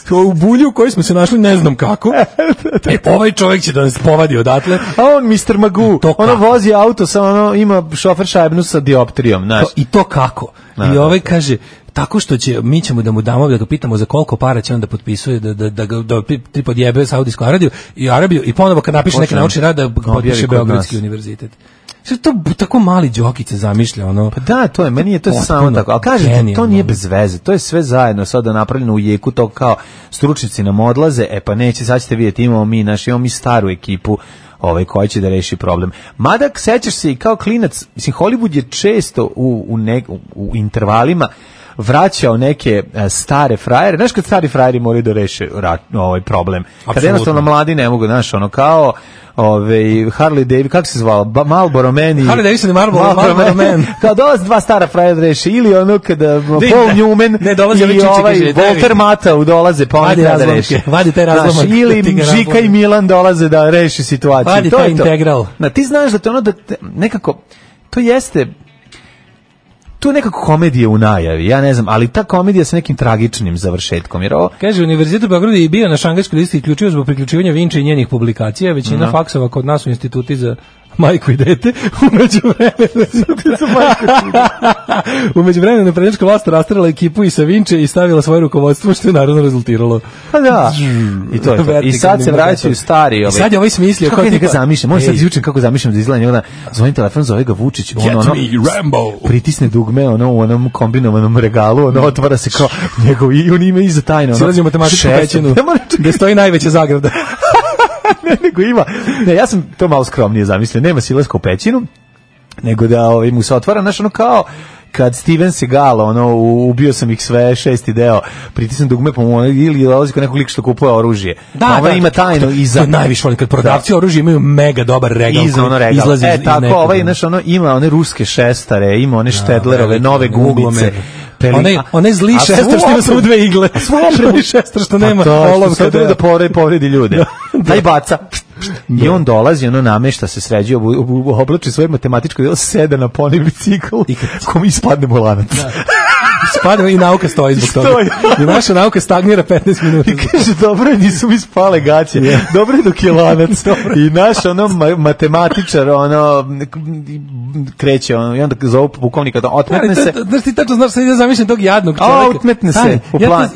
[SPEAKER 6] kao. U bulju koji smo se našli ne znam kako. Ovaj čovjek će da nas povadi odatle.
[SPEAKER 5] A on Mr. Magoo, ono vozi auto sa ima šofer šajbnu sa dioptrijom, znaš.
[SPEAKER 6] I to kako? I ovaj kaže tako što mi ćemo da mu damo, da ga pitamo za koliko para će on da potpisuje, da podjebe Saudijsku Arabiju i ponovo kad napiše neki naučni rad da potpiše Beogradski univerzitet. Sve to tako mali Đokice zamišlja, ono.
[SPEAKER 5] Pa da, to je, meni je to samo tako. Ali kažete, to nije bez veze, to je sve zajedno sada napravljeno u jeku, to kao stručnici nam odlaze, pa neće, sad ćete vidjeti, imamo mi staru ekipu, koji će da reši problem. Mada, sećaš se i kao klinac, mislim, Hollywood je često u intervalima vraćao neke stare frajere. Znaš kad stari frajeri moraju da reše ovaj problem? Kad jednostavno mladi ne mogu, znaš, kao Harley Davidson, kako se zvao? Marlboro Man i...
[SPEAKER 6] Harley Davidson i Marlboro Man.
[SPEAKER 5] Kao dolaze dva stara frajera da reše, ili kada Paul Newman i Walter Matthau dolaze, pa oni da reše.
[SPEAKER 6] Vadi taj razlomak.
[SPEAKER 5] Ili Žika i Milan dolaze da reši situaciju.
[SPEAKER 6] Vadi taj integral.
[SPEAKER 5] Ti znaš da to nekako, to jeste... Tu je nekako komedija u najavi, ja ne znam, ali ta komedija sa nekim tragičnim završetkom. Jer
[SPEAKER 6] Kaže, Univerzitet u Beogradu je bio na šangajskoj listi isključivo zbog priključivanja Vinče i njenih publikacija. Većina faksova kod nas u instituti za majku i dete. Umeđu vremenu naprednjačka vlast rastrala ekipu i sa Vinče i stavila svoje rukovodstvo, što je naravno rezultiralo.
[SPEAKER 5] Pa da. I to je to. I sad se vraćaju stari.
[SPEAKER 6] I sad je ovaj smislio.
[SPEAKER 5] Kako ja ga zamišljam? Možda sad izvučem kako zamišljam da izgleda njega. Zvonim telefon, zove ga Vučić. Pritisne dugme u onom kombinovanom regalu, otvara se kao njegov i on ima iza tajno.
[SPEAKER 6] Silazi u matematičku pećinu gde stoji najveća zagrada.
[SPEAKER 5] Nego ima. Ne, ja sam to malo skromnije zamislio. Nema silaska u pećinu, nego da mu se otvara, znaš, kao kad Steven Seagal, ubio sam ih sve, 6. deo, pritisnem dugme pa mu ili dolazi kod nekog lika što kupuje oružje. Da, ima tajno iza.
[SPEAKER 6] To je najviše volim kad prodavci oružja imaju mega dobar regal.
[SPEAKER 5] Iza ono regal. Izlazi tako, znaš, ima one ruske šestare, ima one Štedlerove, nove gumice.
[SPEAKER 6] Onaj zli šestar što ima samo 2 igle. Prvi šestar što nema olovka.
[SPEAKER 5] Da povredi ljude. Daj baca. I on dolazi, namešta se, sređuje, oblači svoje matematičko delo, sede na poni bicikl, kom ispadne mu lanac.
[SPEAKER 6] Spadne i nauka stoji zbog toga. I naša nauka stagnira 15 minuta.
[SPEAKER 5] I kaže, dobro je, nisu mi spale gaće. Dobro je dok je lanac. I naš matematičar, kreće, i onda zovu pukovnika, otmetne se.
[SPEAKER 6] Znaš ti tačno znaš, sad ide zamišljam tog jadnog čovjeka.
[SPEAKER 5] Otmetne se u plan.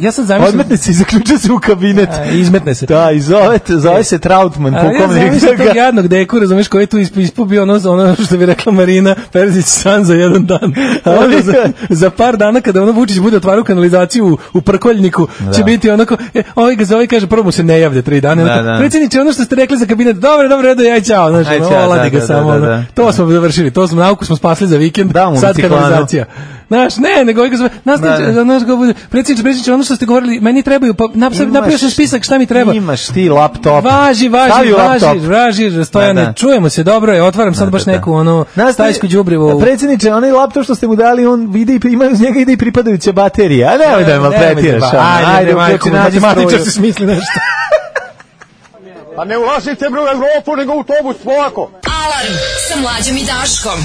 [SPEAKER 5] Odmetne se i zaključa se u kabinet.
[SPEAKER 6] Izmetne se.
[SPEAKER 5] Da, i zove se Trautman, pukovnik.
[SPEAKER 6] Ja zamišljam tog jadnog deku, razumiješ, koji je tu ispubio ono što bi rekla Marina Perzić san za jedan dan. Za par dana kada Vučić bude otvarao kanalizaciju u Prkoljniku, će biti onako, ovaj ga zove i kaže, prvo mu se ne javlja 3 dana. Predsjedniče, ono što ste rekli za kabinet, dobro, redo, ja ćao. Oladi ga samo. To smo završili, nauku smo spasli za vikend, sad kanalizacija. Znaš, nego ovaj ga zove, predsjedniče, ono što ste govorili, meni trebaju, pa napravio sam spisak šta mi treba.
[SPEAKER 5] Imaš ti laptop.
[SPEAKER 6] Važi, Stojane, čujemo se, dobro je, otvaram sad baš neku stajsku đubrivu.
[SPEAKER 5] Predsjedniče, onaj laptop što ste mu dali, on vidi, ima uz njega ide i pripadajuća baterija, a nemoj da je maltretiraš.
[SPEAKER 6] Ajde, matematičar se smisli nešto.
[SPEAKER 4] Pa ne ulazite u Evropu, nego u autobus, polako.
[SPEAKER 9] Alarm sa Mlađom i Daškom.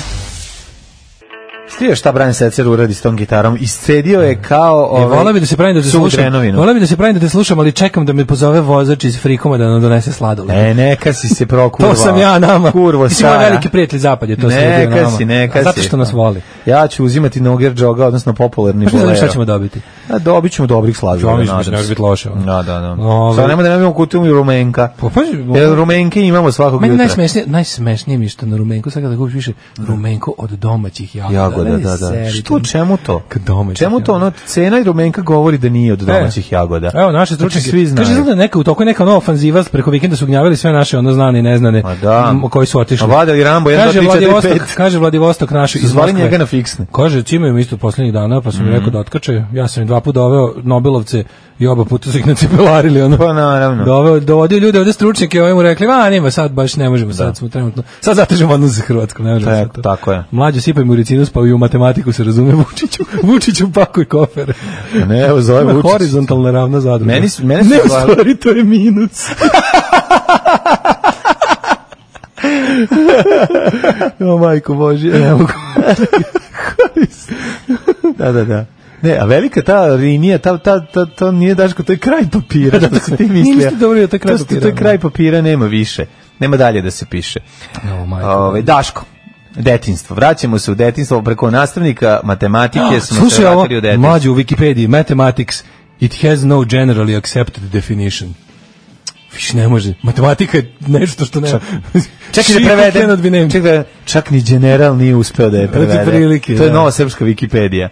[SPEAKER 5] Stio šta Brian Setzer uradi s tom gitarom, iscedio je kao
[SPEAKER 6] voleo bi da se pravim da te slušam, ali čekam da me pozove vozač iz Frikoma da nam donese sladoled.
[SPEAKER 5] Neka si se prokurvao.
[SPEAKER 6] To sam ja nama.
[SPEAKER 5] Kurvo
[SPEAKER 6] ti si moj veliki prijatelj zapad je to sledio nama.
[SPEAKER 5] Neka si.
[SPEAKER 6] Zato što nas voli.
[SPEAKER 5] Ja ću uzimati Noger Džoga, odnosno popularni bolero.
[SPEAKER 6] Šta ćemo dobiti?
[SPEAKER 5] Dobit ćemo dobrih sladoleda.
[SPEAKER 6] Ne može biti loše.
[SPEAKER 5] Da. Sad nema da imamo kutiju i rumenka. Jer rumenke imamo svakog jutra.
[SPEAKER 6] Najsmešnije mi što na rumenku, sad kada kupiš više rumenko od domaćih jagoda.
[SPEAKER 5] jagoda, da. Što, čemu to? Čemu to? Ono, cena i rumenka govori da nije od domaćih jagoda.
[SPEAKER 6] Evo, naše stručnjake, svi znaju. Kaže, da neka u toku neka nova ofanziva preko vikenda su gnjavili sve naše ono znane i neznane koji su otišli.
[SPEAKER 5] Vadili Rambo 1 2 3 4 5.
[SPEAKER 6] Kaže Vladivostok naš iz Moskve.
[SPEAKER 5] Njega na fiksne.
[SPEAKER 6] Kaže, cimaju isto poslednjih dana, pa sam mi rekao da otkače. Ja sam im 2 puta doveo Nobelovce i oba puta su ih nacipelarili, ono.
[SPEAKER 5] Pa naravno.
[SPEAKER 6] Dovodio ljude ovde stručnjake, ovim mu rekli, nema, sad baš ne možemo, sad smo trenutno. Sad zatežemo odnos sa Hrvatskom, ne možemo.
[SPEAKER 5] Tako je.
[SPEAKER 6] Mlađo sipaj mu ricinus, pa i u matematiku se razume Vučiću pakuj kofere.
[SPEAKER 5] Ne, evo zove Vučić.
[SPEAKER 6] Horizontalna ravna zadruga.
[SPEAKER 5] Meni
[SPEAKER 6] ne, u stvari, to je minus. O, majko Božje, ne mogu. Da. Ne, a velika ta linija, to nije Daško, to je kraj papira, što si ti mislio. Niste dobro, to je kraj papira.
[SPEAKER 5] To je kraj papira, nema više. Nema dalje da se piše. Daško, detinjstvo. Vraćamo se u detinjstvo preko nastavnika matematike.
[SPEAKER 6] Slušaj ovo, mlađe u Wikipediji, mathematics, it has no generally accepted definition. Viš ne može. Matematika je nešto što nema.
[SPEAKER 5] Čekaj da prevedem. Čak ni general nije uspeo da je prevede. To je nova srpska Wikipedija.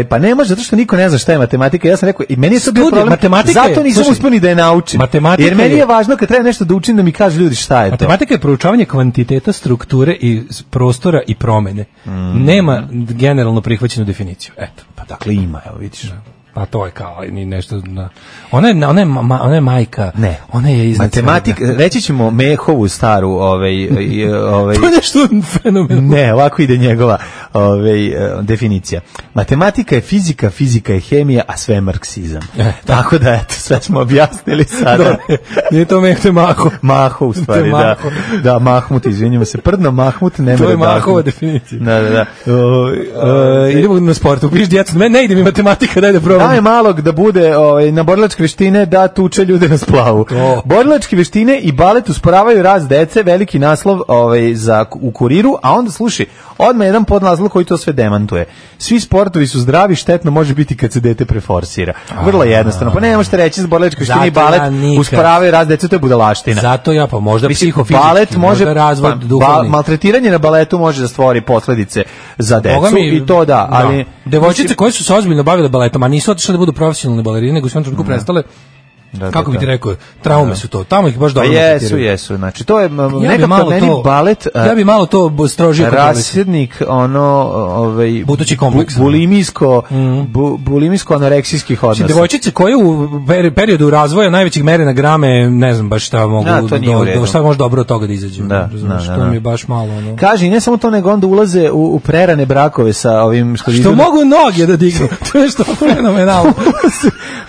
[SPEAKER 5] Pa ne može, zato što niko ne zna šta je matematika. Ja sam rekao, i meni je to bio problem, zato nisam uspio ni da je naučim. Jer meni je važno kad treba nešto da učim da mi kaže ljudi šta je to.
[SPEAKER 6] Matematika je proučavanje kvantiteta, strukture i prostora i promene. Nema generalno prihvaćenu definiciju. Eto.
[SPEAKER 5] Pa dakle ima, evo vidiš.
[SPEAKER 6] Pa to je kao ni nešto. Ona je majka.
[SPEAKER 5] Ne.
[SPEAKER 6] Ona je iznad
[SPEAKER 5] matematika. Reći ćemo Mehovu staru,
[SPEAKER 6] to je nešto fenomenalno.
[SPEAKER 5] Ne, ovako ide njegova definicija. Matematika je fizika, fizika je hemija, a sve je marksizam. Tako da eto, sve smo objasnili sada.
[SPEAKER 6] Nije to Maho.
[SPEAKER 5] Maho u stvari, da. Da, Mahmut, izvinjamo se. Prdno Mahmut, nema.
[SPEAKER 6] To je Mahova definicija.
[SPEAKER 5] Da.
[SPEAKER 6] Idemo na sportu. Piš djecu, ne ide mi matematika, daj da probam.
[SPEAKER 5] Daj malog da bude na borilačke veštine da tuče ljude na splavu. Borilačke veštine i balet usporavaju rast dece, veliki naslov u Kuriru, a onda slušaj, odmah jedan podnaslov koji to sve demantuje. Svi sportovi su zdravi, štetno može biti kad se dete preforsira. Vrlo jednostavno. Pa ne možete reći za borilačke veštine i balet usporavaju rast dece, to je budalaština.
[SPEAKER 6] Zato ja pa možda psihofizički,
[SPEAKER 5] balet može
[SPEAKER 6] razvoj duhovni.
[SPEAKER 5] Maltretiranje na baletu može da stvori posledice za decu i to da, ali
[SPEAKER 6] devojčice koje su se ozbiljno bavile baletom, a nisu otišle da budu profesionalne balerine, nego su onako prestale. Kako bi ti rekao, traume su to. Tamo ih baš dobro.
[SPEAKER 5] Jesu. Znači to je nekako meni balet.
[SPEAKER 6] Ja bi malo to strožio
[SPEAKER 5] rasjednik
[SPEAKER 6] budući kompleks.
[SPEAKER 5] Bulimijsko anoreksijskih odnosa.
[SPEAKER 6] Devojčice koje u periodu razvoja najvećih mere na grame, ne znam baš šta mogu šta može dobro od toga da izađe. Što mi je baš malo ono.
[SPEAKER 5] Kaže, ne samo to, nego onda ulaze u prerane brakove sa ovim
[SPEAKER 6] što mogu noge da dignu. To je što fenomenalno.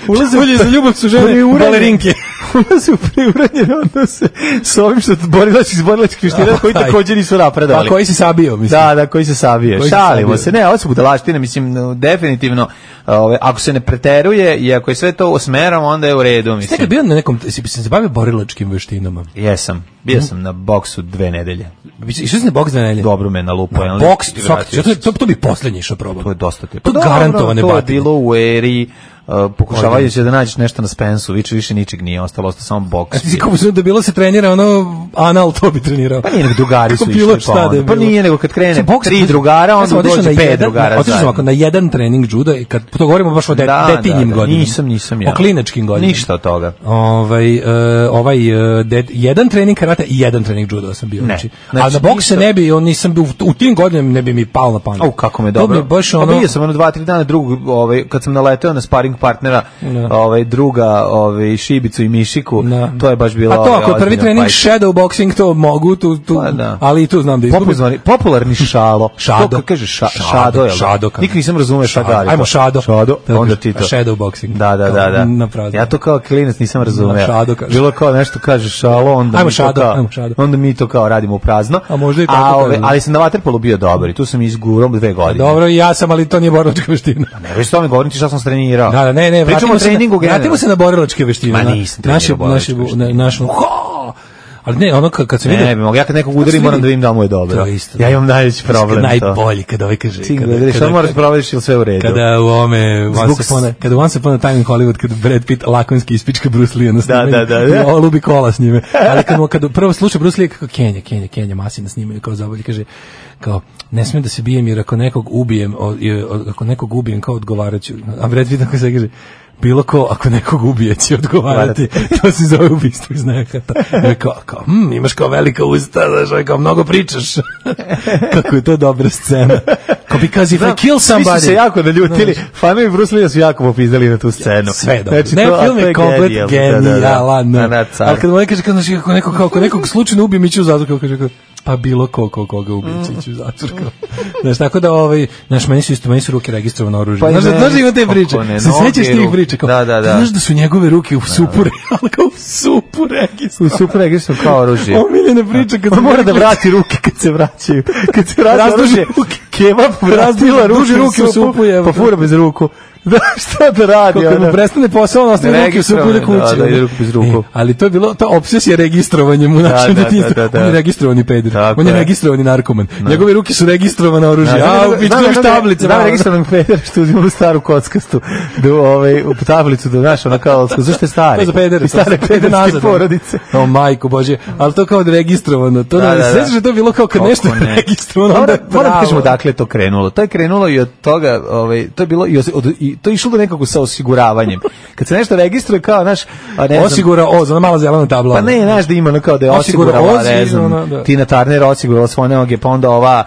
[SPEAKER 6] Ulaze za ljubav su žene balerinke.
[SPEAKER 5] Ulaze u preuranjene odnose s ovim što iz borilačkih veština koji također nisu napredovali.
[SPEAKER 6] A koji se sabio, mislim.
[SPEAKER 5] Da, koji se sabio. Šalimo se. Ne, ovo su budalaštine, mislim, definitivno, ako se ne preteruje i ako je sve to osmeramo, onda je u redu, mislim.
[SPEAKER 6] Ste bio na nekom, si se bavio borilačkim veštinama?
[SPEAKER 5] Jesam. Bio sam na boksu 2 nedelje.
[SPEAKER 6] Išao si na boks 2 nedelje?
[SPEAKER 5] Dobro me nalupao.
[SPEAKER 6] Boks, to bi poslednji išao probao.
[SPEAKER 5] To je dosta te.
[SPEAKER 6] To garantovane batine.
[SPEAKER 5] To je bilo u eri pokušavajući da nađeš nešto na Spensu, više ničeg nije ostalo samo boks.
[SPEAKER 6] A ti si kao da bilo se trenira anal, to bi trenirao.
[SPEAKER 5] Pa nije nego drugari su išli pa nije nego kad krene 3 drugara, onda dođe 5 drugara.
[SPEAKER 6] Otišao sam na jedan trening juda i kad to govorimo baš o detinjim godinama.
[SPEAKER 5] Nisam ja.
[SPEAKER 6] O kliničkim godinama.
[SPEAKER 5] Ništa od toga.
[SPEAKER 6] Jedan trening karate i jedan trening juda sam bio. A na bokse ne bi, nisam bio u tim godinama, ne bi mi palo na pamet.
[SPEAKER 5] Kako me dobro. Bio sam 2-3 dana kad sam naleteo na sparing partnera, druga, Šibicu i Mišiku, to je baš bilo.
[SPEAKER 6] A to ako prvi trening shadow boxing to mogu ali i tu znam da izgubim.
[SPEAKER 5] Popularni šalo. Kako kaže šado je. Nikad nisam razumeo šta kaže.
[SPEAKER 6] Ajmo šado.
[SPEAKER 5] Onda ti to.
[SPEAKER 6] Shadow boxing.
[SPEAKER 5] Da. Ja to kao klinac nisam razumeo. Bilo kao nešto kaže šalo, onda mi to kao radimo u prazno.
[SPEAKER 6] A možda i tako.
[SPEAKER 5] Ali sam na vaterpolu bio dobar i tu sam izgurao 2 godine.
[SPEAKER 6] Dobro, ja sam, ali to nije borilačka veština.
[SPEAKER 5] Ne, već to mi govorim ti šta sam trenirao.
[SPEAKER 6] Ne,
[SPEAKER 5] pričamo o treningu generalno.
[SPEAKER 6] Vratimo se na borilačke veštine.
[SPEAKER 5] Ma nisam trenirao borilačke veštine.
[SPEAKER 6] Ali ne, ono kad se vidi...
[SPEAKER 5] Ne, ja kad nekog udarim moram da vidim da mu je dobro.
[SPEAKER 6] To je isto.
[SPEAKER 5] Ja imam najveći problem.
[SPEAKER 6] Najbolji kad ovaj kaže...
[SPEAKER 5] Šta moraš provodiš ili sve u redu?
[SPEAKER 6] Kada u ovome... Kada Once Upon a Time in Hollywood, kada Brad Pitt lakonski ispička Bruce Lee na snimanju. Da. Ovo lubi kola s njime. Ali kad prvo sluša Bruce Lee kako Kenja masi na snimanju kao zabolji, kaže kao ne smijem da se bijem jer ako nekog ubijem kao odgovaraću. A Brad Pitt tako se kaže bilo ko, ako nekog ubije će odgovarati, to se zove ubistvo iz nehata. Kao, imaš kao velika usta, znaš, kao mnogo pričaš. Kako je to dobra scena. Kao because if I kill somebody...
[SPEAKER 5] Svi su se jako naljutili, fanovi Bruce Lee su jako popizdali na tu scenu.
[SPEAKER 6] Sve je dobro. Ne, film je komplet genijalan. Ali kad mu kaže, ako nekog slučajno ubije, mi ću u zatvor, kaže, pa bilo koga ubije, ću u zatvor. Znaš, tako da, meni su ruke registrovano oružje. Znaš da ima te priče? Se sećaš tih priča? Da. Znaš da su njegove ruke u supure, ali kao u supregistru
[SPEAKER 5] kao oružje.
[SPEAKER 6] Omiljena priča kad
[SPEAKER 5] se mora da vrati ruke kad se vraćaju. Kad se vrati oružje, kebab vratila ruke u supu, pa fura bez ruku. Da, šta da radi?
[SPEAKER 6] Kad mu prestane posao, on ostaje ruke u supu da kući.
[SPEAKER 5] Da, ide ruku bez ruku.
[SPEAKER 6] Ali to je bilo, ta obsesija registrovanjem u našem detinjstvu. On je registrovani peder. On je registrovani narkoman. Njegove ruke su registrovane oružje. A, u pičku imaš tablice.
[SPEAKER 5] Da, registrovani peder, što uzimamo staru kockastu. U tablicu da naš, ona kao, zašto je stari?
[SPEAKER 6] To je za pedere.
[SPEAKER 5] Stare pederske porodice.
[SPEAKER 6] O, majko Bože. Ali to kao da registrovano. Sveći že to bilo kao kad nešto je registrovano.
[SPEAKER 5] Moram da kažemo dakle to krenulo. To je krenulo i od toga, to je bilo i to je išlo do nekako sa osiguravanjem. Kad se nešto registruje kao, znaš,
[SPEAKER 6] osigura za ona mala zelena tabla.
[SPEAKER 5] Pa ne, znaš da ima ono kao da je osigurala, ne znam, Tina Turner osigurala svoje noge, pa onda ova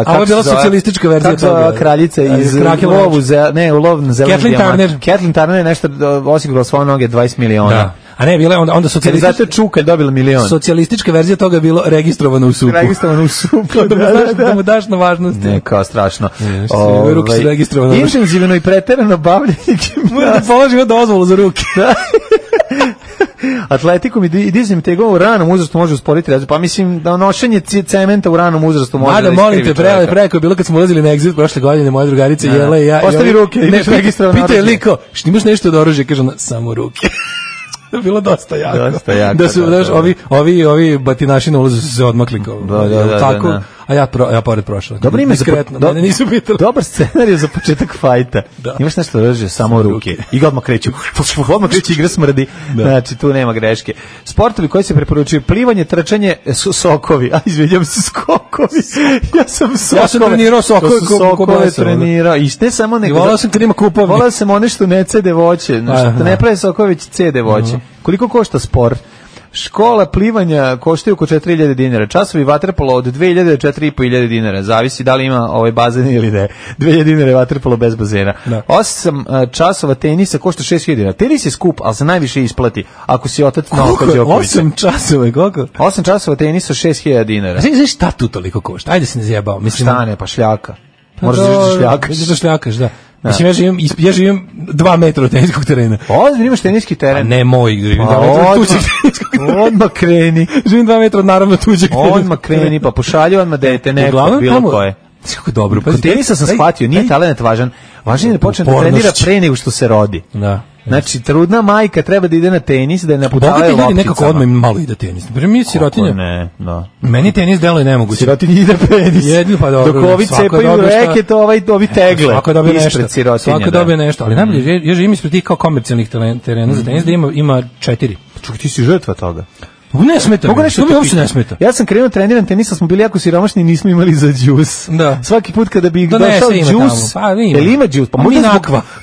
[SPEAKER 6] kako je bila socijalistička verzija toga.
[SPEAKER 5] Kraljica iz Lovu, ne, u Lov na zelenu dijamant. Kathleen Turner je nešto osigurala svoje noge 20 miliona.
[SPEAKER 6] Da. A ne, bila je onda socijalistička...
[SPEAKER 5] Zato je Čuka dobila milion.
[SPEAKER 6] Socijalistička verzija toga je bilo registrovano u supu.
[SPEAKER 5] Registrovano u supu.
[SPEAKER 6] Da mu daš na važnosti.
[SPEAKER 5] Ne, kao strašno.
[SPEAKER 6] Ruke su registrovane.
[SPEAKER 5] Intenzivno i preterano bavljanje gimnastika.
[SPEAKER 6] Mora da položimo dozvolu za ruke.
[SPEAKER 5] Atletikom i dizanjem tegova u ranom uzrastu može usporiti razvoj. Pa mislim da nošenje cementa u ranom uzrastu može da
[SPEAKER 6] molim te, preko je bilo kad smo ulazili na Exit prošle godine, moje drugarice Jela i ja.
[SPEAKER 5] Ostavi ruke,
[SPEAKER 6] ideš registrovano oružje. Pita je liko, što imaš nešto od oružja? Kaže ona, samo ruke. Bilo dosta jako. Da su, znaš, ovi batinaši na ulazu su se odmakli kao. Tako. A ja pored prošao.
[SPEAKER 5] Dobro ime mene nisu pitali. Dobar scenarij za početak fajta. Imaš nešto oružje, samo ruke. I odmah kreću. Odmah kreće, igra smrdi. Znači, tu nema greške. Sportovi koji se preporučuju: plivanje, trčanje, sokovi. A izvinjam se, skokovi. Ja sam
[SPEAKER 6] trenirao sokove.
[SPEAKER 5] Sokove trenirao. I ne samo nego.
[SPEAKER 6] Volao sam kad ima kupovi.
[SPEAKER 5] Volao sam one što ne cede voće. Što ne prave sokove, već cede voće. Koliko košta sport? Škola plivanja koštaju oko 4.000 dinara. Časovi vaterpola od 2.000 do 4.500 dinara. Zavisi da li ima ovaj bazen ili ne. 2.000 dinara je vaterpolo bez bazena. 8 časova tenisa košta 6.000 dinara. Tenis je skup, ali se najviše isplati ako si otac Novaka Đokovića.
[SPEAKER 6] 8 časova, koliko?
[SPEAKER 5] 8 časova tenisa 6.000 dinara.
[SPEAKER 6] Znaš šta tu toliko košta? Ajde se ne zjebao.
[SPEAKER 5] Šta ne, pa šljaka. Moraš da šljakaš.
[SPEAKER 6] Da. Mislim, ja živim 2 metra od teniskog terena.
[SPEAKER 5] Ozbiljno imaš teniski teren?
[SPEAKER 6] A ne moj, živim 2 metra od tuđeg teniskog terena.
[SPEAKER 5] Odmah kreni.
[SPEAKER 6] Živim 2 metra od naravno tuđeg teniskog terena.
[SPEAKER 5] Odmah kreni, pa pošalju odmah dete neko, bilo koje.
[SPEAKER 6] Kako dobro.
[SPEAKER 5] Kod tenisa sam shvatio, nije talent važan. Važan je da počne da trenira pre nego što se rodi.
[SPEAKER 6] Da.
[SPEAKER 5] Znači, trudna majka treba da ide na tenis, da je naputavaju lopticama.
[SPEAKER 6] Ljudi nekako odmah malo ide tenis. Mi sirotinja.
[SPEAKER 5] Ne, da.
[SPEAKER 6] Meni tenis deluje nemoguće.
[SPEAKER 5] Sirotinja ide penis.
[SPEAKER 6] Jedno pa dobro.
[SPEAKER 5] Dok ovi cepaju reket, ovi tegle.
[SPEAKER 6] Svako dobije nešto. Svako dobije nešto. Ali najbolje, ja živim ispred tih kao komercijalnih terena za tenis, da ima 4.
[SPEAKER 5] Čekaj, ti si žrtva toga.
[SPEAKER 6] Ne smeta. To mi uopšte ne smeta.
[SPEAKER 5] Ja sam krenuo treniram tenisa, smo bili jako siromašni i nismo imali za džus.
[SPEAKER 6] Da.
[SPEAKER 5] Svaki put kada bi došao džus, jel ima džus? Pa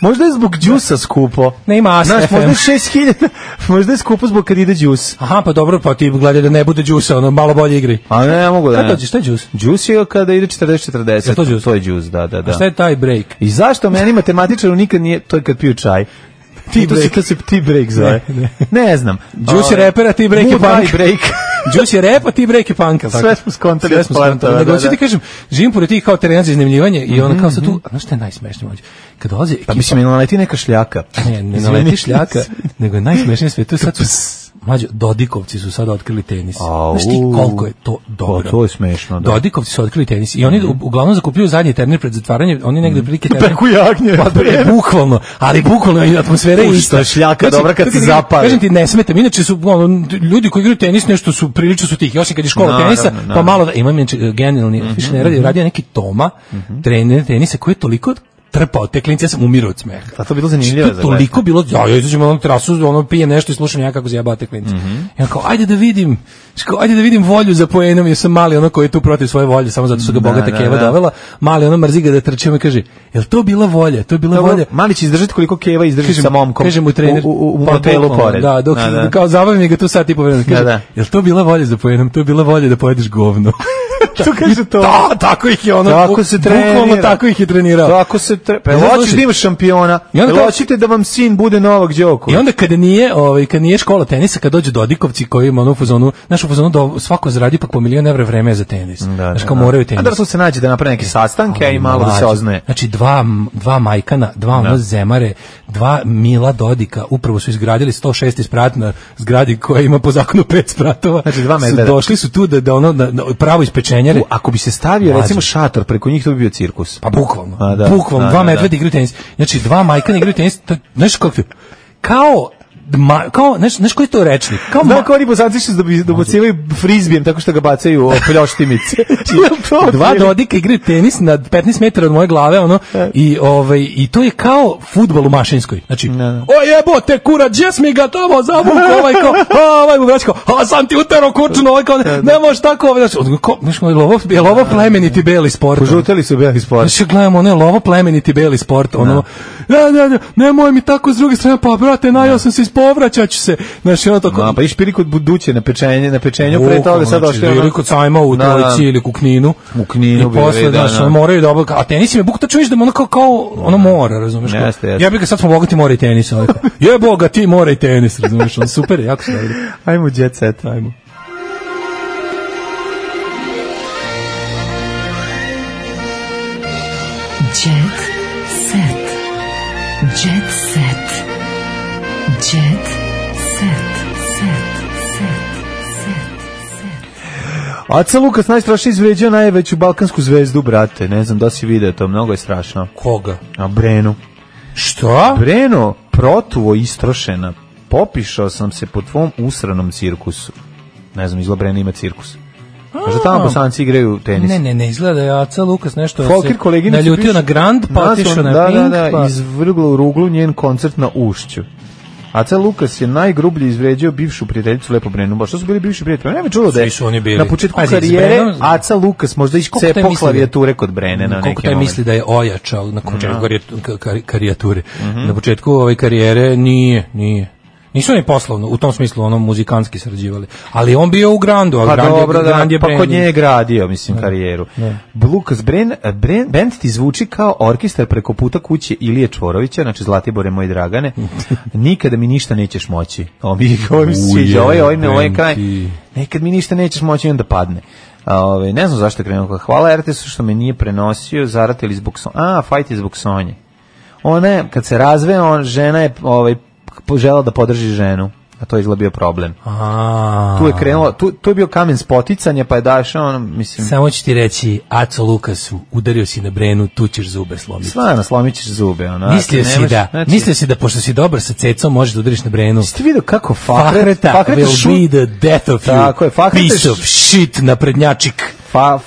[SPEAKER 5] možda je zbog džusa skupo.
[SPEAKER 6] Ne ima AS FM.
[SPEAKER 5] Možda je 6.000, možda je skupo zbog kad ide džus.
[SPEAKER 6] Aha, pa dobro, pa ti gledaj da ne bude džusa, ono malo bolje igri.
[SPEAKER 5] A ne, ja mogu da ne.
[SPEAKER 6] Šta je džus?
[SPEAKER 5] Džus je kada ide 40-40. To je džus, da.
[SPEAKER 6] A šta je taj break?
[SPEAKER 5] I zašto meni matematičaru nikad nije, to je kad piju čaj. To se ti break zove. Ne znam.
[SPEAKER 6] Juice je repera, ti break je punk. Juice je repa, ti break je punk.
[SPEAKER 5] Sve smo skontali.
[SPEAKER 6] Nego ću ti kažem, živim pored tih kao terena za iznajmljivanje i ona kao sad tu, znaš šta je najsmešnije mlađe? Kad dolazi ekipa...
[SPEAKER 5] Pa mislim, ne naleti neka šljaka.
[SPEAKER 6] Ne naleti šljaka, nego je najsmešnije sve. To je sad Mlađo, Dodikovci su sad otkrili tenis. Znaš ti koliko je to dobro?
[SPEAKER 5] Pa to je smešno, da.
[SPEAKER 6] Dodikovci su otkrili tenis i oni uglavnom zakupljuju zadnji turnir pred zatvaranje, oni negde prilike
[SPEAKER 5] Peku jagnje.
[SPEAKER 6] Bukvalno, ali bukvalno atmosfera je ista.
[SPEAKER 5] Šljaka dobra kad se zapali.
[SPEAKER 6] Kažem ti, ne smeta, inače su ljudi koji igraju tenis nešto su prilično su tihi, osim kad je škola tenisa, pa malo da imam genijalni, više ne radio neki Toma, trener tenisa koji je toliko trpao te klince, ja sam umirao od smeha.
[SPEAKER 5] A to bilo zanimljivo za
[SPEAKER 6] toliko bilo, ja izađem na terasu, pijem nešto i slušam ja kako zajebao te klince. Ja kao, ajde da vidim volju za poenom, ja sam mali koji je tu protiv svoje volje, samo zato su ga bogata keva dovela, mali mrzi ga da trče, mi kaže, jel to bila volja? To je bila volja.
[SPEAKER 5] Mali će izdržati koliko keva izdrži sa momkom.
[SPEAKER 6] Kaže mu trener
[SPEAKER 5] u motelu pored.
[SPEAKER 6] Da, dok kao zabavim ga tu sat i po vremena. Kaže, jel to bila volja za poenom? To je bila volja da pojedeš govno.
[SPEAKER 5] To kaže to.
[SPEAKER 6] Da, tako ih je ono.
[SPEAKER 5] Tako se trenira.
[SPEAKER 6] Bukvalno tako ih je trenirao.
[SPEAKER 5] Tako se hoćeš da imaš šampiona. Hoćete da vam sin bude Novak Đoković.
[SPEAKER 6] I onda kad nije škola tenisa, kad dođu Dodikovci koji ima u fazonu, našu fazonu da svako zaradi pa po $1.000.000 vreme za tenis. Znaš kao moraju tenis.
[SPEAKER 5] A da se nađe da naprave neke sastanke i malo da se oznaje.
[SPEAKER 6] Znači dva majkana, dva zemare, dva Mila Dodika, upravo su izgradili 106 sprat na zgradi koja ima po zakonu 5 spratova.
[SPEAKER 5] Znači dva medveda.
[SPEAKER 6] Došli su tu da ono pravo ispečenje.
[SPEAKER 5] Ako bi se stavio recimo šator preko njih, to bi bio cirkus.
[SPEAKER 6] Pa bukvalno. Bukvalno dva medveda igraju tenis. Znači dva majkana igraju tenis, znaš kako kao znaš koji je to rečnik?
[SPEAKER 5] Kao oni Bosanci što dobacivaju frizbijem tako što ga bacaju o pljoštimice.
[SPEAKER 6] Dva Dodika igraju tenis na 15 metara od moje glave, i to je kao fudbal u Mašinskoj. Znači, o jebote, kura, džes mi ga tamo zavuku, ovaj mu vraći kao, a sam ti utero kurčuno, ne možeš tako, znaš, je lovo plemeniti beli sport.
[SPEAKER 5] Požuteli su beli sport.
[SPEAKER 6] Znači, gledamo, lovo plemeniti beli sport, nemoj mi tako s druge strane, pa brate, najao sam se povraćat ću se. Znači, ono tako...
[SPEAKER 5] pa išpili kod buduće na pečenju, pre toga sad došli...
[SPEAKER 6] Ili kod sajma u Trojici ili u Kninu.
[SPEAKER 5] U Kninu
[SPEAKER 6] bi posle, moraju da a tenis im je buk, tačno viš da kao ono mora, razumeš? Ja bih ga sad smo bogati mora i tenis. Je bogati mora i tenis, razumeš? Super, jako se dobro.
[SPEAKER 5] Ajmo, jet set, ajmo.
[SPEAKER 3] Jet set. Jet set. Jet set.
[SPEAKER 5] Aca Lukas najstrašnije izvređao najveću balkansku zvezdu, brate. Ne znam da si vidio to, mnogo je strašno.
[SPEAKER 6] Koga?
[SPEAKER 5] A Brenu.
[SPEAKER 6] Što?
[SPEAKER 5] Breno, protuvo istrošena. Popišao sam se po tvom usranom cirkusu. Ne znam, izgleda Brena ima cirkus. Možda tamo Bosanci igraju tenis.
[SPEAKER 6] Ne, izgleda da je Aca Lukas nešto se naljutio na Grand, pa otišao na Pink.
[SPEAKER 5] Da, izvrglo u ruglu njen koncert na Ušću. Aca Lukas je najgrublje izvređao bivšu prijateljicu Lepo Brenu. Ba što su bili bivši prijatelji? Ne mi čulo da je na početku karijere Aca Lukas možda iscepao klavijature kod Brene na
[SPEAKER 6] koliko taj misli da je ojačao na početku karijature. Na početku karijere nije. Nisu oni poslovno, u tom smislu muzikanski sarađivali. Ali on bio u Grandu, a Grand je
[SPEAKER 5] pa kod nje je gradio, karijeru. Lukas band ti zvuči kao orkestar preko puta kuće Ilije Čvorovića, znači Zlatibore moj Dragane. Nikada mi ništa nećeš moći. Ovo mi sviđa, ovaj kraj. Nekad mi ništa nećeš moći i onda padne. Ne znam zašto je krenuo. Hvala RTS-u što me nije prenosio, zaratili zbog Sonje. Fajt je zbog Sonje. Ona kad se razve, žena je požela da podrži ženu, a to je izgleda bio problem. Tu je krenulo, tu je bio kamen spoticanja, pa je dašao, mislim...
[SPEAKER 6] Samo ću ti reći, Aco Lukasu, udario si na Brenu, tu ćeš zube slomiti.
[SPEAKER 5] Stvarno, slomit ćeš zube.
[SPEAKER 6] Mislio si da, pošto si dobar sa cecom, možeš da udariš na Brenu.
[SPEAKER 5] Ste vidio kako
[SPEAKER 6] Fakreta will be the death of you, piece of shit, naprednjačik.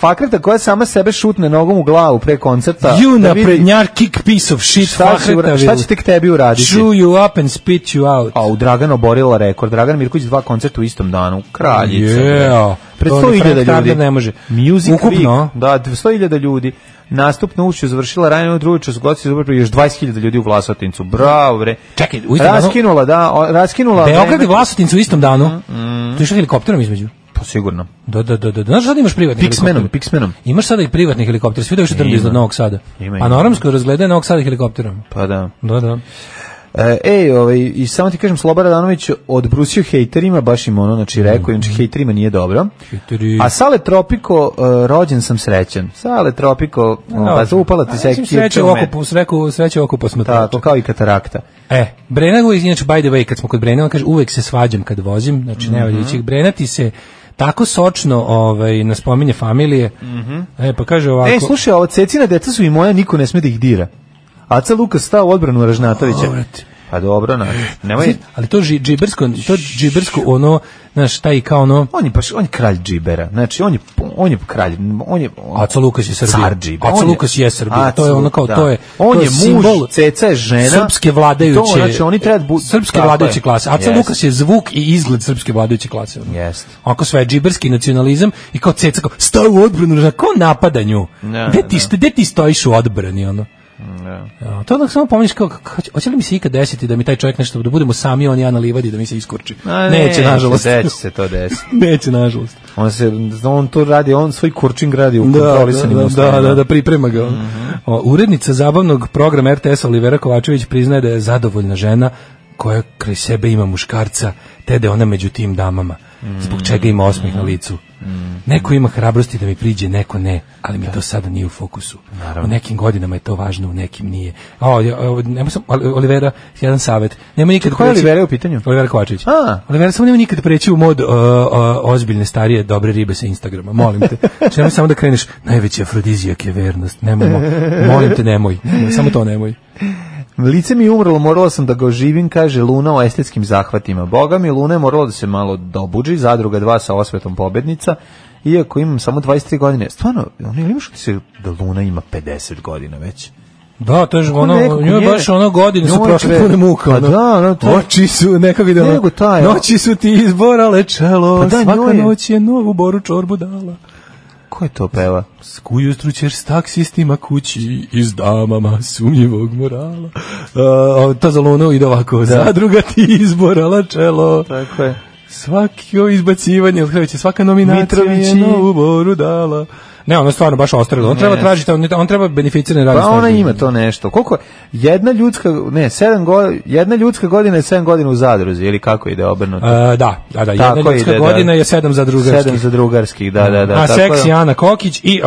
[SPEAKER 5] Fakreta koja sama sebe šutne nogom u glavu pre koncerta.
[SPEAKER 6] You naprednjačik piece of shit, Fakreta
[SPEAKER 5] šta će tek tebi uraditi?
[SPEAKER 6] Chew you up and spit you out.
[SPEAKER 5] A u Dragan oborila rekord. Dragan Mirković 2 koncerta u istom danu. Kraljica. Pred 100.000 ljudi.
[SPEAKER 6] Ne može.
[SPEAKER 5] Music Week. Da, 100.000 ljudi. Nastup na Ušću završila ranije drugi čas godišnji još 20.000 ljudi u Vlasotincu. Bravo, bre.
[SPEAKER 6] Čekaj,
[SPEAKER 5] raskinula.
[SPEAKER 6] Beograd i Vlasotincu u istom danu. Tu je što helikopterom između.
[SPEAKER 5] Pa sigurno.
[SPEAKER 6] Da. Znaš sad imaš privatni helikopter?
[SPEAKER 5] Piksmenom.
[SPEAKER 6] Imaš sada i privatni helikopter. Svi da više trbi iznad Novog Sada. A na Oramskoj razgledaju Novog Sada helikopterom.
[SPEAKER 5] Pa da.
[SPEAKER 6] Da.
[SPEAKER 5] I samo ti kažem, Slobodan Radanović odbrusio hejterima, baš im ono, znači rekao, znači hejterima nije dobro. A Sale Tropiko, rođen sam srećan. Sale Tropiko, pa zaupala ti sekcija čume.
[SPEAKER 6] Sreće oko posmatrača.
[SPEAKER 5] Tako, kao i katarakta.
[SPEAKER 6] Brena, inače, by the way, kad smo kod Brena, on kaže, uvek se svađam kad vozim, znači ne valja ići. Brena ti se tako sočno na spominje familije. Pa kaže ovako.
[SPEAKER 5] Slušaj, ovo Cecina deca su i moja, niko ne sme da ih dira. Aca Lukas stao u odbranu Ražnatovića. Pa dobro, nemoj.
[SPEAKER 6] Ali to džibersko ono, znaš, taj kao ono.
[SPEAKER 5] On je kralj džibera. Znači on je kralj,
[SPEAKER 6] Aca Lukas je Srbija. Aca Lukas je Srbija. To je ono kao to je.
[SPEAKER 5] On je muž, Ceca je žena.
[SPEAKER 6] Srpske vladajuće.
[SPEAKER 5] Znači oni treba
[SPEAKER 6] srpske vladajuće klase. Aca Lukas je zvuk i izgled srpske vladajuće klase.
[SPEAKER 5] Jeste.
[SPEAKER 6] Onako sve džiberski nacionalizam i kao Ceca kao stao u odbranu, kao napadanju. Gde ti stojiš u odbrani ono? To onda samo pomeniš kao, hoće li mi se ikad desiti da mi taj čovjek nešto, da budemo sami on i ja na livadi da mi se iskurči? Neće, nažalost.
[SPEAKER 5] Neće se to desiti.
[SPEAKER 6] Neće, nažalost.
[SPEAKER 5] On to radi, on svoj kurčing radi u kontrolisanim uslovima.
[SPEAKER 6] Da, priprema ga. Urednica zabavnog programa RTS-a Olivera Kovačević priznaje da je zadovoljna žena koja kraj sebe ima muškarca, te da je ona među tim damama, zbog čega ima osmeh na licu. Neko ima hrabrosti da mi priđe, neko ne, ali mi to sada nije u fokusu. U nekim godinama je to važno, u nekim nije. Olivera, jedan savjet. Nema nikad.
[SPEAKER 5] Koja je Olivera u pitanju?
[SPEAKER 6] Olivera Kovačević. Olivera, samo nema nikad preći u mod ozbiljne, starije, dobre ribe sa Instagrama. Molim te. Nemoj samo da kreneš, najveći afrodizijak je vernost. Molim te, nemoj. Samo to nemoj.
[SPEAKER 5] Lice mi je umrlo, morala sam da ga oživim, kaže Luna o estetskim zahvatima. Boga mi, Luna je morala da se malo dobuđi, Zadruga 2 sa osvetom pobednica, iako imam samo 23 godine. Stvarno, imaš ti se da Luna ima 50 godina već?
[SPEAKER 6] Da, to je ono, njoj baš ono godine su prošle pune muka. Oči su, nekako ide ono, noći su ti izborale čelo, svaka noć je novu boru čorbu dala.
[SPEAKER 5] Ko je to peva?
[SPEAKER 6] Ujutru ćeš s taksistima kući i s damama sumnjivog morala. To za Lunu ide ovako. Zadruga ti izborala čelo.
[SPEAKER 5] Tako je.
[SPEAKER 6] Svako izbacivanje od Hrvića, svaka nominacija je novu boru dala. Ne, ono stvarno baš ostrelo. On treba tražiti, on treba beneficirani radni staž.
[SPEAKER 5] Pa ona ima to nešto. Koliko jedna ljudska godina je 7 godina u zadruzi ili kako ide obrnuto?
[SPEAKER 6] Da, jedna ljudska godina je 7 za drugarskih.
[SPEAKER 5] 7 za drugarskih, da.
[SPEAKER 6] A seksi Ana Kokić i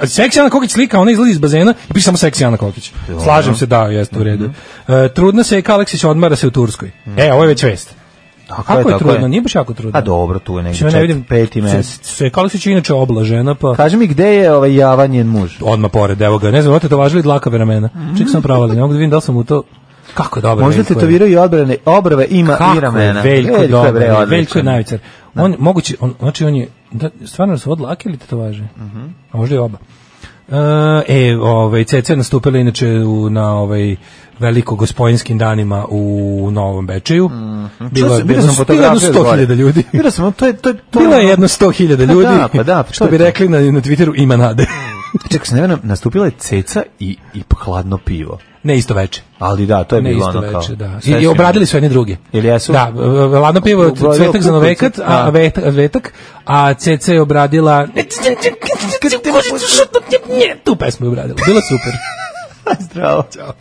[SPEAKER 6] seksi Ana Kokić slika, ona izlazi iz bazena i piše samo seksi Ana Kokić. Slažem se, da, jeste u redu. Trudna se Eka Aleksić, odmara se u Turskoj. Ovo je već vest. Kako je trudno? Nije baš jako trudno.
[SPEAKER 5] A dobro, tu je negdje 5. mesec.
[SPEAKER 6] Se Kališić je inače oblažena, pa...
[SPEAKER 5] Kaži mi, gde je ovaj Javan njen muž?
[SPEAKER 6] Odmah pored, evo ga. Ne znam, to važili dlakave ramena. Ček sam pravali, ne mogu da vidim da li sam u to... Kako je dobro.
[SPEAKER 5] Možda tetoviraju i obrve, ima i ramena.
[SPEAKER 6] Veljko dobro, Veljko je najvicar. On, moguće, znači on je... Stvarno su od dlake ili tetovaže? A možda je oba. Ceca je nastupila inače na veliko gospojinskim danima u Novom Bečeju. Bilo je 100.000 ljudi. Bilo je jedno 100.000 ljudi. Što bi rekli na Twitteru, ima nade.
[SPEAKER 5] Čekaj se, ne, nastupila je Ceca i hladno pivo.
[SPEAKER 6] Ne isto veče.
[SPEAKER 5] Ali da, to je bilo ono kao.
[SPEAKER 6] Da. I obradili su jedni drugi.
[SPEAKER 5] Ili jesu?
[SPEAKER 6] Da, hladno pivo, Cvetak za Novekat, a Ceca je obradila tu pesmu je obradila. Bilo super.
[SPEAKER 5] Zdravo. Ćao.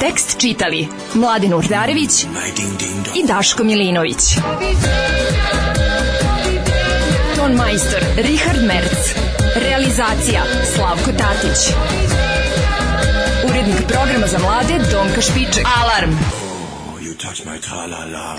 [SPEAKER 9] Tekst čitali Mladin Urdarević i Daško Milinović. Ton majstor Richard Merc. Realizacija Slavko Tatić. Urednik programa za mlade Donka Špiček. Alarm! You touch my tra-la-la.